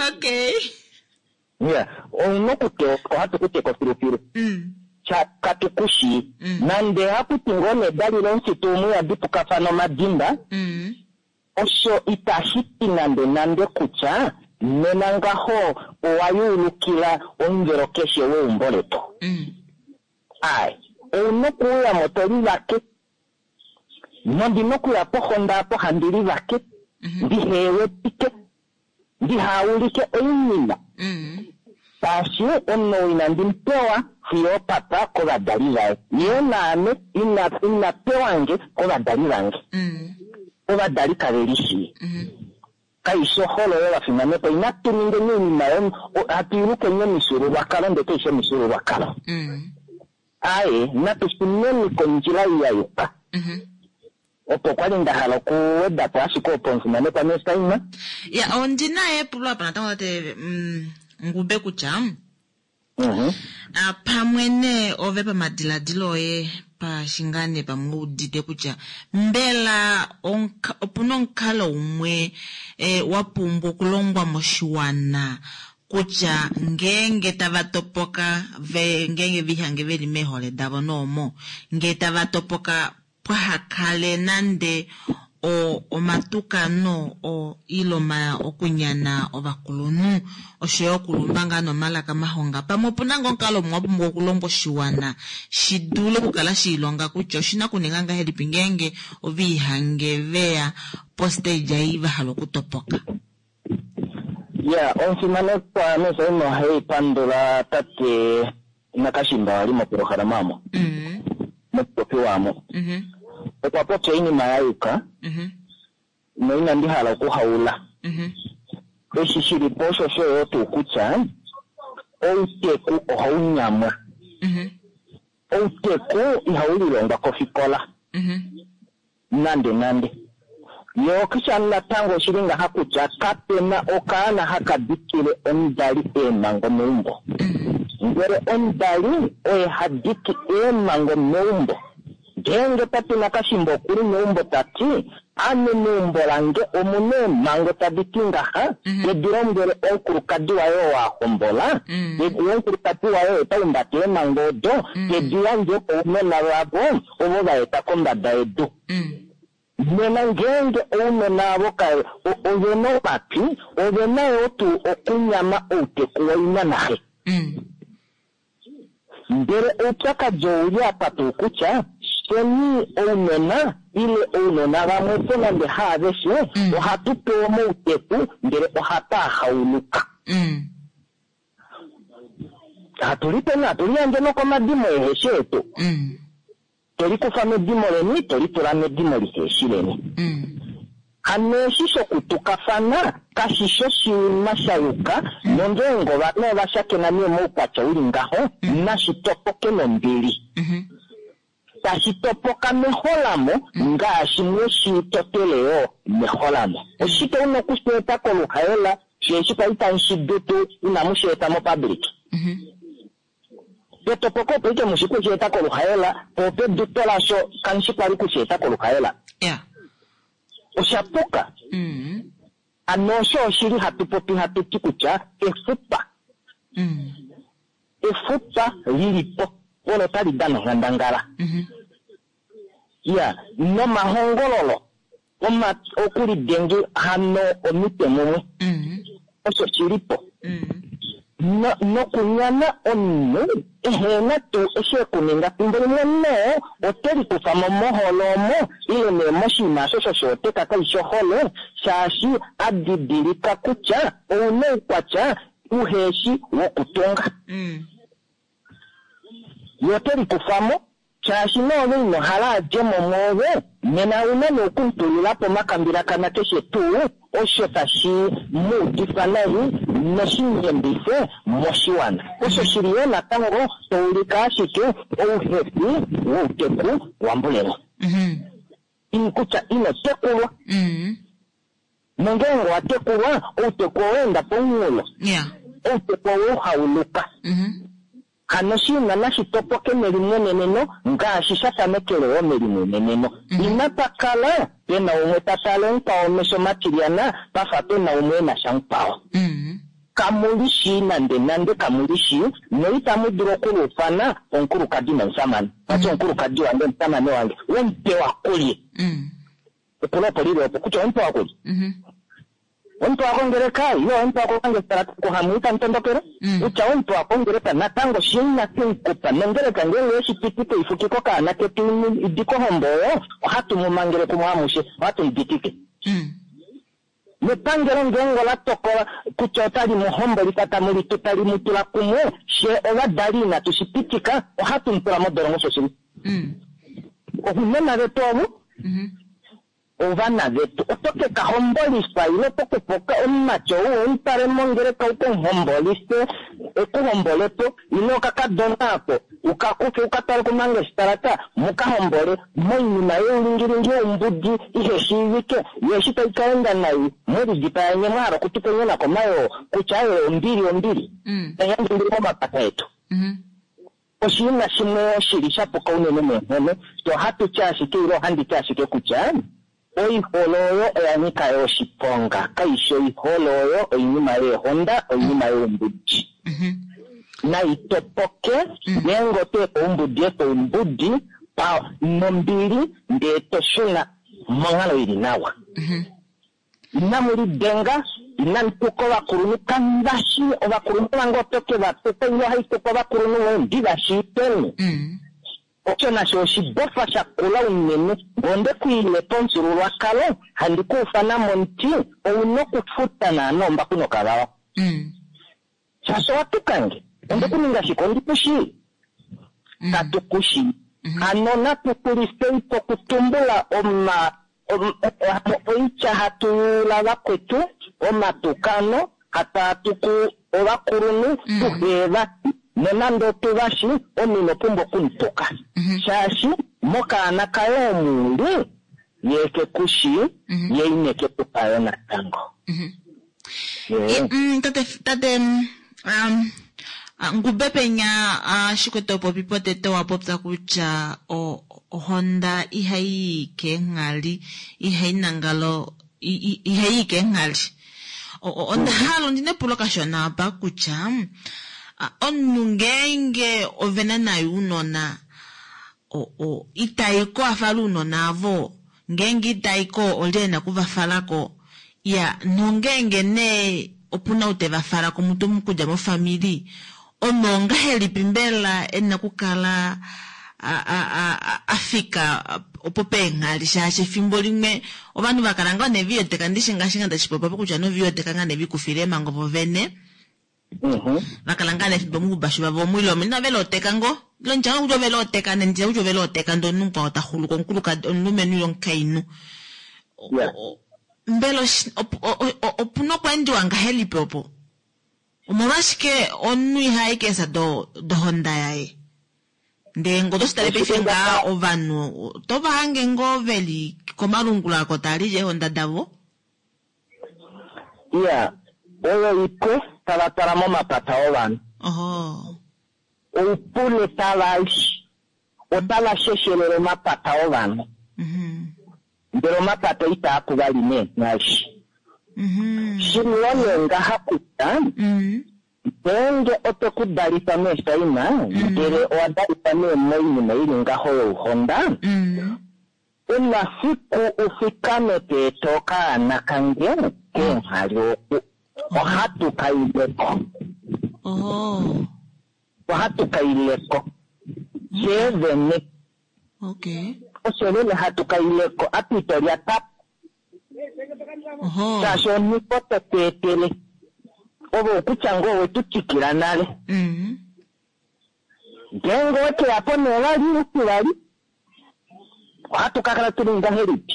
Okay. Ya. Ouna okutewa ohatu ku teka filufilu. Mm. Katukushi. Mm. Nande hakuti ngoo nedali lomufitu umwe yadipukafana omadimba. Mm. Osho itashi ti nande nande kutya nena ngaho owa yuulukila omuvelo keshe weumbo letu. Mm. Ai, ouna okuuyamo to livake. Nondina okuya pohonda apo handi livake. Mhm. Ndihewetike. Ndihaulike oinima. Mm. Ta Shaashi omunhu inandi mupewa fiyo opapa kovadali vaye. Ye naame ina ina pewange kovadali vange. Mm. Ovadali kave lishii. Mhm. Kaishi ohole oyo vafimanekwa, inatu ningeni oinima yo hatu ilukeni omifyuululwakalo ndele kaishi omifyuululwakalo. Mm. Aye, natu shuneni kondjila ei ya yuka. Mhm. Opo kwali nda hala okuweda po ashike opo omufimanekwa Mesaima. Ya, ondina epulo apa natango tate mm, Ngube kutya Mhm. a, pamwe nee ove pamadiladilo oye pashingane pamwe udite kutya mbela omuka, opuna omukalo umwe e, wa pumbwa okulongwa moshiwana kutya ngeenge tava topoka ve, ngeenge vihange veli meehole davo noomo ngee tava topoka pwahakale nande o, omatukano o, ile oma, okunyana ovakulunhu oshoyo okulumba ngaa nomalaka mahonga pamwe opuna ngoo omukalo umwe wa pumbwa okulongwa oshiwana shi dule okukala shiilonga kutya oshina okuninga ngahelipi ngeenge oviihange veya postage ei va hala okutopoka. Ya, omufimanekwa Mesaima ohai pandula tate Nakashimba wali mopolohalama amo, Mm. momupopi wamo. Mhm. Okwa popya oinima ya yuka Mhm. noinandi hala okuhaula. Mhm. Eshi shili po osho osho yo tuu kutya outeku ohau nyamwa. Mhm. Outeku ihau lilongwa kofikola Mhm. nande nande. Yo kisha natango oshili ngaha kutya kapena okaana haka dikile omudali eemhango meumbo. Mhm. Ndele omudali oye ha diki eemhango meumbo. Ngeenge tate Nakashimba okuli meumbo tati ame meumbo lange omuna eemhango tadi ti ngaha, Mhm. tedi lombwele omukulukadi waye oo a hombola, Mm. ye omukulukadi waye oye ta humbata eemhango odo, Mm. tedi yandje kounona vavo ovo va eta kombada yedu. Mm. Nena ngeenge ounona avo ka o- ovena omatwi, ovena yoo tuu okunyama outeku waina naxe. Mm. Ndele oupyakadi ouli apa tuu kutya sheni ounona ile ounona vamwe po nande haaveshe Mm. ohatu pewa mouteku ndele ohatu hauluka. Mm. Hatu lipe hatu liyandje nokomadimo eheshi etu. Mm. Tolikufa medimo leni tolitula medimo liheshi leni. Mm. Hano eshi shokutukafana kashi shoshinima sha yuka nongeenge ovanhu ova shakena nee moukwatya uli ngaho nashi topoke nombili. Mhm. Tashi topoka meholamo ngaashi mweshi totele yoo meholamo. Oshike una okusheeta koluhaela sheeshi kwali tamu shi dutu inamu sheeta mopublic. Mhm. Petopoko opo ike mushi kusheeta koluhaela po peduto lasho kamushi kwali kusheeta koluhaela. Ya. Osha puka. Mm. Ano osho oshili hatu popi hatu ti kutya efupa. Mm. Efupa lilipo olo tali dana onghandangala. Mhm. Ya, nomahongololo oma okulidenge hano omitwe mumwe Mm. osho shilipo. Mm. No, nokunyana omunhu ehena tuu eshi ekuninga fimbo limwe noo ote likufa mo mohole omo ile nee moshinima osho shoshooteka kaishi ohole shaashi a didilika kutya ouna oukwatya uheshi wokutunga. Mm. Ye ote likufa mo shaashi noove ino hala adje mo mwoove nena ouna nee okumutulila po omakambilakana keshe tuu osho tashi mu udifa nai noshinyembife moshiwana. Osho shili yoo natango toulika ashike ouhefi wouteku wambulelo. Mhm. Ini kutya ino tekulwa. Mm. Nongeenge owa tekulwa, outeku oweenda pomunghulo. Ya. Outeku oweuhauluka. Mhm. Hano oshinima nashi topoke melimweneneno ngaashi sha fanekele wo melimweneneno. Mhm. Inapa kala pena umwe ta tale mukwao omesho matilyana pafa pena umwe ena sha mukwao. Mm. Kamuli shii nande nande kamuli shii noitamu dulu okuluufana omukulukadi nomusamane. Vati omukulukadi wange omusamane wange womupewa kulye. Mm. Epulo opo lili opo kutya omupewa kulye. Mhm. Omupewa kongeleka ile omupewa kokangesela kuhamu mutondokele. Mm. Kutya omupewa kongeleka natango shina kemukupa nongeleka ngeenge eshi pitike ifukiko kaana ketu idi kohombo oyo ohatu mu mangele kumwe amushe ohatu mu ditike. Mm. Nepangelo ngeenge ola tokola kutya otali mu hombolifa tamu litu tali mu tula kumwe, she ovadali inatu shi pitika, ohatu mu tula modolongo shoshili. Mm. Ounona vetu ovo Mhm. ovana vetu oto ke ka hombolifa ile oto kufa omumati ou omutale mongeleka u kemuhombolife ekuhombolepo ile okakadona ako ukakufe ukatwale kumangestalata muka hombole moinima youlingilingi youmbudi ihe shiivike yo eshi tai kaenda nai mulidipaya nye mwa hala okutupenyena komayoo kutya aye ombili ombili Mm. tayandje momapata etu Mhm. oshinima shimwe shili sha puka unene neenghono to ohatu ti ashike ile ohandi ti ashike kutya oihole oyo oya nyika yo oshiponga kaishi oihole oyo oinima yeehonda oinima youmbudi Mhm. nai topoke ngeenge oto efa oumbudi efa oumbudi pa nombili ndee to shuna monghalo ili nawa Mhm. inamu lidenga inamu tuka ovakulunhu kambashi ovakulunhu vange oto ke va tuka ile ohai tuka ovakulunhu voye ndivashiiteni Mm. osho nasho oshibofa shakula unene ngonde kuile pomufyuululwakalo handi kuufana momuti ouna okufuta naana ombaku nokavawa Mm. shaashi owatukange onde kuninga shike ondi kushii Mm. katu kushii hano natu xulisei po okutumbula oma om- o- oitya hatu yuula vakwetu omatukano hataatuku ovakulunhu tuheeva nonande otuvashi omunhu ino pumbwa okumutuka shaashi mokaana kaye omuuli ye ke kushi ye ine ke kupayo natango Mhm. Ye. Mm, tate tate mm, um, ah, ngube penya ah, shikwete popi potete wa popya kutya o- ohonda ihayi yi keenghali ihayi nangalo i- i- ihayi yi keenghali O- o- onda hala ondina epulo kashona apa kutya ah, omunhu ngeenge ovena naye ounona o- o- itayi ko afale ounona avo ngeenge itayi ko olye ena okuvafalako ya nongeenge nee opuna ou teva fala komuntu okudja mofamili omunhu ongahelipi mbela ena okukala a- a- a- a- afika opo peenghali shaashi efimbo limwe ovanhu vakala ngoo nevioteka ndishi ngaashi nga ndashipopiwa kutya novioteka nga nevikufile emango vovene Mhm. vakala ngaa nefimbo mubashu vavo omwile omo inave looteka ngo ilo ndjanga kutya ove looteka nendija kutya ove looteka ndee omunhu mukwao taxuluka omukulukadi omulumenhu ile omukainhu Yeah. O- o- mbela oshi- op- o- o- o- opuna okweendiwa ngahelipi opo omolwashike omunhu ihayi keesa do dohonda yaye ndee ngo toshitale paife ngaa ovanhu otova hange ngoo veli komalungula ako taalile eehonda davo iya oyo ipwe tava twala momapata ovanhu oho oupule tava li otava sheshelele omapata ovanhu mhm ndele omapata itaa kuvali neenghali mhm shiliwo nee ngaha kutya mhm ngeenge oto ku dalifa meeshaina ndele owa dalifa nee moinima ili ngaho youhonda mhm una fiku ufikame peeta okaana kange keenghali oku ohatu kaileko oho ohatu kaileko fyee vene okay osho lele hatu kaileko atu itolyata oho shaashi oniko totu etele ove okutya ngoo owetu tikila nale mhm ngeenge owekeyapo nee vali utivali ohatu kakala tuli ngahelipi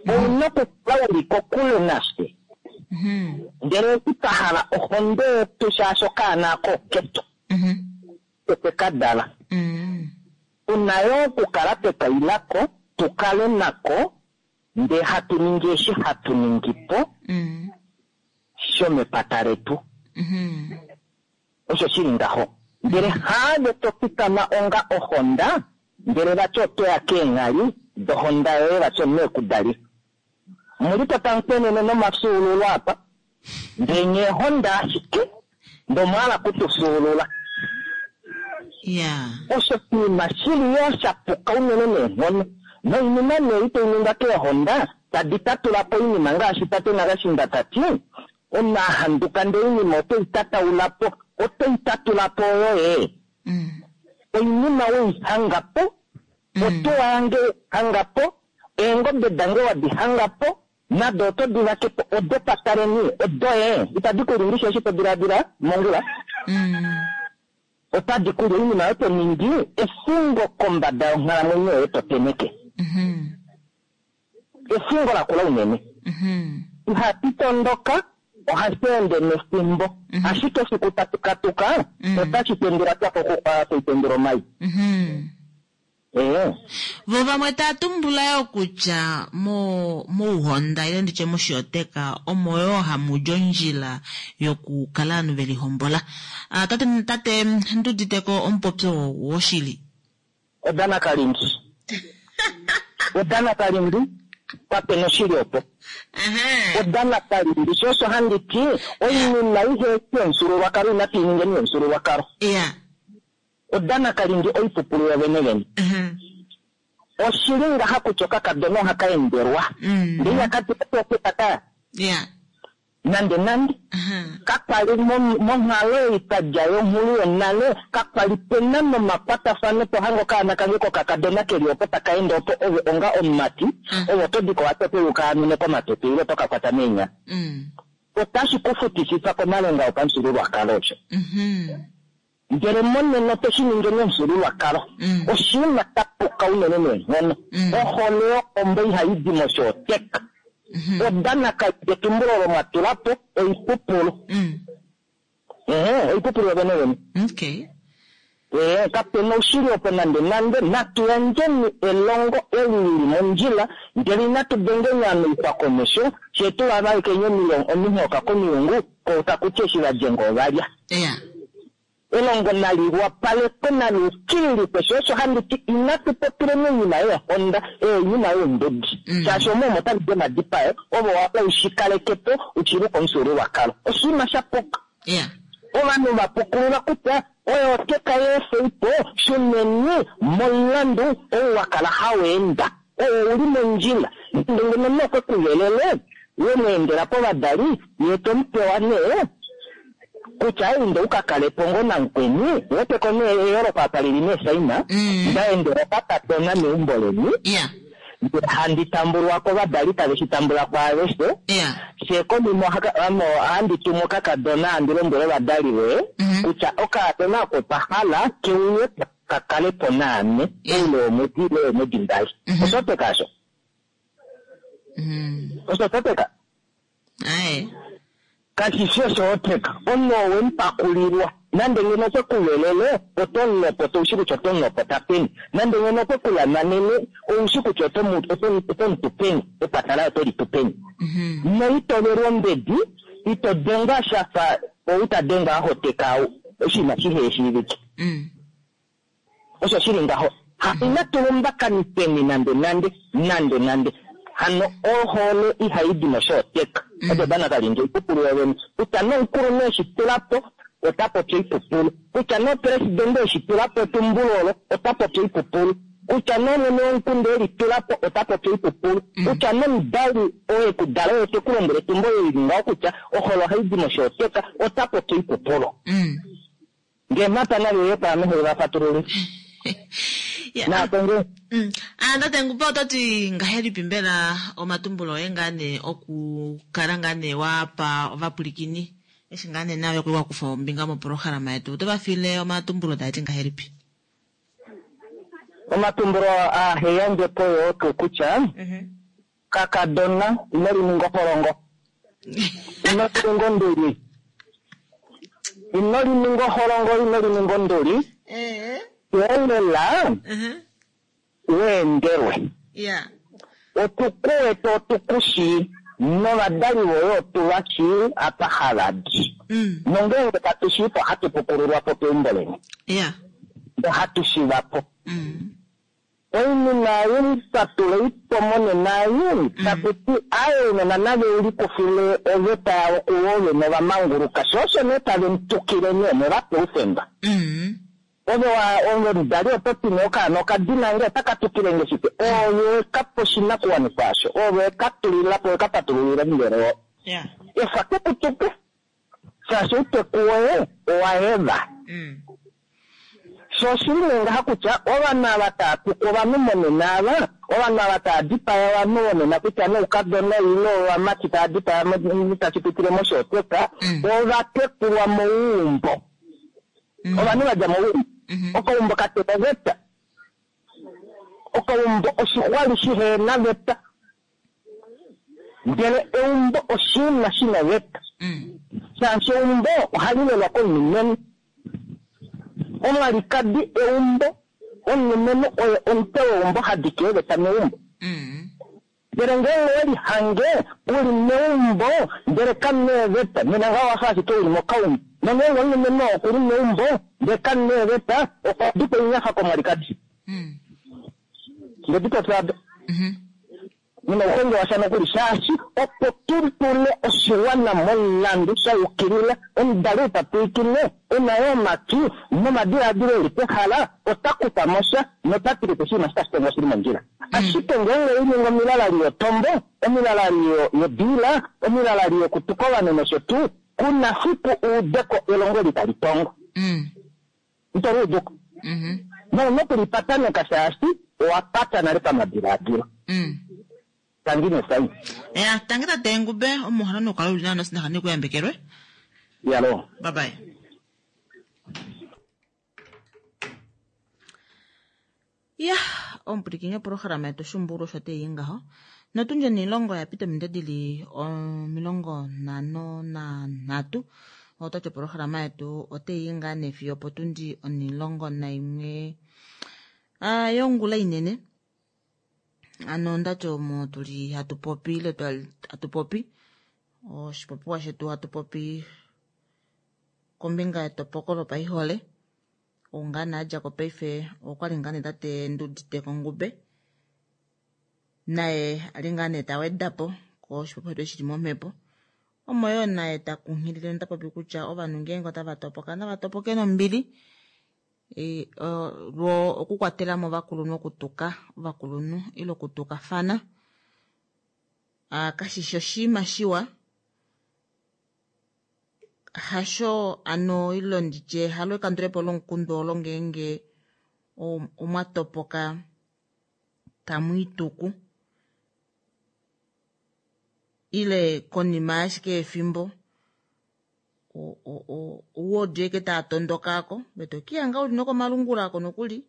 ouna okukala uli kokule nafye mhm ndele eshi twa hala ohonde yetu shaashi okaana ako oketu mhm twe ka dala mhm tuna yo okukala twe kailako tukale nako ndee hatu ningi eshi hatu ningi po mhm shomepata letu mhm osho shili ngaho ndele haave to fikama onga ohonda ndele vati otoya keenghali dohonda yoye vati omunhu ekudalifa muli po tamukwenene nomafyuululo apa ndee nye ehonda ashike ndomwaala kutufyuulula yeah osho oshinima shili yo shapuka unene neenghono noinima nee itai ningwa keehonda tadi tatula po oinima ngaashi tate Nakashinda tati omunhu ahanduka ndee oinima otoi tataula po otoi tatula po yoye mm oinima weihanga po otuwa yange hanga po eengobe dange wadi hanga po Nado oto di vake po odopataleni odoye itadi ku li eshi to diladila mongula. Mm. Otadi ku li oinima oyo to ningi efingo kombada yonghalamwenyo yoye to teneke. Mhm. Efingo lakula unene. Mhm. Ihashi tondoka ohashi ende nefimbo. Ashike efiku tashi katuka Mm. otashi tendula twa kokukwa toi tendula omai. Mhm. Ee. Vo vamwe taa tumbula yo kutya mo mouhonda ile nditye moshiyoteka omo yoo hamu di ondjila yokukala ovanhu ve lihombola. Ah, tate tate Nduuditeko omupopyo oo woshili? Odanakalindi. Odanakalindi kapena oshili opo. Ehe. Odanakalindi sho osho handi ti oinima ihe yomufyuululwakalo inatu i ningeni yomufyuululwakalo. Iya. Odanakalindi oipupulu yovene vene. Ehe. Oshili ngaha kutya okakadona ohaka endelwa. Mm. Ndele ihaka Iya. nande nande. Ehe. Kakwali monghalo ei twa dja yonghulu yonale kakwali pena nomakwatafano tohange okaana kange kokakadona keli opo taka ende opo ove onga omumati Mm. ove oto diko watope ukaamine komapepe ile toka kwata meenyala. Mm. Otashi ku futisifa komalenga opamufyuululwakalo osho. Mhm. Ndele monena oto shi ningi momufyuululwakalo. Mm. Oshinima sha puka unene neenghono. Mm. Ohole yohombo ihayi di moshooteka. Mhm. Odanakalindi etumbulo olo mwa tula po oipupulu. Mm. Ehe, oipupulu yovene vene. Okay. Ee, kapena oushili opo nande nande natu yandjeni elongo eli lili mondjila ndele inatu dengeni ame komesho fye tuvavalekeni ominghoka komilungu ko taku ti eshi vadjenga ovalya. Iya. Elongo nali wapalekwe nali ukililikwe sho osho handi ti inatu popileni oinima yeehonda oinima youmbudi Mm. shaashi omo omo tali di omadipayo ovo wapa ushikaleke po ushiluka omufyuululwakalo oshinima sha puka. Iya. Ovanhu va pukulula kutya oyo oteka yeefeipo shuneni momulandu ou wa kala haweenda oo uli mondjila nande ngeno nokwe kuvelele wemweendela povadali ye tomupewa nee kutya inde ukakale po ngoo namukweni weteko nee eyooloko apa lili neesaina Mm. ndaendela okakadona meumbo leni Iya. ndele handi tambulwa kovadali tave shi tambula kwaaveshe Iya. fye konima ohandi tumu okakadona handi lombwele ovadali voye Mhm. kutya okakadona oko pahala keuye kakale po naame Yeah. oule womwedi ile weemwedi mbali. Mhm. Osho osho? Mhm. Osho toteka? Aye. Kashi shi oshooteka. Omunhu oo wemupakulilwa. Nande ngeno okwe ku velele, oto mulopota oushi kutya oto mulopota peni. Nande ngeno okwe ku lamanene, oushi kutya oto mu- oto mu- oto mutu peni. Epata laye oto litu peni. Mhm. Noito velwa ombedi, ito dengwa shafa ou ta dengwa a hoteka oshinima shiheshiivike. Mm. Osho shili ngaho. Ha inatu lumbakanifeni nande nande, nande nande. Hano ohole ihayi di moshooteka. Mm. Odo danakalindi oipupulu yovene. Kutya nomukulunhu eshi tula po, ota popi oipupulu. Kutya nopresidente eshi tula po etumbulo olo, ota popi oipupulu. Kutya nomwene womukunda eli tula po, ota popi oipupulu. Mm. Kutya nomudali oo ekudala oye te ku lombwele etumbulo eli ngaho kutya ohole ohayi di moshooteka, ota popi oipupulu. Mm. Ngee mhata nave uye paame hove va fatulule. Ya. Naatenge. Mm. Ah, tate Ngupa oto ti ngahelipi mbela omatumbulo oye ngaa nee okukala ngaa nee wapa ovapwilikini eshi ngaa nee naave kwali wa kufa ombinga mopolohalama yetu oto va fiile omatumbulo taa ti ngahelipi? Omatumbulo aa heyandje po yoo tuu kutya kakadona ino lininga oholongo. Ino lininga onduli. Ino lininga oholongo, ino lininga onduli. Eh. Weelela Mhm. weendelwe. Ya. Otukuwete otukushii novadali voye otu va shii apa hava di. Mm. Nongeenge katu shii po ohatu pukululwa po peumbo leni. Ya. Ohatu shiva po. Mm. Oinima ei patula ipo monena ei taku ti aye ounona nave ulikufile oveta yavo kuvo vene ovamanguluka sho osho nee tave mutukile nee muvape oufemba. Mm. Ove wa ove omudali oto ti nee okaana okadina nge otaka tukile nge shike ove kapa oshinakuwanifwa asho ove ka tulila po ka patululila omuvelo wo. Ya. Efa kekutuke shaashi outeku woye owa heva. Mm. Sho oshili nee ngaha kutya ovanhu ava tava tuku ovanhu monena ava Ovanhu ava tava dipaya ovanhu vonena kutya noukadona ile ovamati tava dipaya tashi pitile moshooteka ova tekulwa mouumbo. Ovanhu va dja mouumbo. Okaumbo kakena oveta. Okaumbo oshixwali shihena veta. Ndele eumbo oshinima shina oveta. Shaashi eumbo ohali lelwa komulumenhu. Omwalikadi eumbo, omulumenhu oye omutwe weumbo hadike eeveta meumbo. Ndele ngeenge owelihange uli meumbo ndele kamuna eeveta, nena ngaho owafa ashike uli mokaumbo. Nongeenge omulumenhu oo okuli meumbo ndele kamuna eeveta, okwa dikwa oinyafa komwalikadi. Ndedipopya ado. Nina ouhonge washa nokuli shaashi opo tu tule oshiwana momulandu sha yukilila, omudali ou ta pwilikine e na yoo omatwi nomadilaadilo eli pehala ota kufa mo sha nota tile oshinima shi tashi tongwa oshili mondjila. Ashike ngeenge oininga omilalali yotombo, omilalali yodiila, omilalali yokutuka ovanhu nosho tuu, kuna fiku uudeko elongo eli tali tongo. Ito luuduko. Nouna okulipataneka shaashi owa pata nale pamadilaadilo. Tangi nesai. Ya, tangi tate Ngube, omuhano nokala uli nawa nosinaha nekuyambekelwe. Yalo. Bye bye. Ya, omupwilikini wopolohalama yetu Shumbulu osho teyi ngaho. Notundje niilongo ya pita ominute dili omilongo nhano nanhatu. Otati opolohalama yetu oteyi ngaa nee fiyo opotundi onilongo naimwe yongula inene. Ano ondati omo tuli hatu popi ile hatu popi oshipopiwa shetu hatu popi kombinga yetopoko lopaihole. Oungana adja ko paife okwali ngaa nee tate Nduditeko Ngube naye ali ngaa nee ta wedapo koshipopiwa shetu shili momhepo. Omo yoo naye ta kunghilile nota popi kutya ovanhu ngeenge otava topoka nava topoke nombili. Lwo okukwatela mo ovakulunhu okutuka ovakulunhu ile okutukafana kashishi oshinima shiwa. Hasho ano ilo nditye halo ekandulepo lomukundu olo ngeenge omwa topoka tamu ituku ile konima ashike yefimbo ouwodi eke taa tondoka ako vetokiya uli nokomalungula ako nokuli.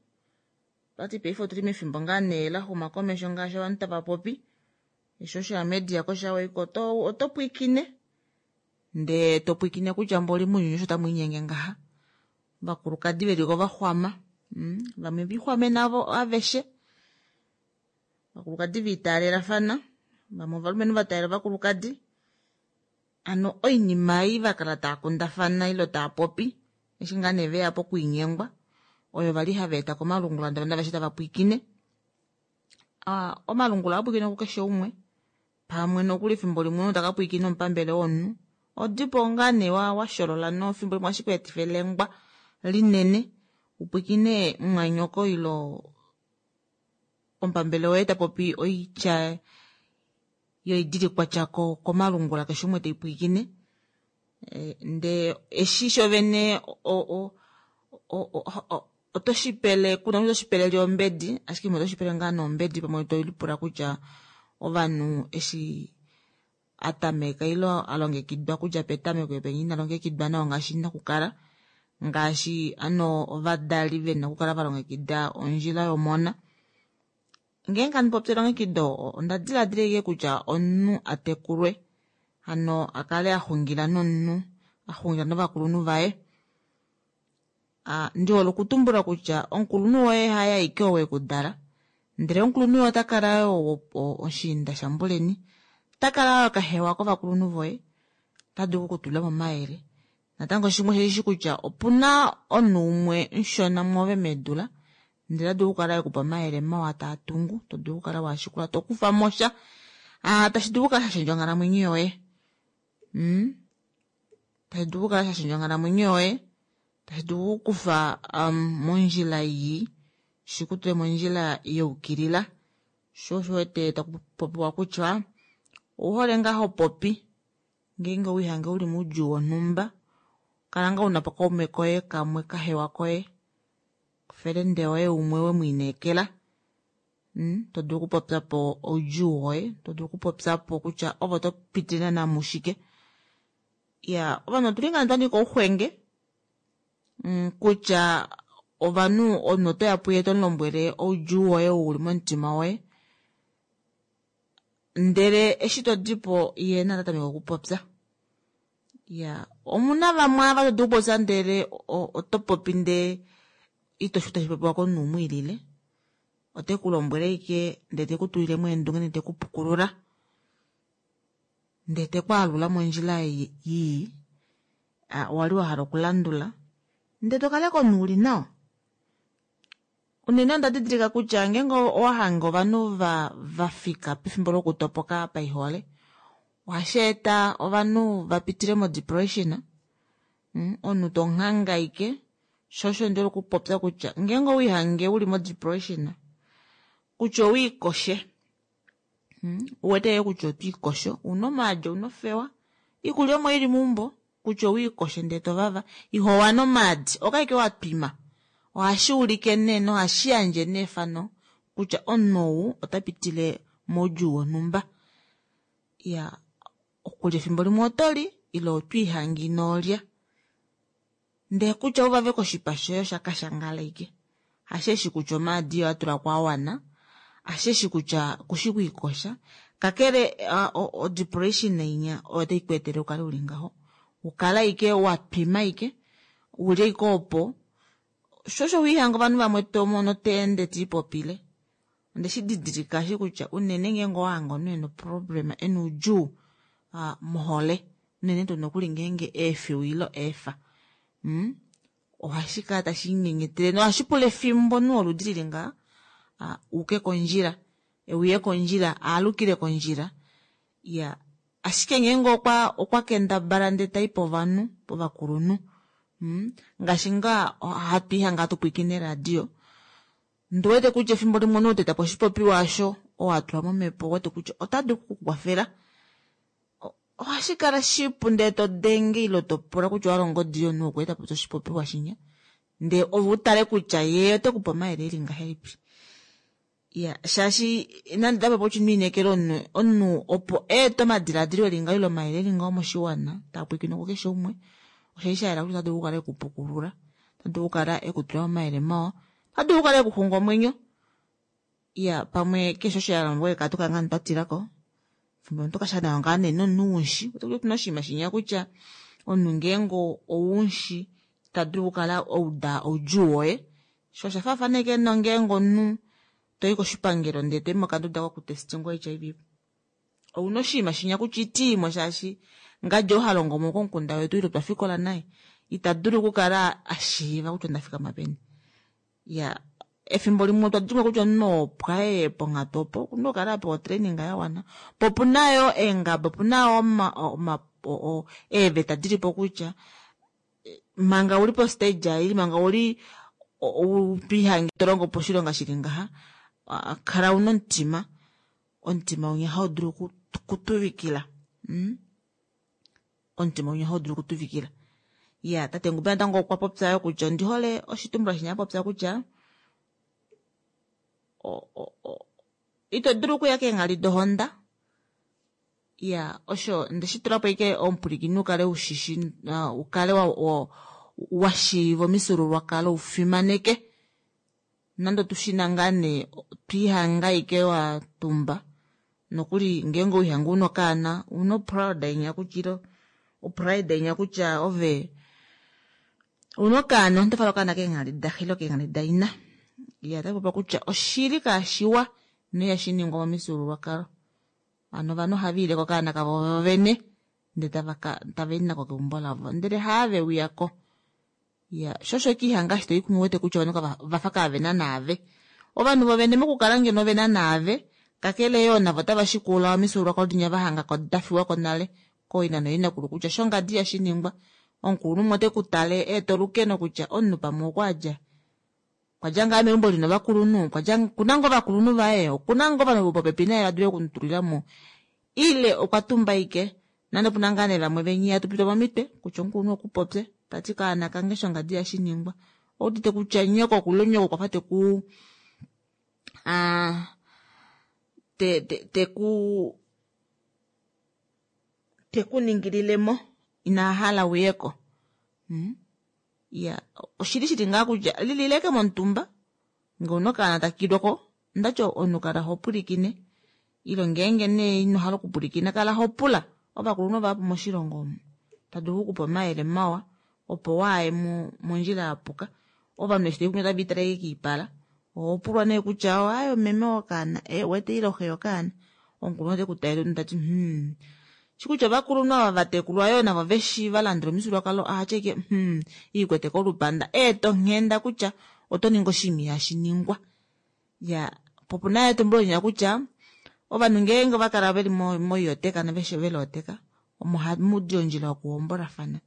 Tati paife otuli mefimbo ngaa nee la xuma komesho ngaashi ovanhu tava popi social media koshaweiko oto pwiikine ndee to pwiikine kutya mboli mounyuni osho tamu inyenge ngaha. Ovakulukadi veliko vaxwama, vamwe vixwame navo aveshe. Ovakulukadi viitaalelafana, vamwe ovalumenhu va taalela ovakulukadi. Ano oinima ei vakala taa kundafana ile taa popi eshi ngaa nee veya pokwiinyengwa oyo vali hava eta komalungula ndele aveshe tava pwiikine. Omalungula ohaa pwiikine kukeshe umwe pamwe nokuli efimbo limwe taka pwiikine omupambele womunhu. Odipo ngaa nee washolola nofimbo limwe ohashi ku etifa elengwa linene upwiikine mumwanyoko ilo omupambele woye ta popi oitya yoidilikwatya komalungula keshe umwe teipwiikine. Ndee eshi shovene oto shipele kuna oto shipelele ombedi ashike imwe oto shipele ngaa nombedi pamwe to lipula kutya ovanhu eshi atameka ilo alongekidwa kudja petameko penya ina longekidwa nawa ngaashi ina kukala ngaashi ano ovadali vena okukala valongekida ondjila yomona. Ngeenge handi popi elongekido onda diladila ashike kutya omunhu atekulwe hano akale axungila nomunhu axungila novakulunhu vaye. Ndihole okutumbula kutya omukulunhu woye haye aike oo wekudala ndele omukulunhu woye ota kala yoo oshiinda shambuleni, ota kala yoo kahewa kovakulunhu voye, ota dulu okukutulila momayele. Natango shimwe osheshi kutya opuna omunhu umwe mushona mwoove meedula ndele ota dulu okukala ekupa omayele mawa taa tungu, to dulu okukala washikula to kufa mo sha tashi dulu okukala sha shendja onghalamwenyo yoye. Tashi dulu okukala sha shendja onghalamwenyo yoye, tashi dulu okukufa mondjila ii shikutule mondjila yaukilila. Sho osho wete taku popiwa kutya ouhole ngaa ho popi ngeenge owiihange uli moudjuu wonhumba, kala ngaa una po kaume koye kamwe kahewa koye felende woye umwe wemwiineekela Mm, to dulu okupopya po oudjuu woye, to dulu okupopya po kutya ovo to pitile naana mushike. Ya, ovanhu otuli ngaa twa nika ouxwenge, mm, kutya ovanhu omunhu otoya puye to mu lombwele oudjuu woye ou uli momutima woye, ndele eshi to dipo ye naye ota tameke okupopya. Ya, omuna vamwe ava to dulu okupopya ndele oto popi ndee ito shi tashi popiwa komunhu umwe ilile, ote ku lombwele ashike ndee te ku tulilemo eendunge ndee te ku pukulula, ndee te ku alula mondjila ii wali wa hala okulandula, ndee to kala komunhu uli nawa. Unene onda didilika kutya ngeenge owa hanga ovanhu va va fika pefimbo lokutopoka paihole, ohashi eta ovanhu va pitile mo-depression. Mm, omunhu to nghangaike, sho osho ndi hole okupopya kutya ngeenge owiihange uli mo-depression, kutya owiikoshe, mm, uwete yoo kutya otwiikosho, una omaadi, una ofewa, iikulya omo ili meumbo, kutya owiikoshe ndee tovava, ihowana omaadi, okaike watwima. Ohashi ulike nee nohashi yandje nee efano kutya omunhu ou ota pitile moudjuu wonhumba. Ya, okulya efimbo limwe oto li, ile otwiihange inolya. Ndee kutya uvave koshipa shoye osha kashangala ashike. Hasheshi kutya omaadi oyo atula ko awana, hasheshi kutya kushi kwiikosha, kakele o-depression inya oyo tai ku etele ukale uli ngaho. Ukala ashike watwima ashike, uli ashike opo, sho osho wiihanga ovanhu vamwe tomono teende tiipopile. Onde shi didilika shi kutya unene ngeenge owahanga omunhu ena problem, ena oudjuu mohole, unene tuu nokuli ngeenge eefiwa ile eefa, mm, ohashi kala tashi nyenyetele nohashi pula efimbo omunhu woludi lili ngaha uke kondjila, euye kondjila, aalukile kondjila. Ya, ashike ngeenge okwa okwa kendabala ndee tai povanhu, povakulunhu, mm, ngaashi ngaa hatu ihanga hatu pwiikine radio, ndiwete kutya efimbo limwe omunhu teta po oshipopiwa osho oo atula momhepo wete kutya ota dulu okukukwafela. Ohashi kala shipu ndee to denge ile to pula kutya owa longa odi yomunhu okweeta po oshipopiwa shinya, ndee ove utale kutya ye ote kupe omayele eli ngahelipi. Ya, shaashi nande tapa po ino inekela omunhu, omunhu opo eete omadiladilo eli ngaho ile omayele eli ngaho moshiwana, taa pwiikine kukeshe umwe, osha sha yela kutya ota dulu okukala ekupukulula, ota dulu okukala ekutula omayele mawa, ota dulu okukala ekuxunga omwenyo. Ya, pamwe keshe osho ya lombwele katu kala ngaa twa tilako. Fimbo omuntu kasha nawa ngaa nee nomunhu unshi, otuna oshinima shinya kutya omunhu ngeenge ounshi ta dulu okukala ouda oudjuu woye. Sho osha faafana ashike nongeenge omunhu toyi koshipangelo ndee toyi mokanduda kokutestingwa H I V, ouna oshinima shinya kutya itiimo shaashi ngadi oo ha longo mo komukunda wetu ile twa fikola naye ita dulu okukala a shiiva kutya onda fikama peni. Ya, efimbo limwe otwa dimwa kutya omunhu opo aye ponghatu opo okuna okukala apewa otraining ya wana, po opuna yoo eengaba, opuna yoo eeveta dilipo kutya manga uli po stage ei, manga uli twiihange to longo po oshilonga shili ngaha, kala una omutima, omutima winya hau dulu okutuvikila. Mm? Omutima winya hau dulu okutuvikila. Ya, tate Ngube natango okwa popya yo kutya ondi hole oshitumbula shinya popya kutya ito dulu okuya keenghali dohonda. Ya, osho ndeshi tula po ashike omupwilikini ukale ushishi, ukale wa shiiva omifyuululwakalo ufimaneke. Nande tushina ngaa nee twiihanga ashike wa tumba, nokuli ngeenge owiihanga una okaana, una proud inya kutya ilo, opride inya kutya ove una okaana, oto fala okaana keenghali daxe ile keenghali daina. Ya, otashi popiwa kutya oshili kashiwa noihashi ningwa momifyuululwakalo. Hano ovanhu ohava ile kokaana kavo vene ndee tava i nako keumbo lavo, ndele haave uyako. Ya, sho osho kiihanga eshi toyi kumwe wete kutya ovanhu vafa kaavena naave. Ovanhu vovene mokukala ngeno vena naave, kakele yoo navo otava shikula omifyuululwakalo dinya va hanga ko dafiwako nale kooina nooinakulu kutya shongadi ihashi ningwa. Omukulunhu umwe ote ku tale eeta olukeno kutya omunhu pamwe okwa dja, okwa dja ngaa meumbo lina ovakulunhu, okwa dja okuna ngoo ovakulunhu vaye, okuna ngoo ovanhu vopopepi naye va dule okumutulila mo, ile okwa tumba ashike. Nande opuna ngaa nee vamwe venye ihatu pitwa momitwe kutya omukulunhu okupopye tati kaana kange shongadi ihashi ningwa, oudite kutya nyoko okuli nyoko okwa fa teku te te teku tekuningililemo ina hala uyeko mm? Ya oshili shili ngaa kutya lilileke momutumba ngee una okaana takilwako ndati omunhu kala hopwilikine ile ngeenge nee inohala okupwilikina kala hopula ovakulunhu vahapu moshilongo omu tadulu okukupa omayele mawa opo waaye mondjila yapuka ovanhu eshi tave otave litaleke kiipala ohopulwa nee kutya aaye meme wokaana wete ile oxe yokaana omukulunhu oteku talele tati hmm shikutya ovakulunhu ava vatekulwa yoo navo veshi valandula omifyuululwakalo ohashike hmm iikwete kolupanda eetonghenda kutya oto ningi oshinima ihashi ningwa ya po opuna etumbulo linya kutya ovanhu ngeenge ovakala veli moiyoteka noveshe velooteka omo hamudi ondjila yokuhombolafana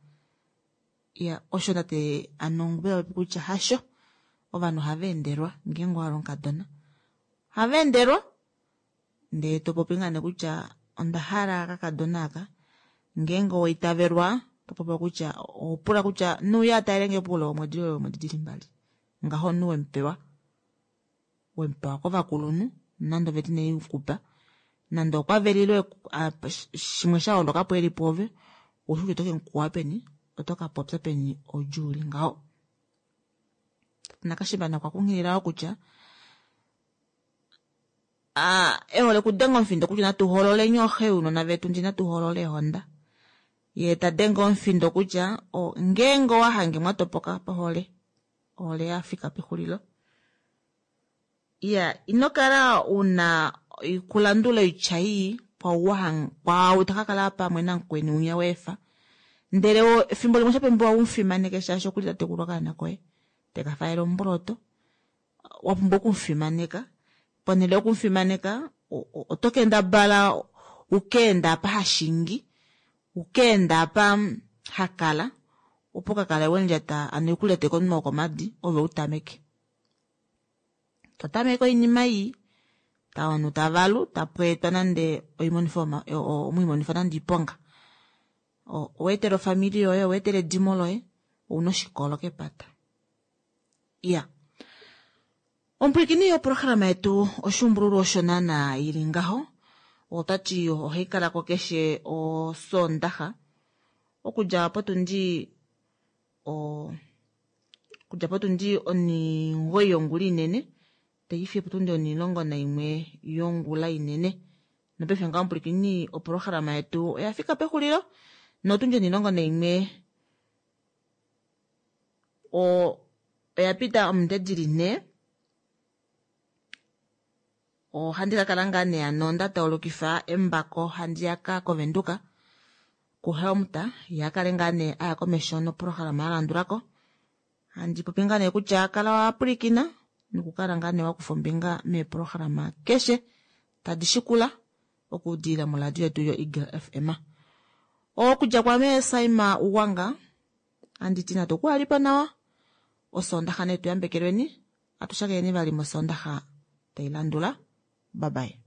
ya osho tate ano popi kutya hasho ovanhu ohava endelwa ngeenge owahala omukadona ohava endelwa ndee topopi ngaa nee kutya onda hala kakadona aka ngeenge owaitavelwa topopiwa kutya ohopula kutya nuuya atalelenge poule womwedi ile womwedi dili mbali ngaho omunhu wemupewa wemupewa kovakulunhu nande oveta inaikupa nande okwa velile shimwe sha holokapo eli pwoove oushi kutya oto kemukuwa peni oto kapopya peni oudjuu uli ngaho nakashimba okwa kunghilila wo kutya ehole okudenga omufindo kutya natu hololeni ooxe younona vetu ndi natu holole eehonda ye ta denge omufindo kutya ngeenge owahange mwatopoka pahole ohole yafika pexulilo iya ino kala una kulandula oitya ii kwaau takakala pamwe namukweni unya weefa ndele efimbo limwe oshapumbiwa umufimaneke shaashi okuli tatekula okaana koye tekafalela omboloto wapumbwa okumufimaneka ponhele yokumufimaneka oto kendabala ukeenda apa hashingi ukeenda apa hakala opo kakale wemulyata ano ekulyate komunwe wokomadi ove utameke totameke oinima ii ovanhu tavalu tapweetwa nande omwiimonifa nande oiponga oweetela ofamili yoye oweetela edimo loye ouna oshikolo kepata iya omupwilikini yoprograma yetu oshuumbululwa osho naana ili ngaho otati ohai kalako keshe osondaxa okudja potundi okudja potundi onimugoyi yongula inene taifiye potundi onilongo naimwe yongula inene nopaife ngaho omupwilikini oprograma yetu oya fika pexulilo notundi onilongo naimwe oya pita ominute dili nhee ohandi kakala ngaa nee hano nda taulukifa embako handiyaka kovenduka kuhelmut yakale ngaa nee aya komesho noprograma yalandulako handi popi ngaa nee kutya kala wapwilikina nokukala ngaa nee wakufa ombinga meeprograma keshe tadi shikula okudilila moradio yetu yo Eagle F M okudja kwame Saima Uwanga anditi natu kuhalipo nawa osondaxa netu yambekelweni atushakeneni vali mosondaxa tailandula. Bye bye.